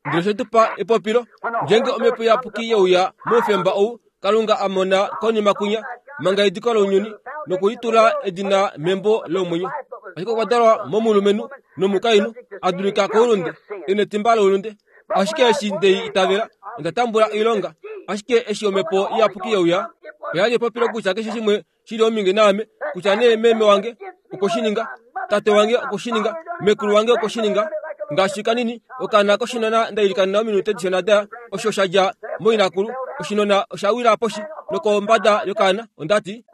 Ndele oshe tu pa epopilo ngeenge omhepo iyapuki yeuya moufemba ou Kalunga a mona konima kunya manga ediko lounyuni nokulitula edina membo lomwenyo. Ashike okwa dalwa momulumenhu nomukainhu a dulika koulunde ena etimba loulunde. Ashike eshi ndei itavela onda tambula oilonga. Ashike eshi omhepo iyapuki yeuya oya li epopilo kutya keshe shimwe shili ominge naame, kutya nee meme wange okoshininga, tate wange okoshininga, mekulu wange okoshininga. Ngaashi kanini okaana koshinona ndailikanena ominute dishona daya osho sha dja moinakulu oshinona osha wila poshi nokombada yokaana. Ondati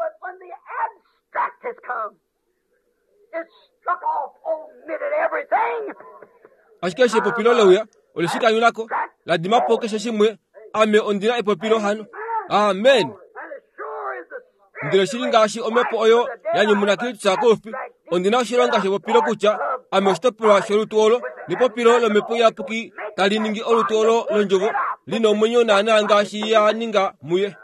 ashike eshi epopilo leuya oleshikanyunako ladimapo keshe shimwe. Ame ondina epopilo hano. Amen. Ndele shili ngaashi omhepo oyo ya nyumuna Kristus koufi, ondina oshilonga shepopilo kutya ame oshitopolwa sholutu olo nepopilo lomhepo iyapuki tali ningi olutu olo londjovo lina omwenyo naana ngaashi ya ninga muye.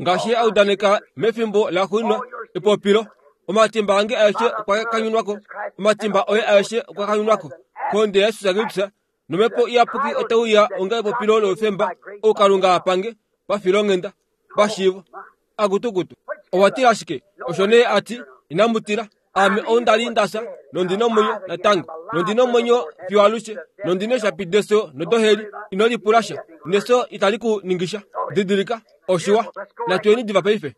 Ngaashi a udaneka mefimbo laxuuninwa epopilo, omatimba ange aeshe okwa kanyunwako, omatimba oye aeshe okwa kanyunwako kohonde yaJesus Kristus, nomhepo iyapuki otauya onga epopilo loufemba ou Kalunga apange pafilonghenda pashiivo. Akutukutu owa tila ashike osho nee ati inamu tila. Ame ou ndali ndasa nondina omwenyo natango, nondina omwenyo fiyo alushe, nondina eeshapi deso nodoheli. Ino lipula sha, neso itali ku ningisha. Didilika oshiwa, natuyeni diva paife.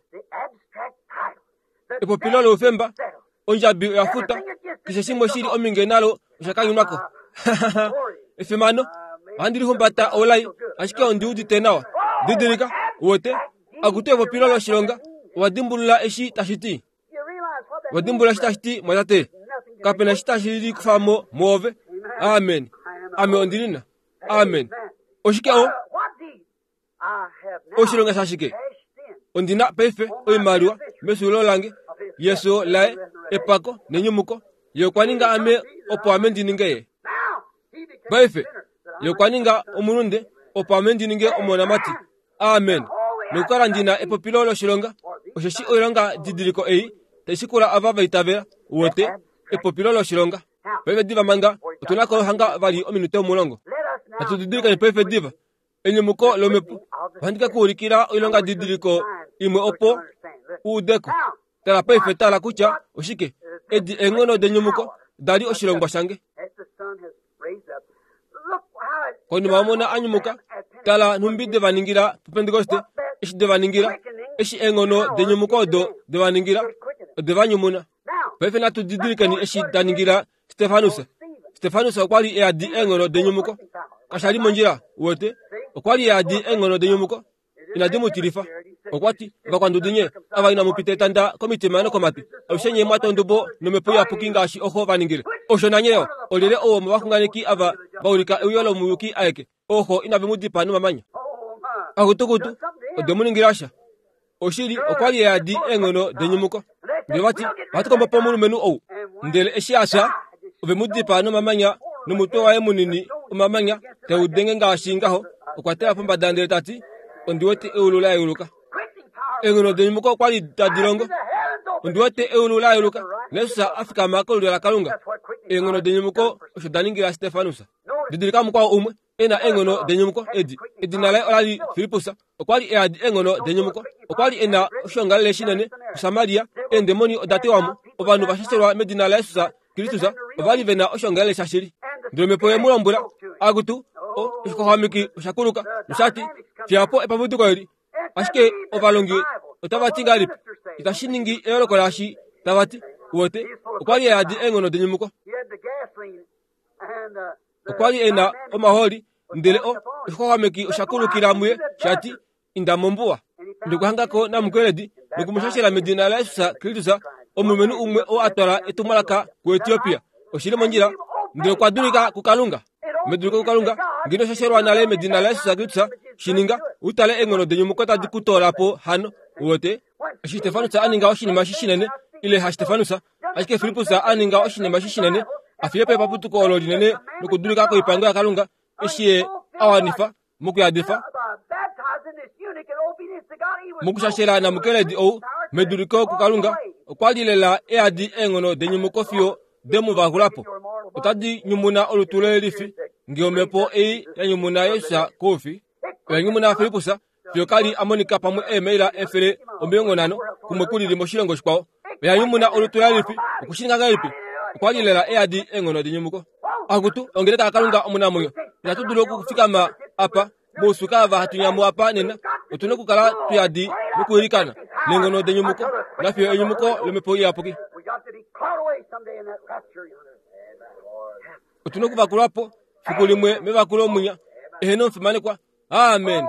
Epopilo loufemba, ondjabi oya futa, keshe shimwe shili ominge nalo osha kanyunwako. Efimano, ohandi lihumbata olai, ashike ondi udite nawa. Didilika wote akutu epopilo loshilonga, owa dimbulula eshi tashi ti. Owa dimbulula eshi tashi ti mwatate. Kapena eshi tashi likufamo mwoove. Amen. Ame ondilina. Amen. Oshike o oshilonga shashike? Ondina paife oimaliwa mesulo lange yeso laye epako nenyumuko. Ye okwa ninga ame opo ame ndi ninge ye. Paife ye okwa ninga omulunde opo ame ndi ninge omonamati. Amen. Nokukala ndina epopilo loshilonga, osheshi oilonga didiliko ei tai shikula ava va itavela. Wote epopilo loshilonga. Paife diva manga otuna ko hanga vali ominute omulongo. Natu didilikeni paife diva enyumuko lomhepo. Ohandi ka kuulikila oilonga didiliko imwe opo uudeko. Tala paife, tala kutya oshike edi eenghono denyumuko dali oshilongwa shange. Konima omona anyumuka, tala nhumbi de va ningila puPentekoste, eshi de va ningila, eshi eenghono denyumuko odo de va ningila, ode va nyumuna. Paife natu didilikeni eshi da ningila Stefanus. Stefanus okwa li eadi eenghono denyumuko. Kasha li mondjila, wote okwa li eadi eenghono denyumuko. Inadi mu tilifa. Okwa ti, vakwandudu nye, ava inamu pita etanda komitima nokomatwi, alushe nye mwa tondobo nomhepo iyapuki ngaashi oho va ningile. Osho nanye yo, olyelye ou womovaxunganeki ava va ulika euyo lomuyuki aeke, oho inave mu dipaa nomamanya. Akutukutu, ode mu ningila sha. Oshili okwa li eadi eenghono denyumuko. Ndele vati, ohatu kombo po omulumenhu ou. Ndele eshi a fya, ove mu dipaa nomamanya, nomutwe waye munini omamanya tau denge ngaashi ngaho. Okwa tala pombada ndele ta ti, ondi wete eulu la yeuluka. Eenghono denyumuko okwa li tadi longo. Ondi wete eulu la yeuluka, Jesus a fikama kolulyo laKalunga. Eenghono denyumuko osho da ningila Stefanus. Didilika mukwao umwe ena eenghono denyumuko edi. Edina laye ola li Filippus. Okwa li eadi eenghono denyumuko. Okwa li ena oshiongalele shinene kuSamaria. Eendemoni oda tewa mo. Ovanhu va shashelwa medina laJesus Kristus ova li vena oshiongalele shashili. Ndele omhepo ye mu lombwela, akutu oshixwaxwameki osha kuluka noshati, fiyapo epapuduko eli. Ashike ovalongi otava ti ngahelipi? Itashi ningi eyooloko laashi tava ti. Wote okwa li eadi eenghono denyumuko. Okwa li ena omahooli, ndele o oshixwaxwameki osha kulukila muye shati, inda mombuwa. Ndikuhangako namukweledi nokumushashela medina laJesus Kristus, omulumenhu umwe oo a twala etumwalaka kuEtiopia. Oshili mondjila, ndele okwa dulika kuKalunga. Meduliko kuKalunga, ngeno shashelwa nale medina laJesus Kristus, shininga utale eenghono denyumuko tadi ku toola po hano. Uwete? Eshi Stefanus a ninga oshinima shishinene, ile ha Stefanus, ashike Filippus a ninga oshinima shishinene, a fiye po epaputuko olo linene nokudulika koipango yaKalunga, eshi ye a wanifa mokuyadifa mokushashela namukeledi ou meduliko kuKalunga, okwa li lela eadi eenghono denyumuko fiyo demu vakulapo. Otadi nyumuna olutu lelifi nge omhepo ei ya nyumuna Jesus koufi. Oya nyumuna Filippus fiyo kali a monika pamwe eemaila efele omilongo nhano kumwe kulili moshilongo shikwao. Oya nyumuna olutu lelifi okushininga ngahelipi? Okwa li lela eadi eenghono denyumuko. Akutu ongeleka yaKalunga omunamwenyo, itatu dulu okufikama apa mousuka ava hatu nyamu apa nena. Otuna okukala tuyadi nokuilikana neenghono denyumuko nafiyo enyumuko lomhepo iyapuki. We got to be caught away someday in that rapture yonder. Otuna okuvakulwapo fiku limwe mevakulo munya eheno omufimanekwa. Amen.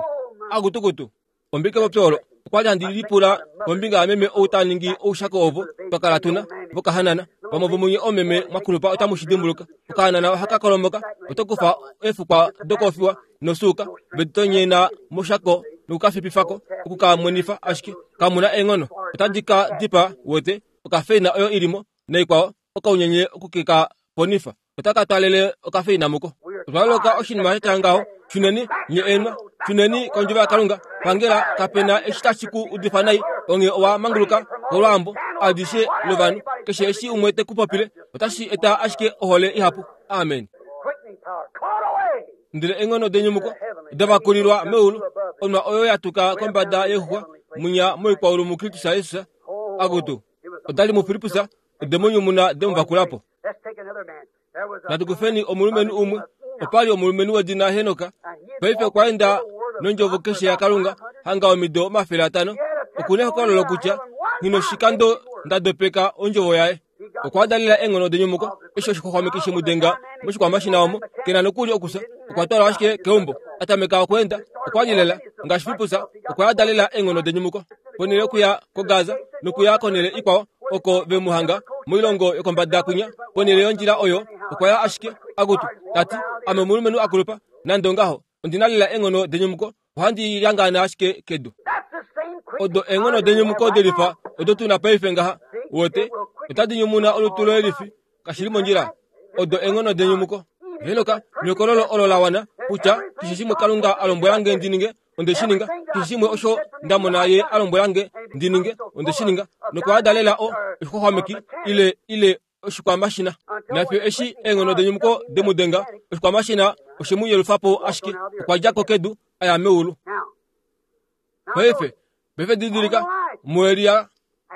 Akutukutu ombike popyo olo okwa li handi lipula kombinga yameme ou ta ningi oushako ovo twakala tuna vokahanana. Vamwe vomunye omeme mwakulupa otamu shi dimbuluka. Okahanana ohaka kolomoka, oto kufa eefukwa dokofiwa nosuuka veditonyena moshako nokukafipifako okukamwenifa, ashike kamuna eenghono. Otadi ka dipa wete okafeina oyo ilimo naikwao okaunyenye okukeka ponifa. Otaka twalele okafeina muko. Otwa loloka oshinima shatya ngaho. Shuneni nye eenwa, shuneni kondjovo yaKalunga. Pangela kapena eshi tashi ku udifa nai, onge owa manguluka kolwaambo adishe lovanhu. Keshe eshi umwe te ku popile otashi eta ashike ohole ihapu. Amen. Quickening power. Caught away. Ndele eenghono denyumuko davakulilwa meulu, onwa oyo ya tuka kombada yexuxwa munya moikwaulu muKristus Jesus. Akutu odali muFilippus ode mu nyumuna demu vakulapo. Let's take another man. There was a Natu kufeni omulumenhu umwe. Opali omulumenhu wedina Henoka. Paife okwa enda nondjovo keshe yaKalunga hanga omido omafele atano. Okuna ehokololo kutya nginoshikando ndadopeka ondjovo yaye. Okwa dalela eenghono denyumuko eshi oshixwaxwameki shemudenga moshikwamashina omo kena nokuli okusa. Okwa twalwa ashike keumbo atameka okweenda. Okwa li lela ngaashi Filippus, okwa dalela eenghono denyumuko ponhele yokuya koGaza nokuya konhele ikwao oko ve mu hanga moilongo yokombada kwinya. Ponhele yondjila oyo okwa ya ashike akutu tati ame omulumenhu akulupa, nande ongaho ondina lela eenghono denyumuko, ohandi lyangana ashike kedu. That's the same quickening Odo eenghono denyumuko delifa odo tuna paife ngaha. Wote otadi nyumuna olutu lelifi kashili mondjila. Odo eenghono denyumuko. Henoka nekololo olo la wana kutya keshe shimwe Kalunga a lombwela nge ndi ninge onde shi ninga, keshe shimwe osho nda mona ye a lombwela nge ndi ninge onde shi ninga, nokwa dalela o oshixwaxwameki ile ile oshikwamashina. Nafiyo eshi eenghono denyumuko demudenga, oshikwamashina oshe mu yelufapo ashike okwa dja ko kedu aya meulu. Now, now Paife paife didilika muElia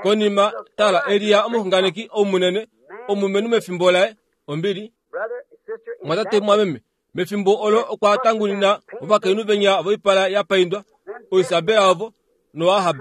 konima tala Elia omuxunganeki omunene omumenhu mefimbo laye ombili. brother, sister, in Mwatate that mwameme mefimbo olo okwa tangunina ovakainhu venya voipala ya paindwa oIsabela ovo noAhab.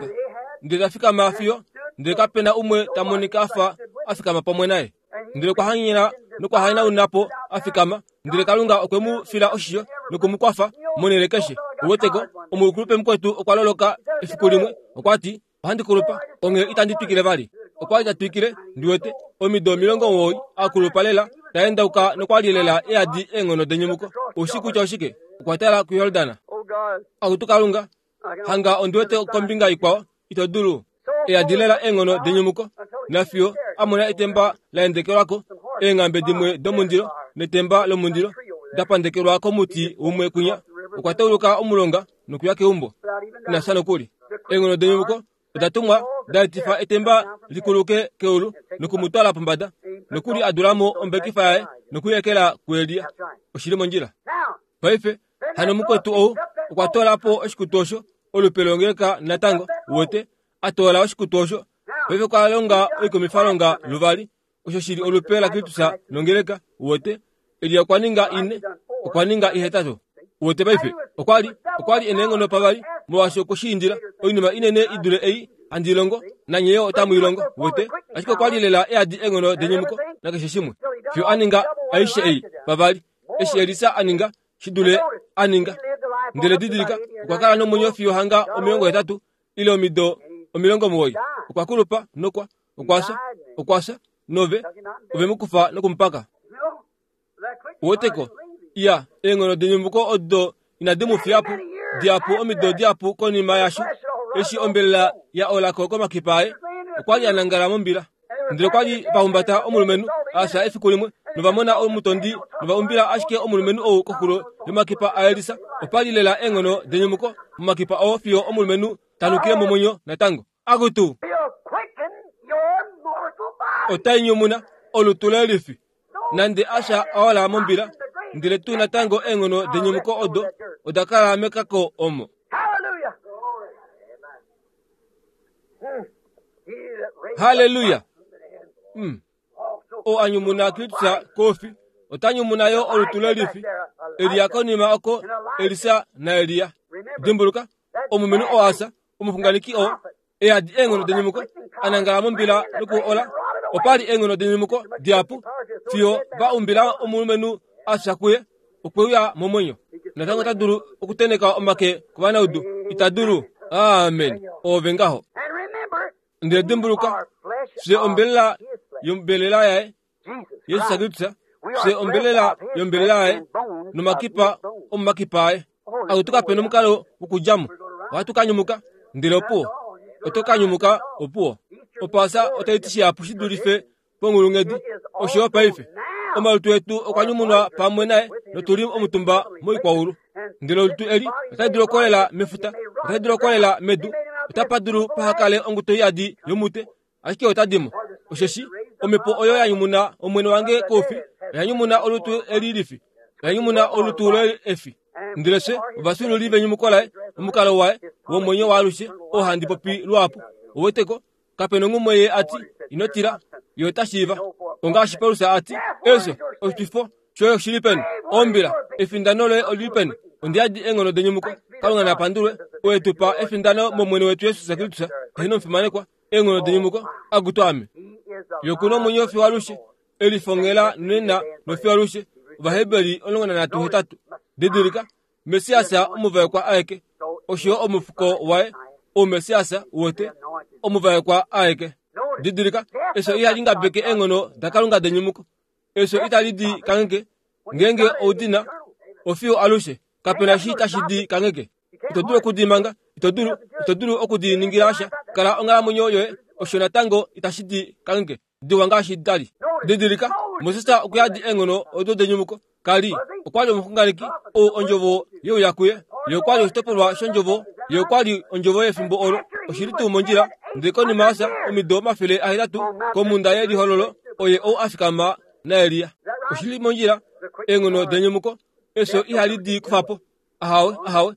Ndele ta fikama fiyo ndele kapena umwe ta monika afa a fikama pamwe naye. Ndele okwa hanyena nokwa hanauna po a fikama. Ndele Kalunga okwe mu fila oshisho noku mu kwafa monhele keshe. Uweteko omukulupe mukwetu okwa loloka efiku limwe, okwa ti ohandi kulupa onghee itandi twikile vali. Okwa li ta twikile ndiwete omido omilongo omuwoi a kulupa lela ta endauka nokwa li lela eadi eenghono denyumuko. Oushi kutya oshike? Okwa tala kuYordan. Oh God, Akutu Kalunga, I can hanga ondiwete kombinga ikwao ito dulu. Eadi lela eenghono denyumuko nafiyo a mona etemba la endekelwako eenghambe dimwe domundilo netemba lomundilo da pandekelwa komuti umwe kwinya. Okwa tauluka omulonga nokuya keumbo without even ina sha nokuli. Eenghono denyumuko oda tumwa da etifa etemba likuluke keulu nokumutwala pombada nokuli adulamo ombekifa yaye nokuyekela kuElia. Oshili mondjila. Now, Paife hano mukwetu ou okwa toola po oshikutu osho olupe longeleka natango wete a toola oshikutu osho. Paife okwa longa oikumifalonga luvali osho shili olupe laKristus nongeleka wete. Elia okwa ninga ine, okwa ninga ihetatu. Wete paife okwa li okwa li ena eenghono pavali molwaashi okwe shi indila oinima inene i dule ei handi longo nanye yo otamu i longo wete. Ashike okwa li lela eadi eenghono denyumuko nakeshe shimwe fiyo a ninga aishe ei pavali. Eshi Elisa a ninga shi dule a ninga. Ndele didilika okwa kala nomwenyo fiyo hanga omilongo hetatu ile omido omilongo omuwoi. Okwa kulupa nokwa okwa fya okwa fya nove ove mu kufa nokumupaka. you know, that quick Uweteko Ya, eenghono denyumuko odo inadi mu fiya po, dihapu omido dihapu konima yasho, eshi ombelela ya olako komakipa aye, okwa li a nangala mombila. Ndele okwa li va humbata omulumenhu a fya efiku limwe, nova mona omutondi nova umbila ashike omulumenhu ou koxulo yomakipa aElisa. Opa li lela eenghono denyumuko momakipa oo fiyo omulumenhu ta nukile momwenyo natango. Akutu, otai nyumuna olutu lelifi nande a fya a ola mombila, ndele tuu natango eenghono denyumuko odo oda kala mekako omo. Haleluya! Mm. Oo a nyumuna Kristus kofi, ota nyumuna yo olutu lelifi. Elia konima oko Elisa naElia. Dimbuluka, omulumenhu oo a fya, omuxunganeki oo, eyadi eenghono denyumuko, a nangala mombila nokuola. Opa li eenghono denyumuko dihapu fiyo va umbila omulumenhu a fya kuye, okwe uya momwenyo. Natango ota dulu okuteneka omake kovanaudu, ita dulu. Amen. Oove ngaho. Ndele dimbuluka, fye ombelela yombelela yaye, Jesus Kristus, fye ombelela yombelela yaye, nomakipa omomakipa aye. Akutu kape nomukalo wokudja mo. Ohatu ka nyumuka, ndele opuwo. Oto ka nyumuka, opuwo. Opaasa otai ti shihapu shi dulife ponghulunghedi, osho yo paife. Omalutu etu okwa nyumunwa pamwe naye notu li omutumba moikwaulu. Ndele olutu eli otali dulu okukolela mefuta, otali dulu okukolela medu, otapa dulu paha kale onguto iyadi yomute, ashike otadi mo. Osheshi omhepo oyo ya nyumuna Omwene wange koufi, oya nyumuna olutu eli lifi, oya nyumuna olutu leefi. Ndele fye ovafyuululi venyumuko laye, omukalo waye womwenyo waalushe, oo handi popi luhapu. Ouweteko, kape nonghumwe ye a ti, ino tila, ye ota shiiva. Ongaashi Paulus a ti, efyo, oshitwifo shoye oshili peni? Ombila, efindano loye olili peni? Ondi yadi eenghono denyumuko. Kalunga na pandulwe, oo e tu pa efindano mOmwene wetu Jesus Kristus, eheno omufimanekwa, eenghono denyumuko, akutu ame. Ye oku na omwenyo fiyo alushe, elifongela nena nofiyo alushe. Ovaheberi omulongo nanhatu hetatu. Didilika, Messias omuvaekwa aeke, osho yo omufuko waye, ouMessias uwete, omuvaekwa aeke. Didilika, efyo ihali ngabeke eenghono daKalunga denyumuko. Efyo itali di kangheke, ngeenge oudina, ofiyo alushe, kape na shi tashi di kangheke. Ito dulu okudi manga, ito dulu, ito dulu okudi ningila sha. Kala onghalamwenyo yoye, osho natango itashi di kangheke. Diwa ngaashi dali. Didilika, Moses okwa yadi eenghono odo denyumuko. Kali okwa li omuxunganeki ou ondjovo yeuya kuye. Ye okwa li oshitopolwa shondjovo, ye okwa li ondjovo yefimbo olo. Oshili tuu mondjila, ndele konima yafya omido omafele ahetatu komhunda yelihololo, oye ou a fikama naElia. Oshili mondjila, eenghono denyumuko, efyo ihali di kufa po. Ahawe, ahawe,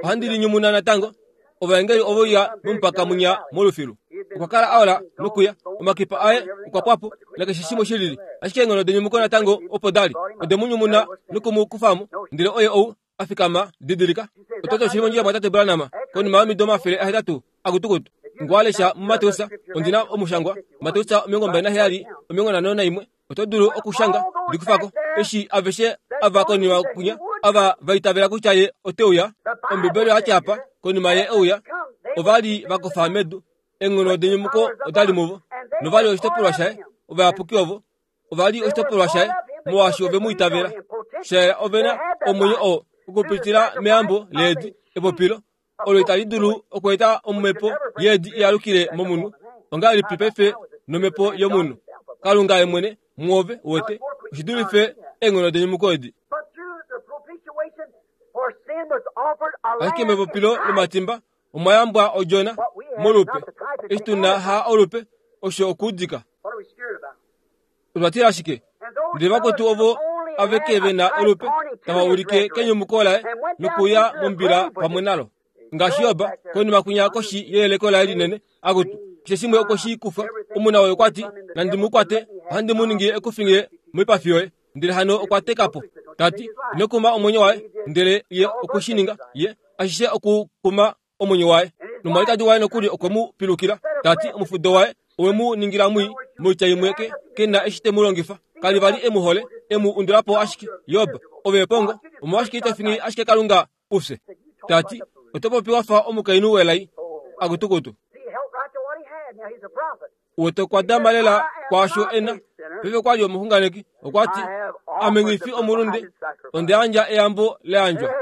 ohandi li nyumuna natango. Ovaengeli ovo ya momupaka munya molufilu. Okwa kala a ola nokuya, omakipa aye okwa pwa po, nakeshe shimwe shilili. Ashike eenghono denyumuko natango opo dali, ode mu nyumuna noku mu kufa mo, ndele oye ou a fikama. Didilika, oto ti oshili mondjila mwatate Branham, konima yomido omafele ahetatu akutukutu. Ngwalesha muMateus, ondi na omushangwa, Mateus omilongo mbali naheyali, omilongo nhano naimwe. Oto dulu okushanga, likufako, eshi aveshe ava konima kunya, ava va itavela kutya ye ote uya. Ombibeli oya ti apa, konima ye euya, ova li va kofa medu, eenghono denyumuko odali muvo, nova li oshitopolwa shaye, ovayapuki ovo, ova li oshitopolwa shaye, molwaashi ove mu itavela. Shayela ove na omwenyo oo okupitila meyambo leedi, epopilo, olo itali dulu okweeta omhepo yeedi iyalukile momunhu. Ongahelipi paife nomhepo yomunhu? Kalunga ye mwene muove uwete, oshi dulife eenghono denyumuko edi. Ashike mepopilo lomatimba omwa yambwa odjona molupe, eshi tu na ha olupe, osho okuudika. Otwa tila shike? Ndele vakwetu ovo aveke ve na olupe tava ulike kenyumuko laye nokuya mombila pamwe nalo. Ngaashi Job, konima kunya koshi yeyeleko laye linene, akutu, keshe shimwe okwe shi kufa. Omuna woye okwa ti, nandi mu kwate, ohandi mu ningi ekufinge moipafi yoye. Ndele hano okwa teka po. Ta ti, ino kuma omwenyo waye, ndele ye okwe shi ninga, ye ashishe okukuma omwenyo waye. Nomwalikadi waye nokuli okwe mu pilukila. Ta ti, omufudo waye owe mu ningila mwii, moitya imwe ke, ke na eshi te mu longifa. Kali vali e mu hole, e mu undula po ashike. Job, ove epongo, omolwashike ito fingi ashike Kalunga ufye? Ta ti, oto popi wa fa omukainhu welai akutukutu. Uwete okwa dama lela kwaasho e na. Paife okwa li omuxunganeki, okwa ti, ame nghi fi omulunde, Onde yandja eyambo layandjwa.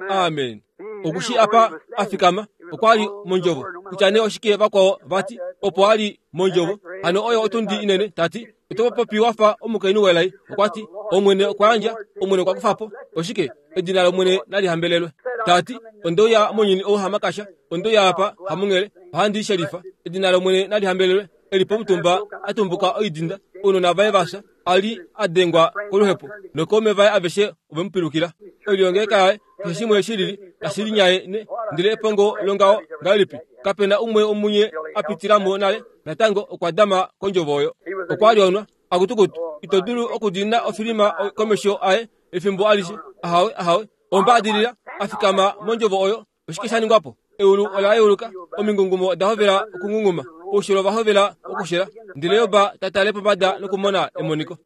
Amen. Okushi apa afikama okwa li mondjovo. Kutya nee oshike vakwao vati opo a li mondjovo. Hano oyo otundi inene tati oto popi wafa omukainhu welai. Okwa ti Omwene okwa yandja, Omwene okwa kufa po. Oshike? Edina lOmwene nali hambelelwe. Tati ondouya monyini ou hamakasha, ondouya apa hamunghele, ohandi shelifa. Edina lOmwene nali hambelelwe. Eli pomutumba atumbuka oidinda, ounona vaye vafya, a li a dengwa koluhepo, nokaume vaye aveshe ovemupilukila. Oilongeleka yaye keshe shimwe shilili tashi ne, ndele epongo longaho ngahelipi? Kapena umwe omunye a pitilamo nale, natango okwa dama kondjovo oyo. Okwa li onwa akutukutu, ito dulu okudiinina ofilima komesho aye efimbo alishe. Ahawe, ahawe, ombaadilila afikama mondjovo oyo. Oshike sha ningwa po? Eulu ola yeuluka, omingungumo oda hovela okungunguma, oushilo va hovela okushela, ndele Job ta tale pombada nokumona emoniko.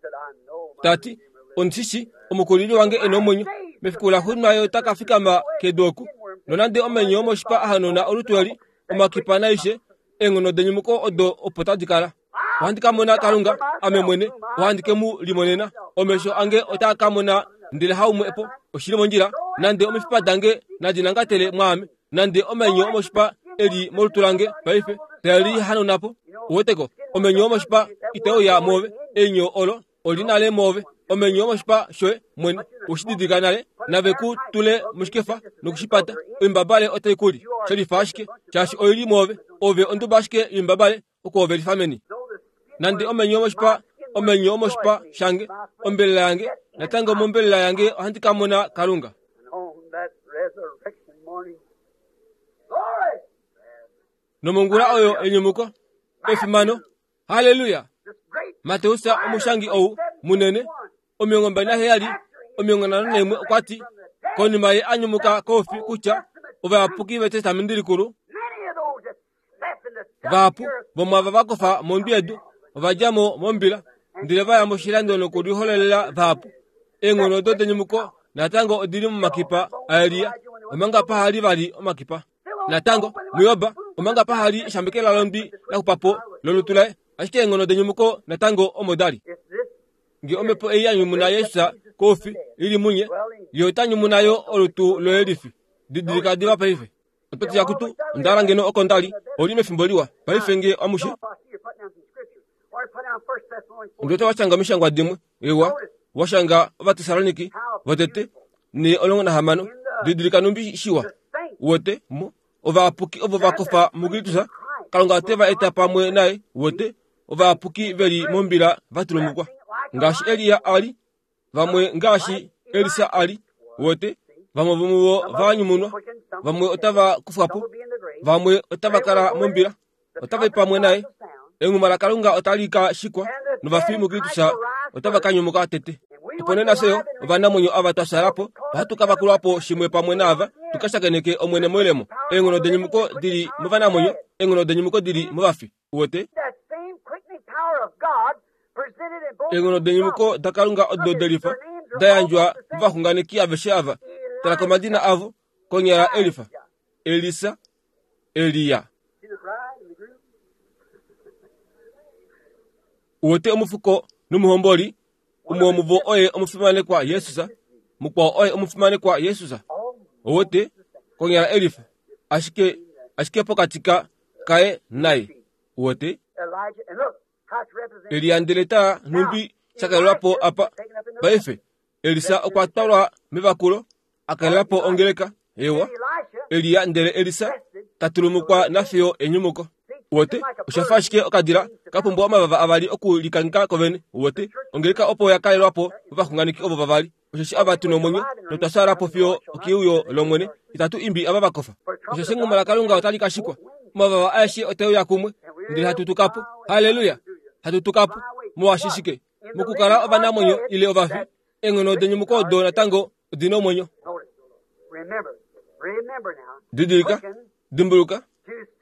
Tati, ondishishi omukulili wange e na omwenyo, mefiku laxuuninwa ye ota ka fikama kedu oku. Nonande omenyo omoshipa a hanona olutu eli, omakipa naishe, eenghono denyumuko odo opo tadi kala. Ohandi ka mona Kalunga, ame mwene, ohandi ke mu limonena. Omesho ange otaa ka mona ndele haumwe po. Oshili mondjila, nande omifipa dange nadi nangatele mwaame, nande omenyo omoshipa eli molutu lange paife tali hanona po. Uweteko, omenyo omoshipa itauya moove, einyo olo oli nale moove. Omenyo omoshipa shoye mwene ushididilika nale, nave ku tule moshikefa nokushipata. Oimbabale otai kuli shelifa ashike, shaashi oili moove. Ove onduba ashike yoimbabale okuhovelifa meni. Nande omenyo omoshipa, omenyo omoshipa shange, ombelela yange, natango mombelela yange ohandi ka mona Kalunga. Nomongula oyo enyumuko, efimano, haleluya. Mateus omushangi ou munene, omilongo mbali naheyali, omilongo nhano naimwe okwa ti, konima ye a nyumuka koufi kutya ovayapuki vetestamenti likulu vahapu vomwava va kofa mondwi yedu ova dja mo mombila, ndele va ya moshilando nokuliholelela vahapu. Eenghono odo denyumuko natango odili momakipa aElia, omanga pahali vali omakipa. Natango muJob, omanga pahali eshambekela londwi laxupa lolutu laye, ashike eenghono denyumuko natango omo dali. Nge omhepo ei ya nyumuna Jesus koufi ili munye, ye ota nyumuna yo olutu loye lifi. Didilika diva paife. Ototi yakutu, ondala ngeno oko ndali, oli mefimbo liwa. Paife nge amushe. Ndota washanga omishangwa dimwe, ewa, washanga Ovatessaloniki votete ne olongo nahamano. Didilika numbi shiwa. Wote mo ovayapuki ovo va kofa muKristus, Kalunga ote va eta pamwe naye. Wote ovayapuki veli mombila va tulumukwa ngaashi Elia a li, vamwe ngaashi Elisa a li. Wote vamwe vomuvo va nyumunwa, vamwe otava kufwa po, vamwe otava kala mombila, otava i pamwe naye. Enghuma laKalunga otali ka shikwa, novafi muKristus otava ka nyumuka tete. Opo nee nafye yo ovanamwenyo ava twa shala po, ohatu ka vakulwa po shimwe pamwe naava, tu ka shakeneke Omwene moilemo. Eenghono denyumuko dili movanamwenyo, eenghono denyumuko dili movafi. Uwete? Eenghono denyumuko daKalunga odo delifa da yandjwa movaxunganeki aveshe ava. Tala komadina avo, konyala Elifa, Elisa, Elia. Uwete omufuko nomuhomboli, umwe womuvo oye omufimanekwa Jesus, mukwao oye omufimanekwa Jesus. Uwete konyala Elifa, ashike ashike pokati ka kaye naye. Uwete Elia ndele ta nhumbi shakalelwapo apa paife. Elisa okwa twalwa mevakulo akalelapo ongeleka. Ewa, Elia ndele Elisa ta tulumukwa nafiyo enyumuko. Uwete oshafa ashike okadila ka pumbwa omavava avali okulikangheka kovene. Uwete ongeleka opo ya kalelwapo ovaxunganeki ovo vavali. Osheshi ava tuna omwenyo notwa shaala po fiyo okiuyo lOmwene, itatu imbi ava va kofa. Osheshi enghuma laKalunga otali ka shikwa, omavava aeshe otauya kumwe, ndele hatu tuka po. Haleluya! Hatu tuka po molwaashi shike? Mokukala ovanamwenyo ile ovafi, eenghono denyumuko odo natango odina omwenyo. Didilika, dimbuluka,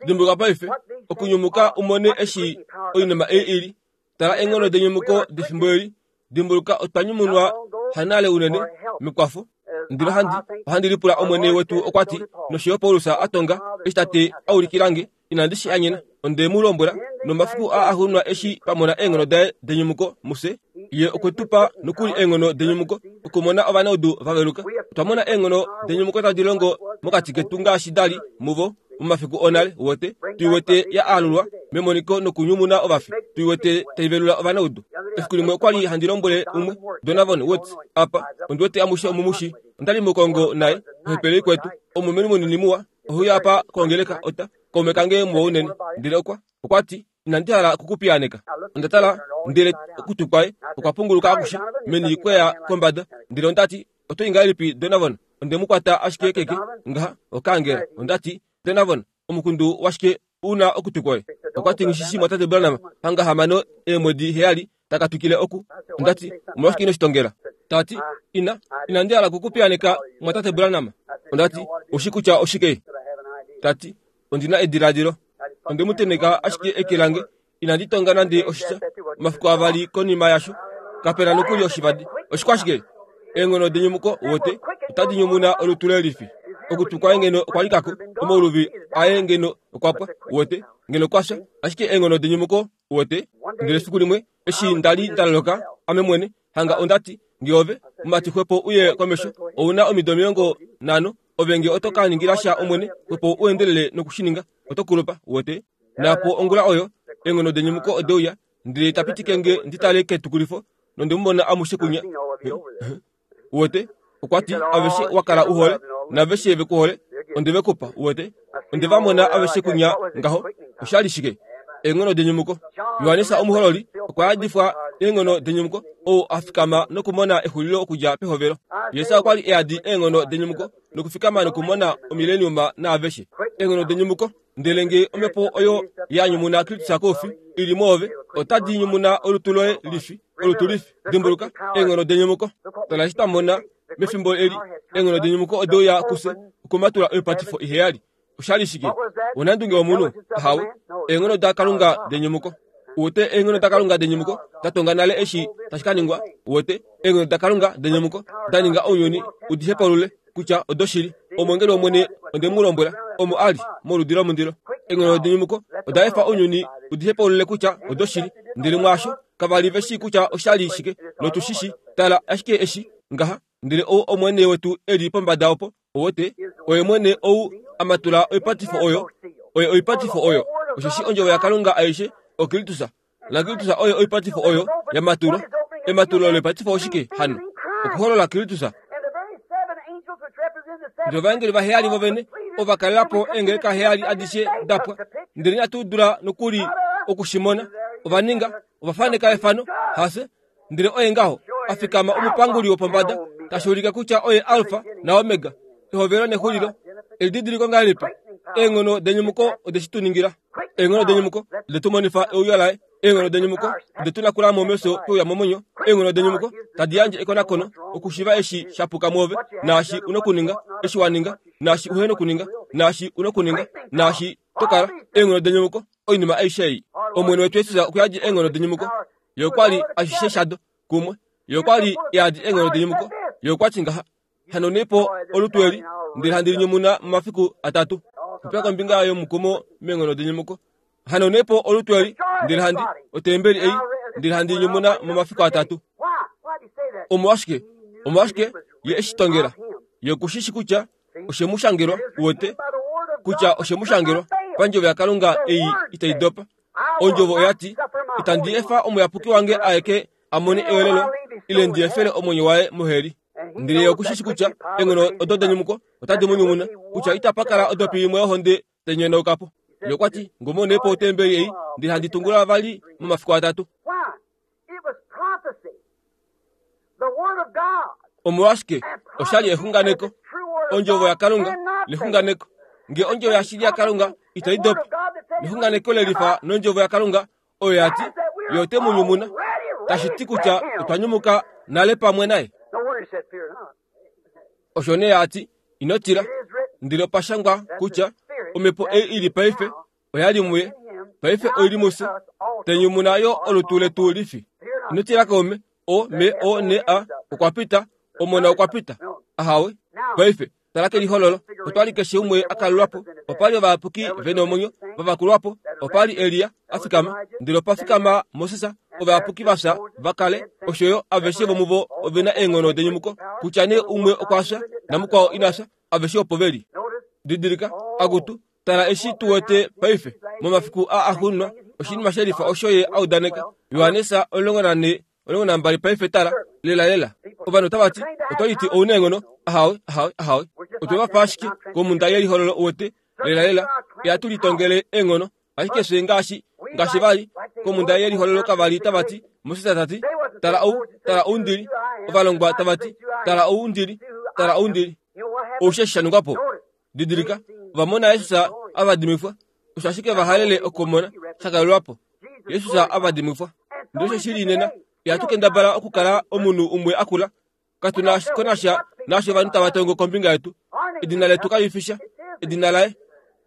dimbuluka paife, okunyumuka umone eshi oinima ei ili. Tala eenghono denyumuko defimbo eli. Dimbuluka otwa nyumunwa hanale unene mekwafo. Ndilo handi ohandi lipula Omwene wetu okwa ti, nosho yo Paulus a tonga eshi tate a ulikilange, inandi shi anyena, onde mu lombwela, nomafiku aa axuuninwa eshi twa mona eenghono daye denyumuko mufye, ye okwe tu pa nokuli eenghono denyumuko okumona ovanaudu vaveluka. Otwa mona eenghono denyumuko tadi longo mokati ketu ngaashi dali muvo momafiku onale wote. Tuiwete ya alulwa memoniko nokunyumuna ovafi. Tuiwete taivelula ovanaudu. Efiku limwe okwali handi lombwele umwe Donovan Woods apa ondiwete amushe omumushi ondali mukongo naye ohepele kwetu omumeni munini muwa ohuya apa kongeleka ota kaume kange muwa unene ndele okwa okwati inandi hala kukupiyaneka. Onda tala ndele okutu kwaye okwa punguluka akushe meni kweya kombada ndele ondati oto ingahelipi Donovan? Onde mu kwata ashike keke ngaha okangela. Ondati Donovan omukundu washike una okutu kwaye? Okwati ngishishi mwatate Branham hanga hamano eemwedi heyali takatukile oku. Ondati omolwashike ino shitongela? Tati ina inandi hala kukupiyaneka mwatate Branham. Ondati oshi kutya oshike? Tati ondina ediladilo. Onde mu teneka ashike eke lange inandi tonga nande oshitya. Omafiku avali konima yasho kapena nokuli oshivadi. Oshikwashike? Eenghono denyumuko wote otadi nyumuna olutu lelifi. Okutu kwaye ngeno okwa likako omauluvi aye ngeno okwa pwa wote ngeno kwasha ashike eenghono denyumuko wote. Ndele efiku limwe eshi ndali ndaloloka ame mwene hanga ondati ngeove mumati xwepo uye komesho ouna omido omilongo nhano ove nge oto ka ningila sha omwene xwepo uendelele nokushininga oto kulupa wote. Napo ongula oyo eenghono denyumuko odeuya ndele tapitike nge nditale ketukulifo nonde mumona amushe kunya wote. Okwati aveshe wakala uhole naveshe vekuhole onde vekupa wote. Onde vamona aveshe kunya ngaho oshali shike? Eenghono denyumuko. Johannes omuhololi okwa yadifwa eenghono denyumuko ou afikama nokumona exulilo okudja pehovelo. Jesus okwa li eyadi eenghono denyumuko nokufikama nokumona omileniuma naaveshe. Eenghono denyumuko ndele nge omhepo oyo ya nyumuna Kristus koufi ili moove otadi nyumuna olutu loye lifi olutu lifi. Dimbuluka eenghono denyumuko. Tala eshi twa mona mefimbo eli eenghono denyumuko odeuya kufye okumatula oipatifo iheyali. Oshali shike? Onandunge womunhu? Ahawe. Eenghono daKalunga denyumuko. Wote eenghono daKalunga denyumuko datonga nale eshi tashi ka ningwa. Wote eenghono daKalunga denyumuko daninga ounyuni udihepalule kutya odoshili. Omwengeli wOmwene onde mu lombwela omo ali moludi lomundilo. Eenghono denyumuko oda efa ounyuni udihepalule kutya odoshili. Ndele mwaasho kavali veshi kutya oshali shike notushishi. Tala ashike eshi ngaha ndele ou omwene wetu eli pombada opo owote oye mwene ou amatula oipatifo oyo oye oipatifo oyo osheshi ondjovo yaKalunga aishe oKristus naKristus oye oipatifo oyo yamatulwa. Ematulo loipatifo oshike hano? Okuholola Kristus. Ndele ovaengeli vaheyali vovene ova kalelapo eengeleka heyali adishe dapwa ndele inatu dula nokuli okushimona. Ova ninga ova faneka efano hase ndele oye ngaho afikama omupanguli wopombada tashi ulike kutya oye Alfa na Omega ehovelo nexulilo. Elididiliko ngahelipi? Eenghono denyumuko odeshi tu ningila. Eenghono denyumuko odetu monifa euyo laye. Eenghono denyumuko odetu nakula momesho peuya momwenyo. Eenghono denyumuko tadi yandje ekonakono okushiva eshi shapuka mwoove naashi unokuninga eshi waninga naashi uhena okuninga naashi unokuninga naashi tokala. Eenghono denyumuko oinima aishe ei. Omwene wetu Jesus okwa yadi eenghono denyumuko. Ye okwa li ashishe shado kumwe. Ye okwa li eyadi eenghono denyumuko. Ye okwa ti ngaha hanonepo olutu eli ndele handi linyumuna momafiku atatu. Popya kombinga yomukumo meenghono denyumuko. Hanonepo olutu eli ndele handi otembeli ei ndele handi linyumuna momafiku atatu. Omolwashike? Omolwashike ye eshi tongela? Ye okushishi kutya oshe mu shangelwa wote kutya oshe mu shangelwa pandjovo yaKalunga ei itai dopa. Ondjovo oya ti itandi efa omuyapuki wange aeke a mone ewelelo ile ndi efele omwenyo waye moheli. Ndele ye okushishi kutya eenghono odo denyumuko otadi mu nyumuna kutya itapa kala odopi imwe yohonde tai nyonaukapo. Ye okwa ti ngomonepo otembeli ei ndele handi tungula vali momafiku atatu. Omolwashike? Oshali exunganeko. Ondjovo yaKalunga lexunganeko. Nge ondjovo yashili yaKalunga itai dopa nexunganeko lelifa nondjovo yaKalunga oyo yati ye ote mu nyumuna tashi ti kutya otwa nyumuka nale pamwe naye. Osho nee ati ino tila ndele opa shangwa kutya omhepo ei ili paife oyali muye paife oili mufye tenyumuna yo olutu letu lifi. Ino tila kaume o m o n a okwa pita omona okwa pita ahawe. Paife tala kelihololo otwali keshe umwe akalulwapo. Opali ovayapuki vena omwenyo vavakulwapo. Opali Elia afikama ndele opa fikama Moses Ovayapuki vafya va kale osho yo aveshe vomuvo ove na eenghono denyumuko kutya nee umwe okwa fya namukwao ina fya aveshe opo veli. Didilika akutu tala eshi tu wete paife momafiku a axuuninwa oshinima shelifa osho ye audaneka. Johannes omulongo nane omulongo nambali paife tala lela lela ovanhu otava ti oto liti ouna eenghono ahawe ahawe ahawe otwe va fa ashike komhunda yelihololo uwete lela lela ihatu litongele eenghono ashike fye ngaashi ngaashi vali komhunda yelihololo kavali tava ti Moses tati tala ou tala ou ndili ovalongwa tava ti tala ou ndili tala ou ndili oushe sha ningwa po didilika ovamona Jesus avadimifwa osho ashike vahalele okumona shakalelwapo Jesus avadimifwa ndele osho shili nena ihatu kendabala okukala omunhu umwe akula katuna konasha naasho ovanhu tava tongo kombinga yetu edina letu kalifisha edina laye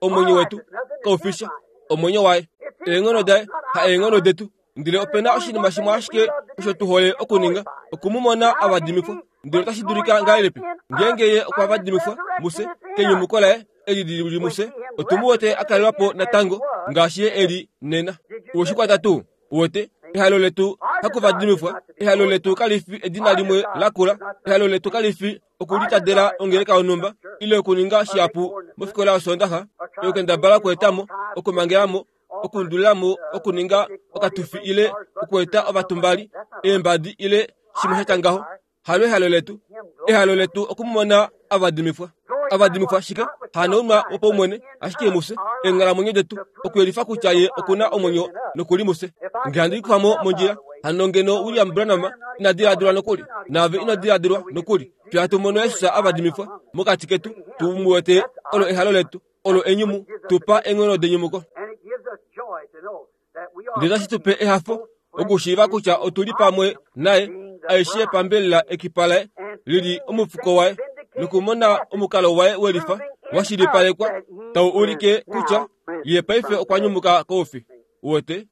omwenyo wetu kaufisha omwenyo waye eenghono daye ha eenghono detu ndele opena oshinima shimwe ashike osho tu hole okuninga okumumona avadimifwa ndele otashi dulika ngahelipi ngeenge ye okwa vadimifwa muse kenyumuko laye eli lili muse otu mu wete akalelwapo natango ngaashi ye eli nena uweshikwata tuu uwete ehalo letu hakuvadimifwa ehalo letu kalifi edina limwe lakula ehalo letu kalifi okulitadela ongeleka yonhumba ile okuninga shihapu mofikola yosondaxa okukendabala okuetamo okumangelamo okundulilamo okuninga okatufi ile okueta ovatumbali eembadi ile shimwe shatya ngaho halo ehalo letu ehalo letu okumumona avadimifwa avadimifwa shike hanounwa wopaumwene ashike mufye eenghalamwenyo detu okuyelifa kutya ye okuna omwenyo nokuli mufye nge handi likufa mondjila hano ngeno William Branham ina diladilwa nokuli naave ino diladilwa nokuli fye hatu mono Jesus avadimifwa mokati ketu tu mu wete olo ehalo letu olo enyumu tupa eenghono denyumuko ndele otashi tupe ehafo okushiiva kutya otuli pamwe naye aishe pambelela ekipa laye lili omufuko waye nokumona omukalo waye welifa washilipalekwa tau ulike kutya ye paife okwa nyumuka koufi uwete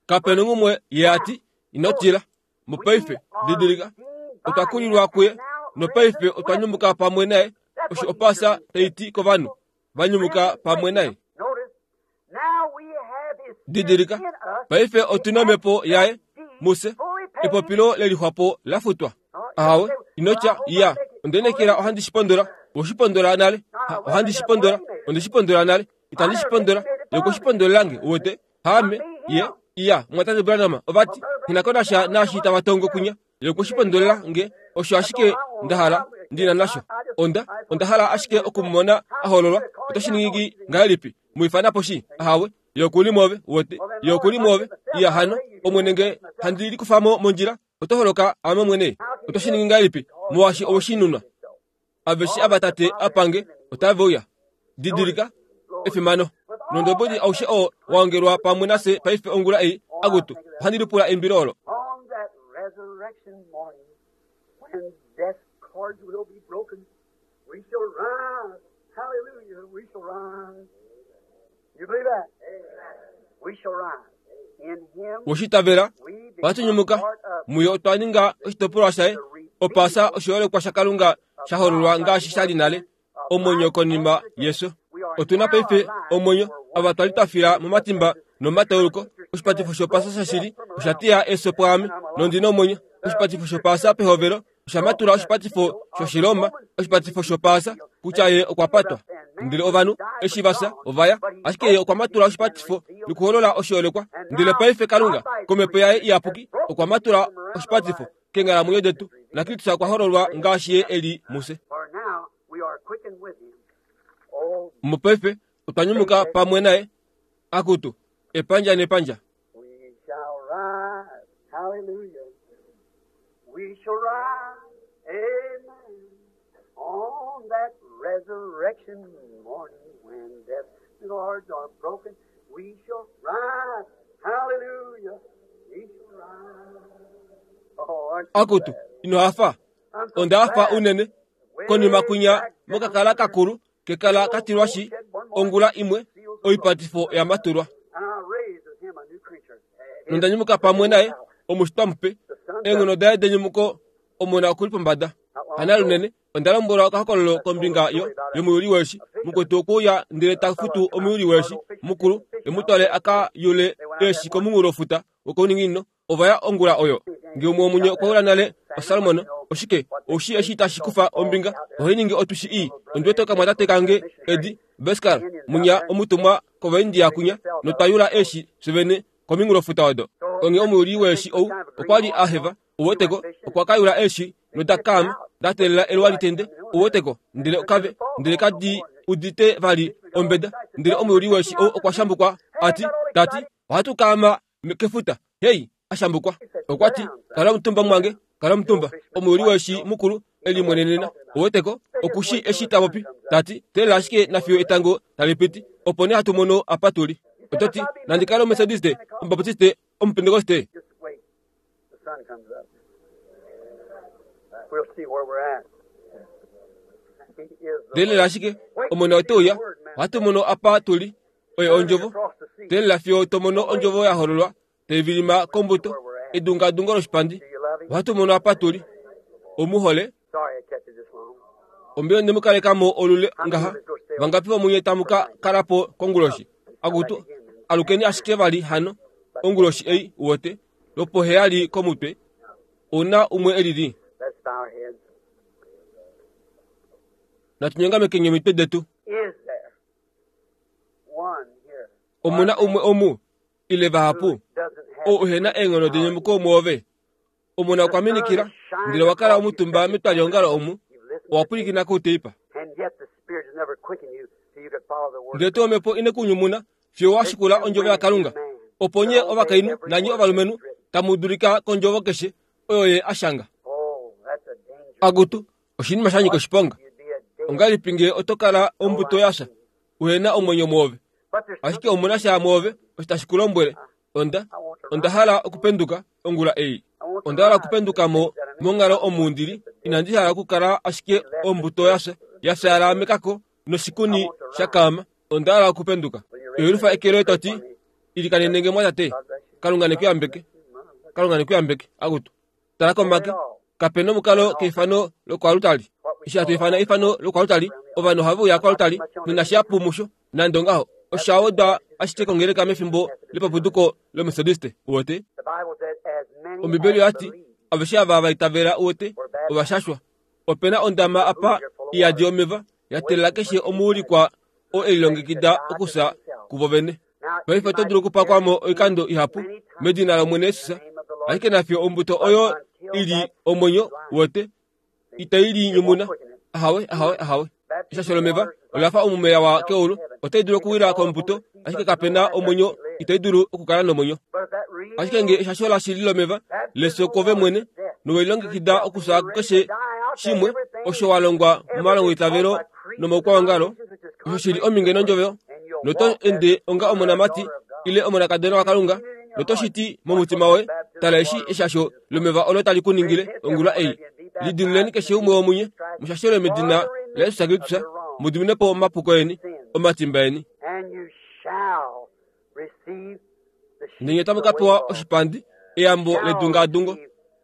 kapena umwe ye ati ino tila mopaife didilika otwa kulilwa kuye nopaife otwa nyumuka pamwe naye osho opasa taiti kovanhu vanyumuka pamwe naye didilika paife otuna omhepo yaye muse epopilo lelixwapo lafutwa ahawe inotya iya ondenekela ohandi shipondola oshipondola nale ohandi shipondola onde shipondola nale itandi shipondola yokushipondolelange uwete haame ye iya mwatate Branham ovati nginakonasha naashi tava tongo kunya yokushipondolela nge osho ashike ndahala ndina nasho onda onda hala ashike okumumona ahololwa oto shiningi ngahelipi muifanapo shi ahawe yokuli mwove uwete yokuli mwove iya hano omwene nge handi likufamo mondjila oto holoka ame mwene oto shiningi ngahelipi molwaashi oweshinunwa aveshe ava tate apange otave uya didilika efimano nondobodi aushe oo waongelwa pamwe nase paife ongula ei akutu ohandi lipula eimbilo olo On that resurrection morning, when death's cords will be broken, we shall rise. Hallelujah, we shall rise. You believe that? We shall rise. In Him woshitavela we become ohatunyumuka part of muyo otwa ninga oshitopolwa shaye opaasa oshiholekwa shakalunga shahololwa ngaashi shali nale omwenyo konima yeso otuna paife omwenyo ava twali twafila momatimba nomatauluko oshipatifo shopaasa shashili osha tiya eso pwaame nondina omwenyo oshipatifo shopaasa pehovelo osha matula oshipatifo shoshiroma oshipatifo shopaasa kutya ye okwa patwa ndele ovanhu eshi vafya ovaya ashike ye okwa matula oshipatifo nokuholola oshiholekwa ndele paife kalunga komhepo yaye iyapuki okwa matula oshipatifo keenghalamwenyo detu nakristus okwa hololwa ngaashi ye eli muse For now we are quickened with Him. Oh, mopaife otwa nyumuka pamwe naye akutu epandja nepandja we shall rise. Hallelujah. We shall rise. Amen. On that resurrection morning when death's cords are broken, we shall rise. Hallelujah. We shall rise. Oh, aren't you akutu glad? ino hafa I'm so onda hafa glad. unene konima kwinya mokakala kakulu kekala katilwashi ongula imwe oipatifo yamatulwa And I raised with him a new creature. nondanyumuka pamwe naye omushitwa mupe eenghono daye denyumuko omona okuli pombada hana lunene onda lombwelwa okahokololo kombinga yo yomuyuli weeshi mukwetu okuuya ndele ta futu omuyuli weeshi mukulu emutwale aka yule eeshi komunghulofuta wokouninginino ova ya ongula oyo. Ngee umwe womunye okwa yula nale osalmon, oshike oushi eshi tashi kufa ombinga ohai ningi otwishi ii. Ondi wete okamwatate kange Edi Beskar munya omutumwa kOvaindia kunya, notwa yula eeshi fyevene kominghulofuta odo. Onghee omuyuli weeshi ou okwa li a heva, uweteko, okwa ka yula eeshi noda kaama da teelela eluwa litende, uweteko, ndele okave, ndele kadi udite vali ombeda. Ndele omuyuli weeshi ou okwa shambukwa a ti, tati, ohatu kaama kefuta. Hei, a shambukwa. Okwa ti, kala omutumba mwange, kala omutumba. Omuyuli weeshi mukulu e limwenenena, uweteko, okushi eshi ta popi, tati, teelela ashike nafiyo etango tali piti, opo nee hatu mono apa tu li. Oto ti, nandi kale Omumethodiste, Omubaptiste, Omupentekoste. Just wait. The sun comes up. We'll see where we're at. He is the Teelela ashike, omona ote uya, ohatu mono apa tu li, oye ondjovo. across the sea. Teelela fiyo to mono ondjovo ya hololwa, tai vilima kombuto, edungadungo loshipandi. Do you love him? Ohatu mono apa tu li. Omuhole, Sorry I kept you this long. ombili onde mu kaleka mo olule ngaha. Vangapi vomunye tamu ka kala po konguloshi? Akutu, alukeni ashike vali hano, onguloshi ei, uwete, lopoheyali komutwe, ouna umwe elili. Let's bow our heads. Natunyongamekeni omitwe detu. Is there one here Omuna umwe omu, ile vahapu, who doesn't have ou uhena eenghono denyumuko mwoove? Omona okwa minikila, ndele owa kala omutumba metwaliongalo omu, You've listened owa pwilikina kouteipa. and yet the Spirit has never quickened you till you could follow the word. Ndele tuu omhepo ine ku nyumuna, fiyo wa shikula ondjovo yaKalunga. Opo nye ovakainhu nanye ovalumenhu tamu dulika kondjovo keshe oyo ye a shanga. Oh, that's a danger. Akutu, oshinima sha nyika oshiponga. You'd be a danger. Ongahelipi ngee oto kala ombuto yasha, uhena omwenyo mwoove? But there's Ashike omuna sha mwoove osho tashi ku lombwele, onda, onda hala okupenduka ongula ei. Onda hala okupenduka mo monghalo omu ndili, inandi hala okukala ashike ombuto yasha, ya fyaala mekako noshikuni sha kaama. Onda hala okupenduka. Elufa eke loye to ti, ilikanenenge mwatate. Kalunga ne ku yambeke. Kalunga ne ku yambeke. Akutu. Tala komake. Kapena omukalo keifano lokwalutali. Eshi hatu ifana eifano lokwalutali, ovanhu ohave uya kwalutali, nonashihapu musho, nande ongaho. Osha wedwa ashike kongeleka mefimbo lepapuduko lOmethodiste, uwete. The Bible said, as many Ombibeli as oyati, believe aveshe ava va itavela uwete, ovashashwa. Opena ondama apa iyadi omeva, ya teelela keshe omuulikwa oo e lilongekida okufya kuvo vene. Paife oto dulu okupakwamo oikando ihapu medina lOmwene Jesus, ashike nafiyo ombuto oyo ili omwenyo wote itai linyumuna. Ahawe, ahawe, ahawe. Eshasho lomeva ola fa omumeya wa keulu, otai dulu okuwila kombuto, ashike kapena omwenyo, itai dulu okukala nomwenyo. But that real Ashike ngee eshasho lashili lomeva lefyo kove mwene, nowelilongekida okufya kukeshe shimwe osho wa longwa momalongoitavelo nomoukwaongalo, osho shili ominge nondjovo, noto ende onga omonamati ile omonakadona waKalunga, noto shiti momutima woye, tala eshi eshasho lomeva olo tali ku ningile ongula ei. Lidiluleni keshe umwe womunye, mushashelwe medina laJesus Kristus, mu dimine po omapuko eni, omatimba eni. and you shall receive the Ndele otamu ka pewa oshipandi, eyambo ledungadungo,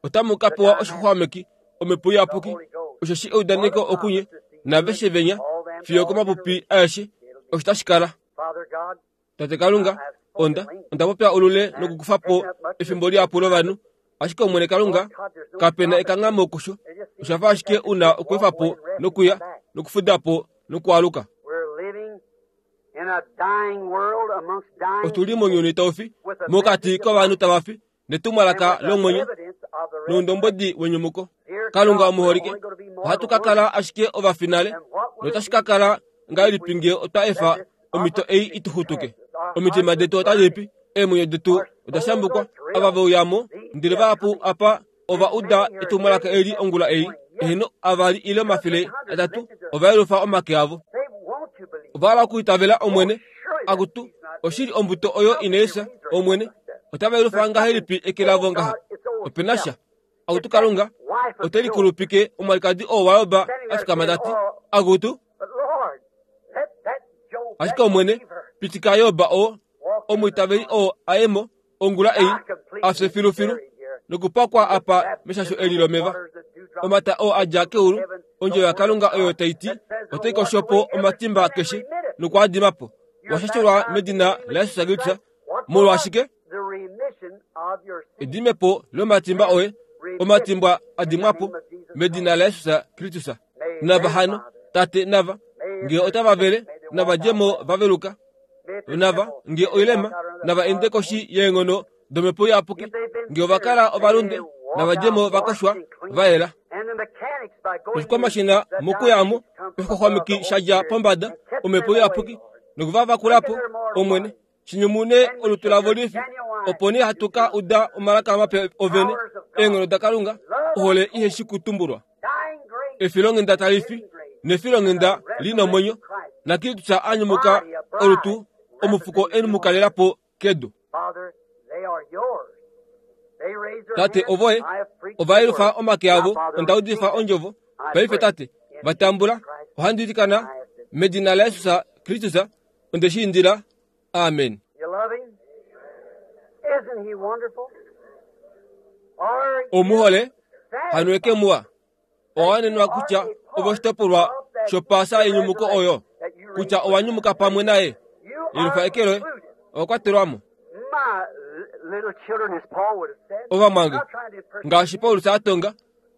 otamu ka pewa oshixwameki, omhepo iyapuki, osheshi eudaneko okunye, naveshe venya, fiyo komapupi aeshe, osho tashi kala. Father God, Tate Kalunga, onda, onda popya olule nokukufa po efimbo lihapu lovanhu, ashike Omwene Kalunga, kapena ekanghamo kusho, osha fa ashike una okweefa po nokuya, nokufuda po nokwaaluka. we're living in a dying world amongst dying Otuli mounyuni tau fi, mokati kovanhu tava fi, netumwalaka lomwenyo, evidence of the noundombwedi wenyumuko. Kalunga omuholike, ohatu ka kala ashike ovafinale, notashi ka kala ngahelipi ngee otwa efa omhito ei ituxutuke. Omitima detu otadi pi, eemwenyo detu oda shambukwa, ava ve uyamo, ndele vahapu apa ova uda etumwalaka eli ongula ei, eheno avali ile omafele atatu, ova yelufa omake avo. They want to believe. Ova hala okuitavela Omwene, akutu, oshili ombuto oyo inai fya, Omwene, otava yelufa ngahelipi eke lavo ngaha? Opena sha. Akutu Kalunga, ote likulupike omwalikadi oo waYoba a fikama ta ti, akutu, But Lord, let that Job, ashike Omwene, pitika Yoba oo, omwiitaveli oo aye mo, ongula ei, afye filufilu, nokupakwa apa meshasho eli lomeva. Omata oo a dja keulu, ondjovo yaKalunga oyo tai ti, otai kosho po omatimba keshe nokwaadima po. Washashelwa medina laJesus Kristus, molwashike? the remission Edimepo lomatimba oye, omatimba adimwapo medina laJesus Kristus. Nava hano, Tate nava, nge otava vele, nava djemo vaveluka. Nava, nge oilema, nava ende koshi yeenghono domhepo iyapuki. Nge ovakala ovalunde, nava djemo vakoshwa vayela. Oshikwamashina mokuyamo, oshixwaxwameki shadja pombada, omhepo iyapuki, nokuvavakulapo, Omwene, shinyumune olutu lavo lifi, opo nee hatu ka uda omalaka mape ovene, eenghono daKalunga, ohole iheshi kutumbulwa. Efilonghenda tali fi, nefilonghenda li nomwenyo, naKristus a nyumuka olutu, omufuko e mu kalelapo kedu. Tate ovoye, ovayelufa omake avo, onda udifa ondjovo. Paife Tate, vatambula, ohandi ilikana medina laJesus Kristus, onde shi indila. Amen. Omuhole, hano eke muwa. Owanenwa kutya ovoshitopolwa shopaasa yenyumuko oyo, kutya owanyumuka pamwe naye. Yelufa eke loye, owakwatelwamo. Ovamwange, ngaashi Paulus a tonga,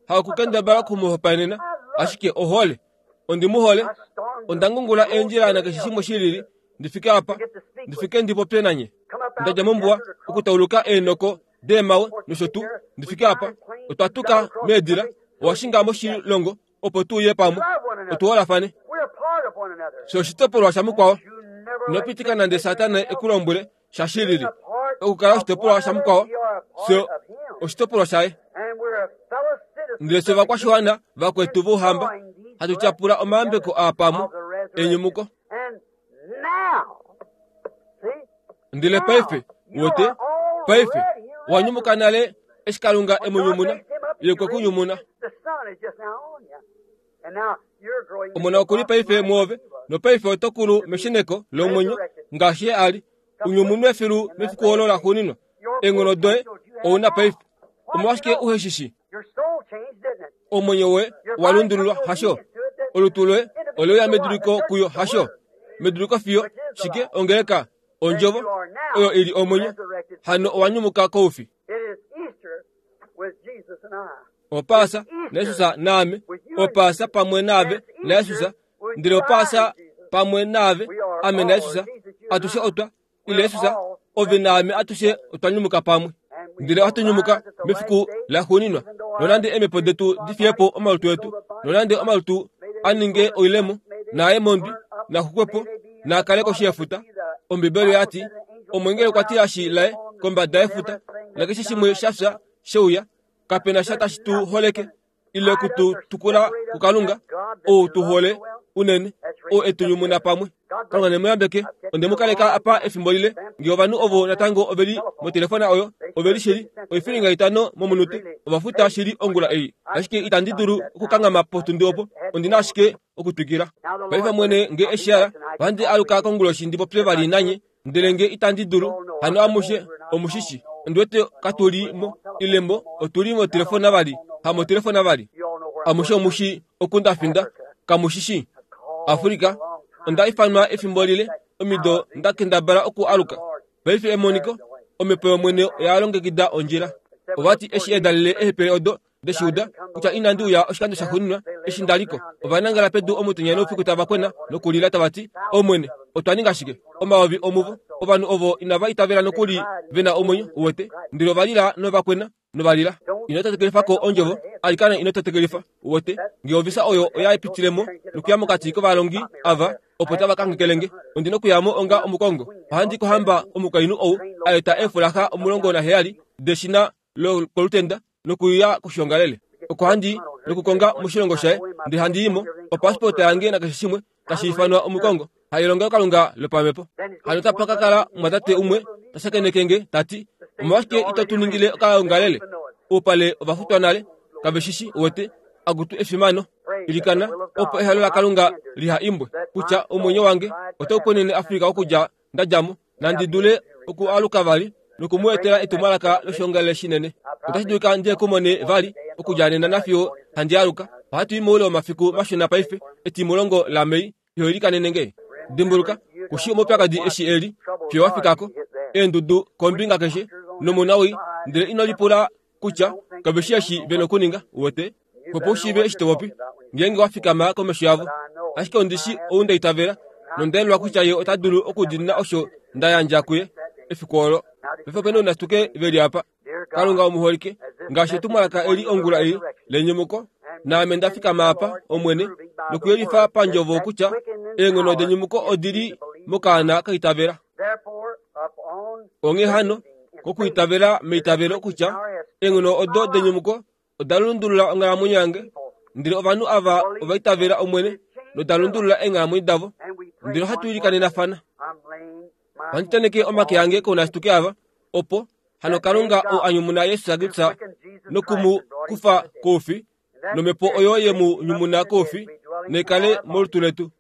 hakukendabala okumuhopaenena, ashike ohole. Ondi mu hole, onda ngungula eendjila nakeshe shimwe shilili, ndifike apa, ndifike ndipopye nanye. Ndadja mombuwa okutauluka eenoko deemawe nosho tuu, ndifike apa, otwa tuka meedila, owashinga moshilongo opo tuuye pamwe, otuholafane. Sho oshitopolwa shamukwao, inopitika nande Satana ekulombwele sha shilili. Okukala oshitopolwa shamukwao, sho oshitopolwa shaye. Ndele fye ovakwashiwana vakwetu vouhamba, hatu tyapula omayambeko aa pamwe, enyumuko. Ndele paife, wote, paife, owanyumuka nale eshi Kalunga emunyumuna, ye okwe kunyumuna. Omona okuli paife mwoove, nopaife oto kulu mesheneko lomwenyo, ngaashi ye ali, unyumunwe filu mefiku olo laxuuninwa. Eenghono doye ouna paife. Omolwashike uhe shi shi? Omwenyo woye owa lundululwa, hasho? Olutu loye oleuya meduliko kuyo, hasho? Meduliko fiyo, shike ongeleka, ondjovo, oyo ili omwenyo, hano owanyumuka koufi. Opaasa naJesus naame, opaasa pamwe naave naJesus, ndele opaasa pamwe naave, ame naJesus, atushe otwa, ile Jesus, ove naame atushe otwa nyumuka pamwe. Ndele ohatu nyumuka mefiku laxuuninwa, nonande eemhepo detu difiyepo omalutu etu, nonande omalutu a ninge oilemo, naaye mondwi, naxukwepo, naakale koshi yefuta. Ombibeli oyati, omwengeli okwa tilashi laye kombada yefuta, nakeshe shimwe shafya sheuya, kapena sha tashi tu holeke, ile kutu tukula kuKalunga, ou tu hole unene, ou etunyumuna pamwe. Kalunga ne mu yambeke, onde mu kaleka apa efimbo lile, nge ovanhu ovo natango oveli motelefona oyo, oveli shili, oifilinga itano momunute, ovafuta shili ongula ei. Ashike itandi dulu okukanghama potundi opo, ondina ashike okutwikila. Paife mwene nge eshiala, ohandi aluka konguloshi ndi popye vali nanye, ndele nge itandi dulu, hano amushe omushishi. Ondi wete katuli mo, ile mo, otuli motelefona vali, hamotelefona vali. Amushe omushi okundafinda, kamushishi. Afrika, onda ifanwa efimbo lile, omido nda kendabala oku aluka. Paife emoniko, omhepo yOmwene oya longekida ondjila. Ovati eshi edalele ehepele odo deshiuda, kutya inandi uya oshikando shaxuuninwa eshi ndaliko. Ovanangala pedu omutenya noufiku tava kwena nokulila tava ti, Omwene, otwa ninga shike? Omayovi omuvo, ovanhu ovo inava itavela nokuli vena omwenyo, uwete. Ndele ovalila novakwena novalila. Ino tetekelifa ko ondjovo, alikana ino tetekelifa, uwete. Nge ovisa oyo oya pitilemo nokuya mokati kovalongi ava, opo tava kangekelenge. Ondi nokuyamo onga omukongo. Ohandi kohamba omukainhu ou a eta eefulaxa omulongo naheyali deshina lokolutenda nokuya koshiongalele. Oko handi nokukonga moshilongo shaye, ndele handi imo opasipota yange nakeshe shimwe tashi ifanwa omukongo, hailongelokalunga lopamhepo. Hano tapa ka kala mwatate umwe ta shakeneke tati, omolwashike ito tu ningile okaongalele? Oupale ovafutwa nale, kave shishi, uwete, akutu efimano. Ilikana, opo ehalo laKalunga liha imbwe, kutya omwenyo wange otau konene Afrika okudja ndadjamo, nandi dule okualuka vali nokumu etela etumwalaka loshiongalele shinene. Otashi dulika ndiye kumone vali okudja nena nafiyo handi aluka. Ohatu i moule womafiku mashona paife, etimulongo laMei, fiyo ilikanene nge. Dimbuluka, kushi omaupyakadi eshi eli, fiyo wafikako, eendudu kombinga keshe, nomunawii Ndele ino lipula kutya kave shi eshi ve nokuninga, uwete? Opo u shiive eshi to popi, ngeenge wa fikama komesho yavo. Ashike ondi shi ou nda itavela, nonda yelwa kutya ye ota dulu okudiinina osho nda yandja kuye efiku olo. Paife opena ounasituke veli apa. Kalunga omuholike, ngaashi etumwalaka eli ongula ei lenyumuko, naame nda fikama apa, Omwene, nokuyelifa pandjovo kutya eenghono denyumuko odi li mokaana kaitavela. Onghee hano, kokwiitavela meitavelo kutya eenghono odo denyumuko oda lundulula onghalamwenyo yange, ndele ovanhu ava ova itavela Omwene noda lundulula eenghalamwenyo davo, ndele ohatu ilikanenafana. Ohandi tenheke omake ange kounasituke ava, opo hano Kalunga ou a nyumuna Jesus Kristus noku mu kufa koufi, nomhepo oyo ye mu nyumuna koufi naikale molutu letu.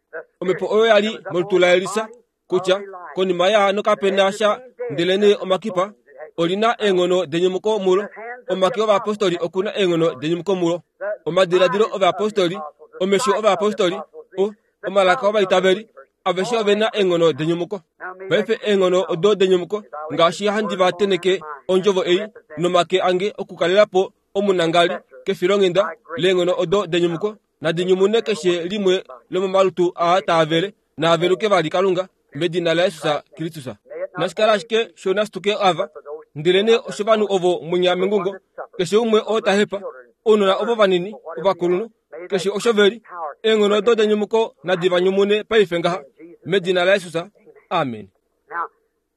Omhepo oyo ya li molutu laElisa, kutya konima yaano kapena sha ndelenee omakipa, olina eenghono denyumuko mulo. Omake ovayapostoli okuna eenghono denyumuko mulo. Omadiladilo ovayapostoli, omesho ovayapostoli, o omalaka ovaitaveli, aveshe ovena eenghono denyumuko. Paife eenghono odo denyumuko, ngaashi handi va tenheke ondjovo ei nomake ange okukalela po omunangali kefilonghenda leenghono odo denyumuko, nadi nyumune keshe limwe lomomalutu aa taavele, naaveluke vali Kalunga, medina laJesus Kristus. Nashikala ashike shounasituke ava, ndelenee oshovanhu ovo munya mengungo, keshe umwe oo ta hepa, ounona ovo vanini, ovakulunhu, keshe osho veli, eenghono odo denyumuko nadi va nyumune paife ngaha, medina laJesus. Amen.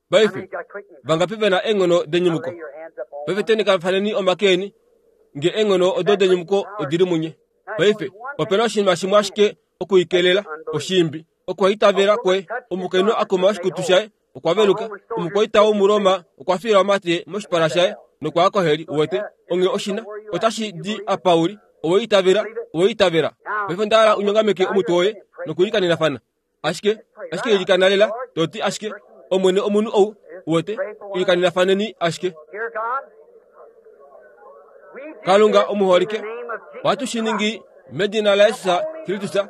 Paife, vangapi vena eenghono denyumuko? Paife tenhekafaneni omake eni, nge eenghono odo denyumuko odili munye. Paife, opena oshinima shimwe ashike okuikelela, oshiimbi, okuhaitavela kwoye. Omukainhu a kuma oshikutu shaye, okwa veluka. Omukwaita wOmuroma okwa fiila omate moshipala shaye nokwa ya koheli, uwete. Onghee oshina, otashi di apa uli, owe itavela, owe itavela. Paife onda hala unyongameke omutwe woye nokuilikanenafana. Ashike, ashike ilikana lela, to ti ashike, Omwene omunhu ou, uwete, ilikanelafaneni ashike. Kalunga omuholike, ohatu shi ningi medina laJesus Kristus,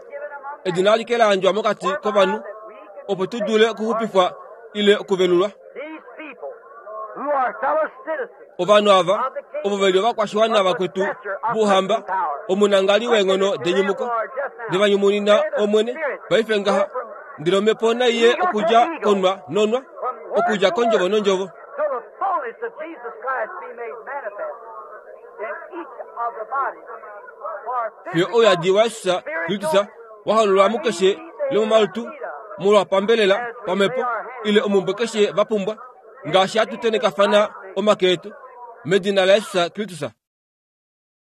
edina alike la yandjwa mokati kovanhu, opo tu dule okuxupifwa ile okuvelulwa. Ovanhu ava, ovo ve li ovakwashiwana vakwetu vouhamba, omunangali weenghono denyumuko, ndeva nyumunina Omwene paife ngaha, ndele omhepo nai ye okudja konwa nonwa, okudja kondjovo nondjovo. Fiyo ouyadi waJesus Kristus wa hololwa mukeshe lomomalutu, molwa pambelela, pamhepo, ile omumbwe keshe va pumbwa, ngaashi hatu tenhekafana omake etu, medina laJesus Kristus.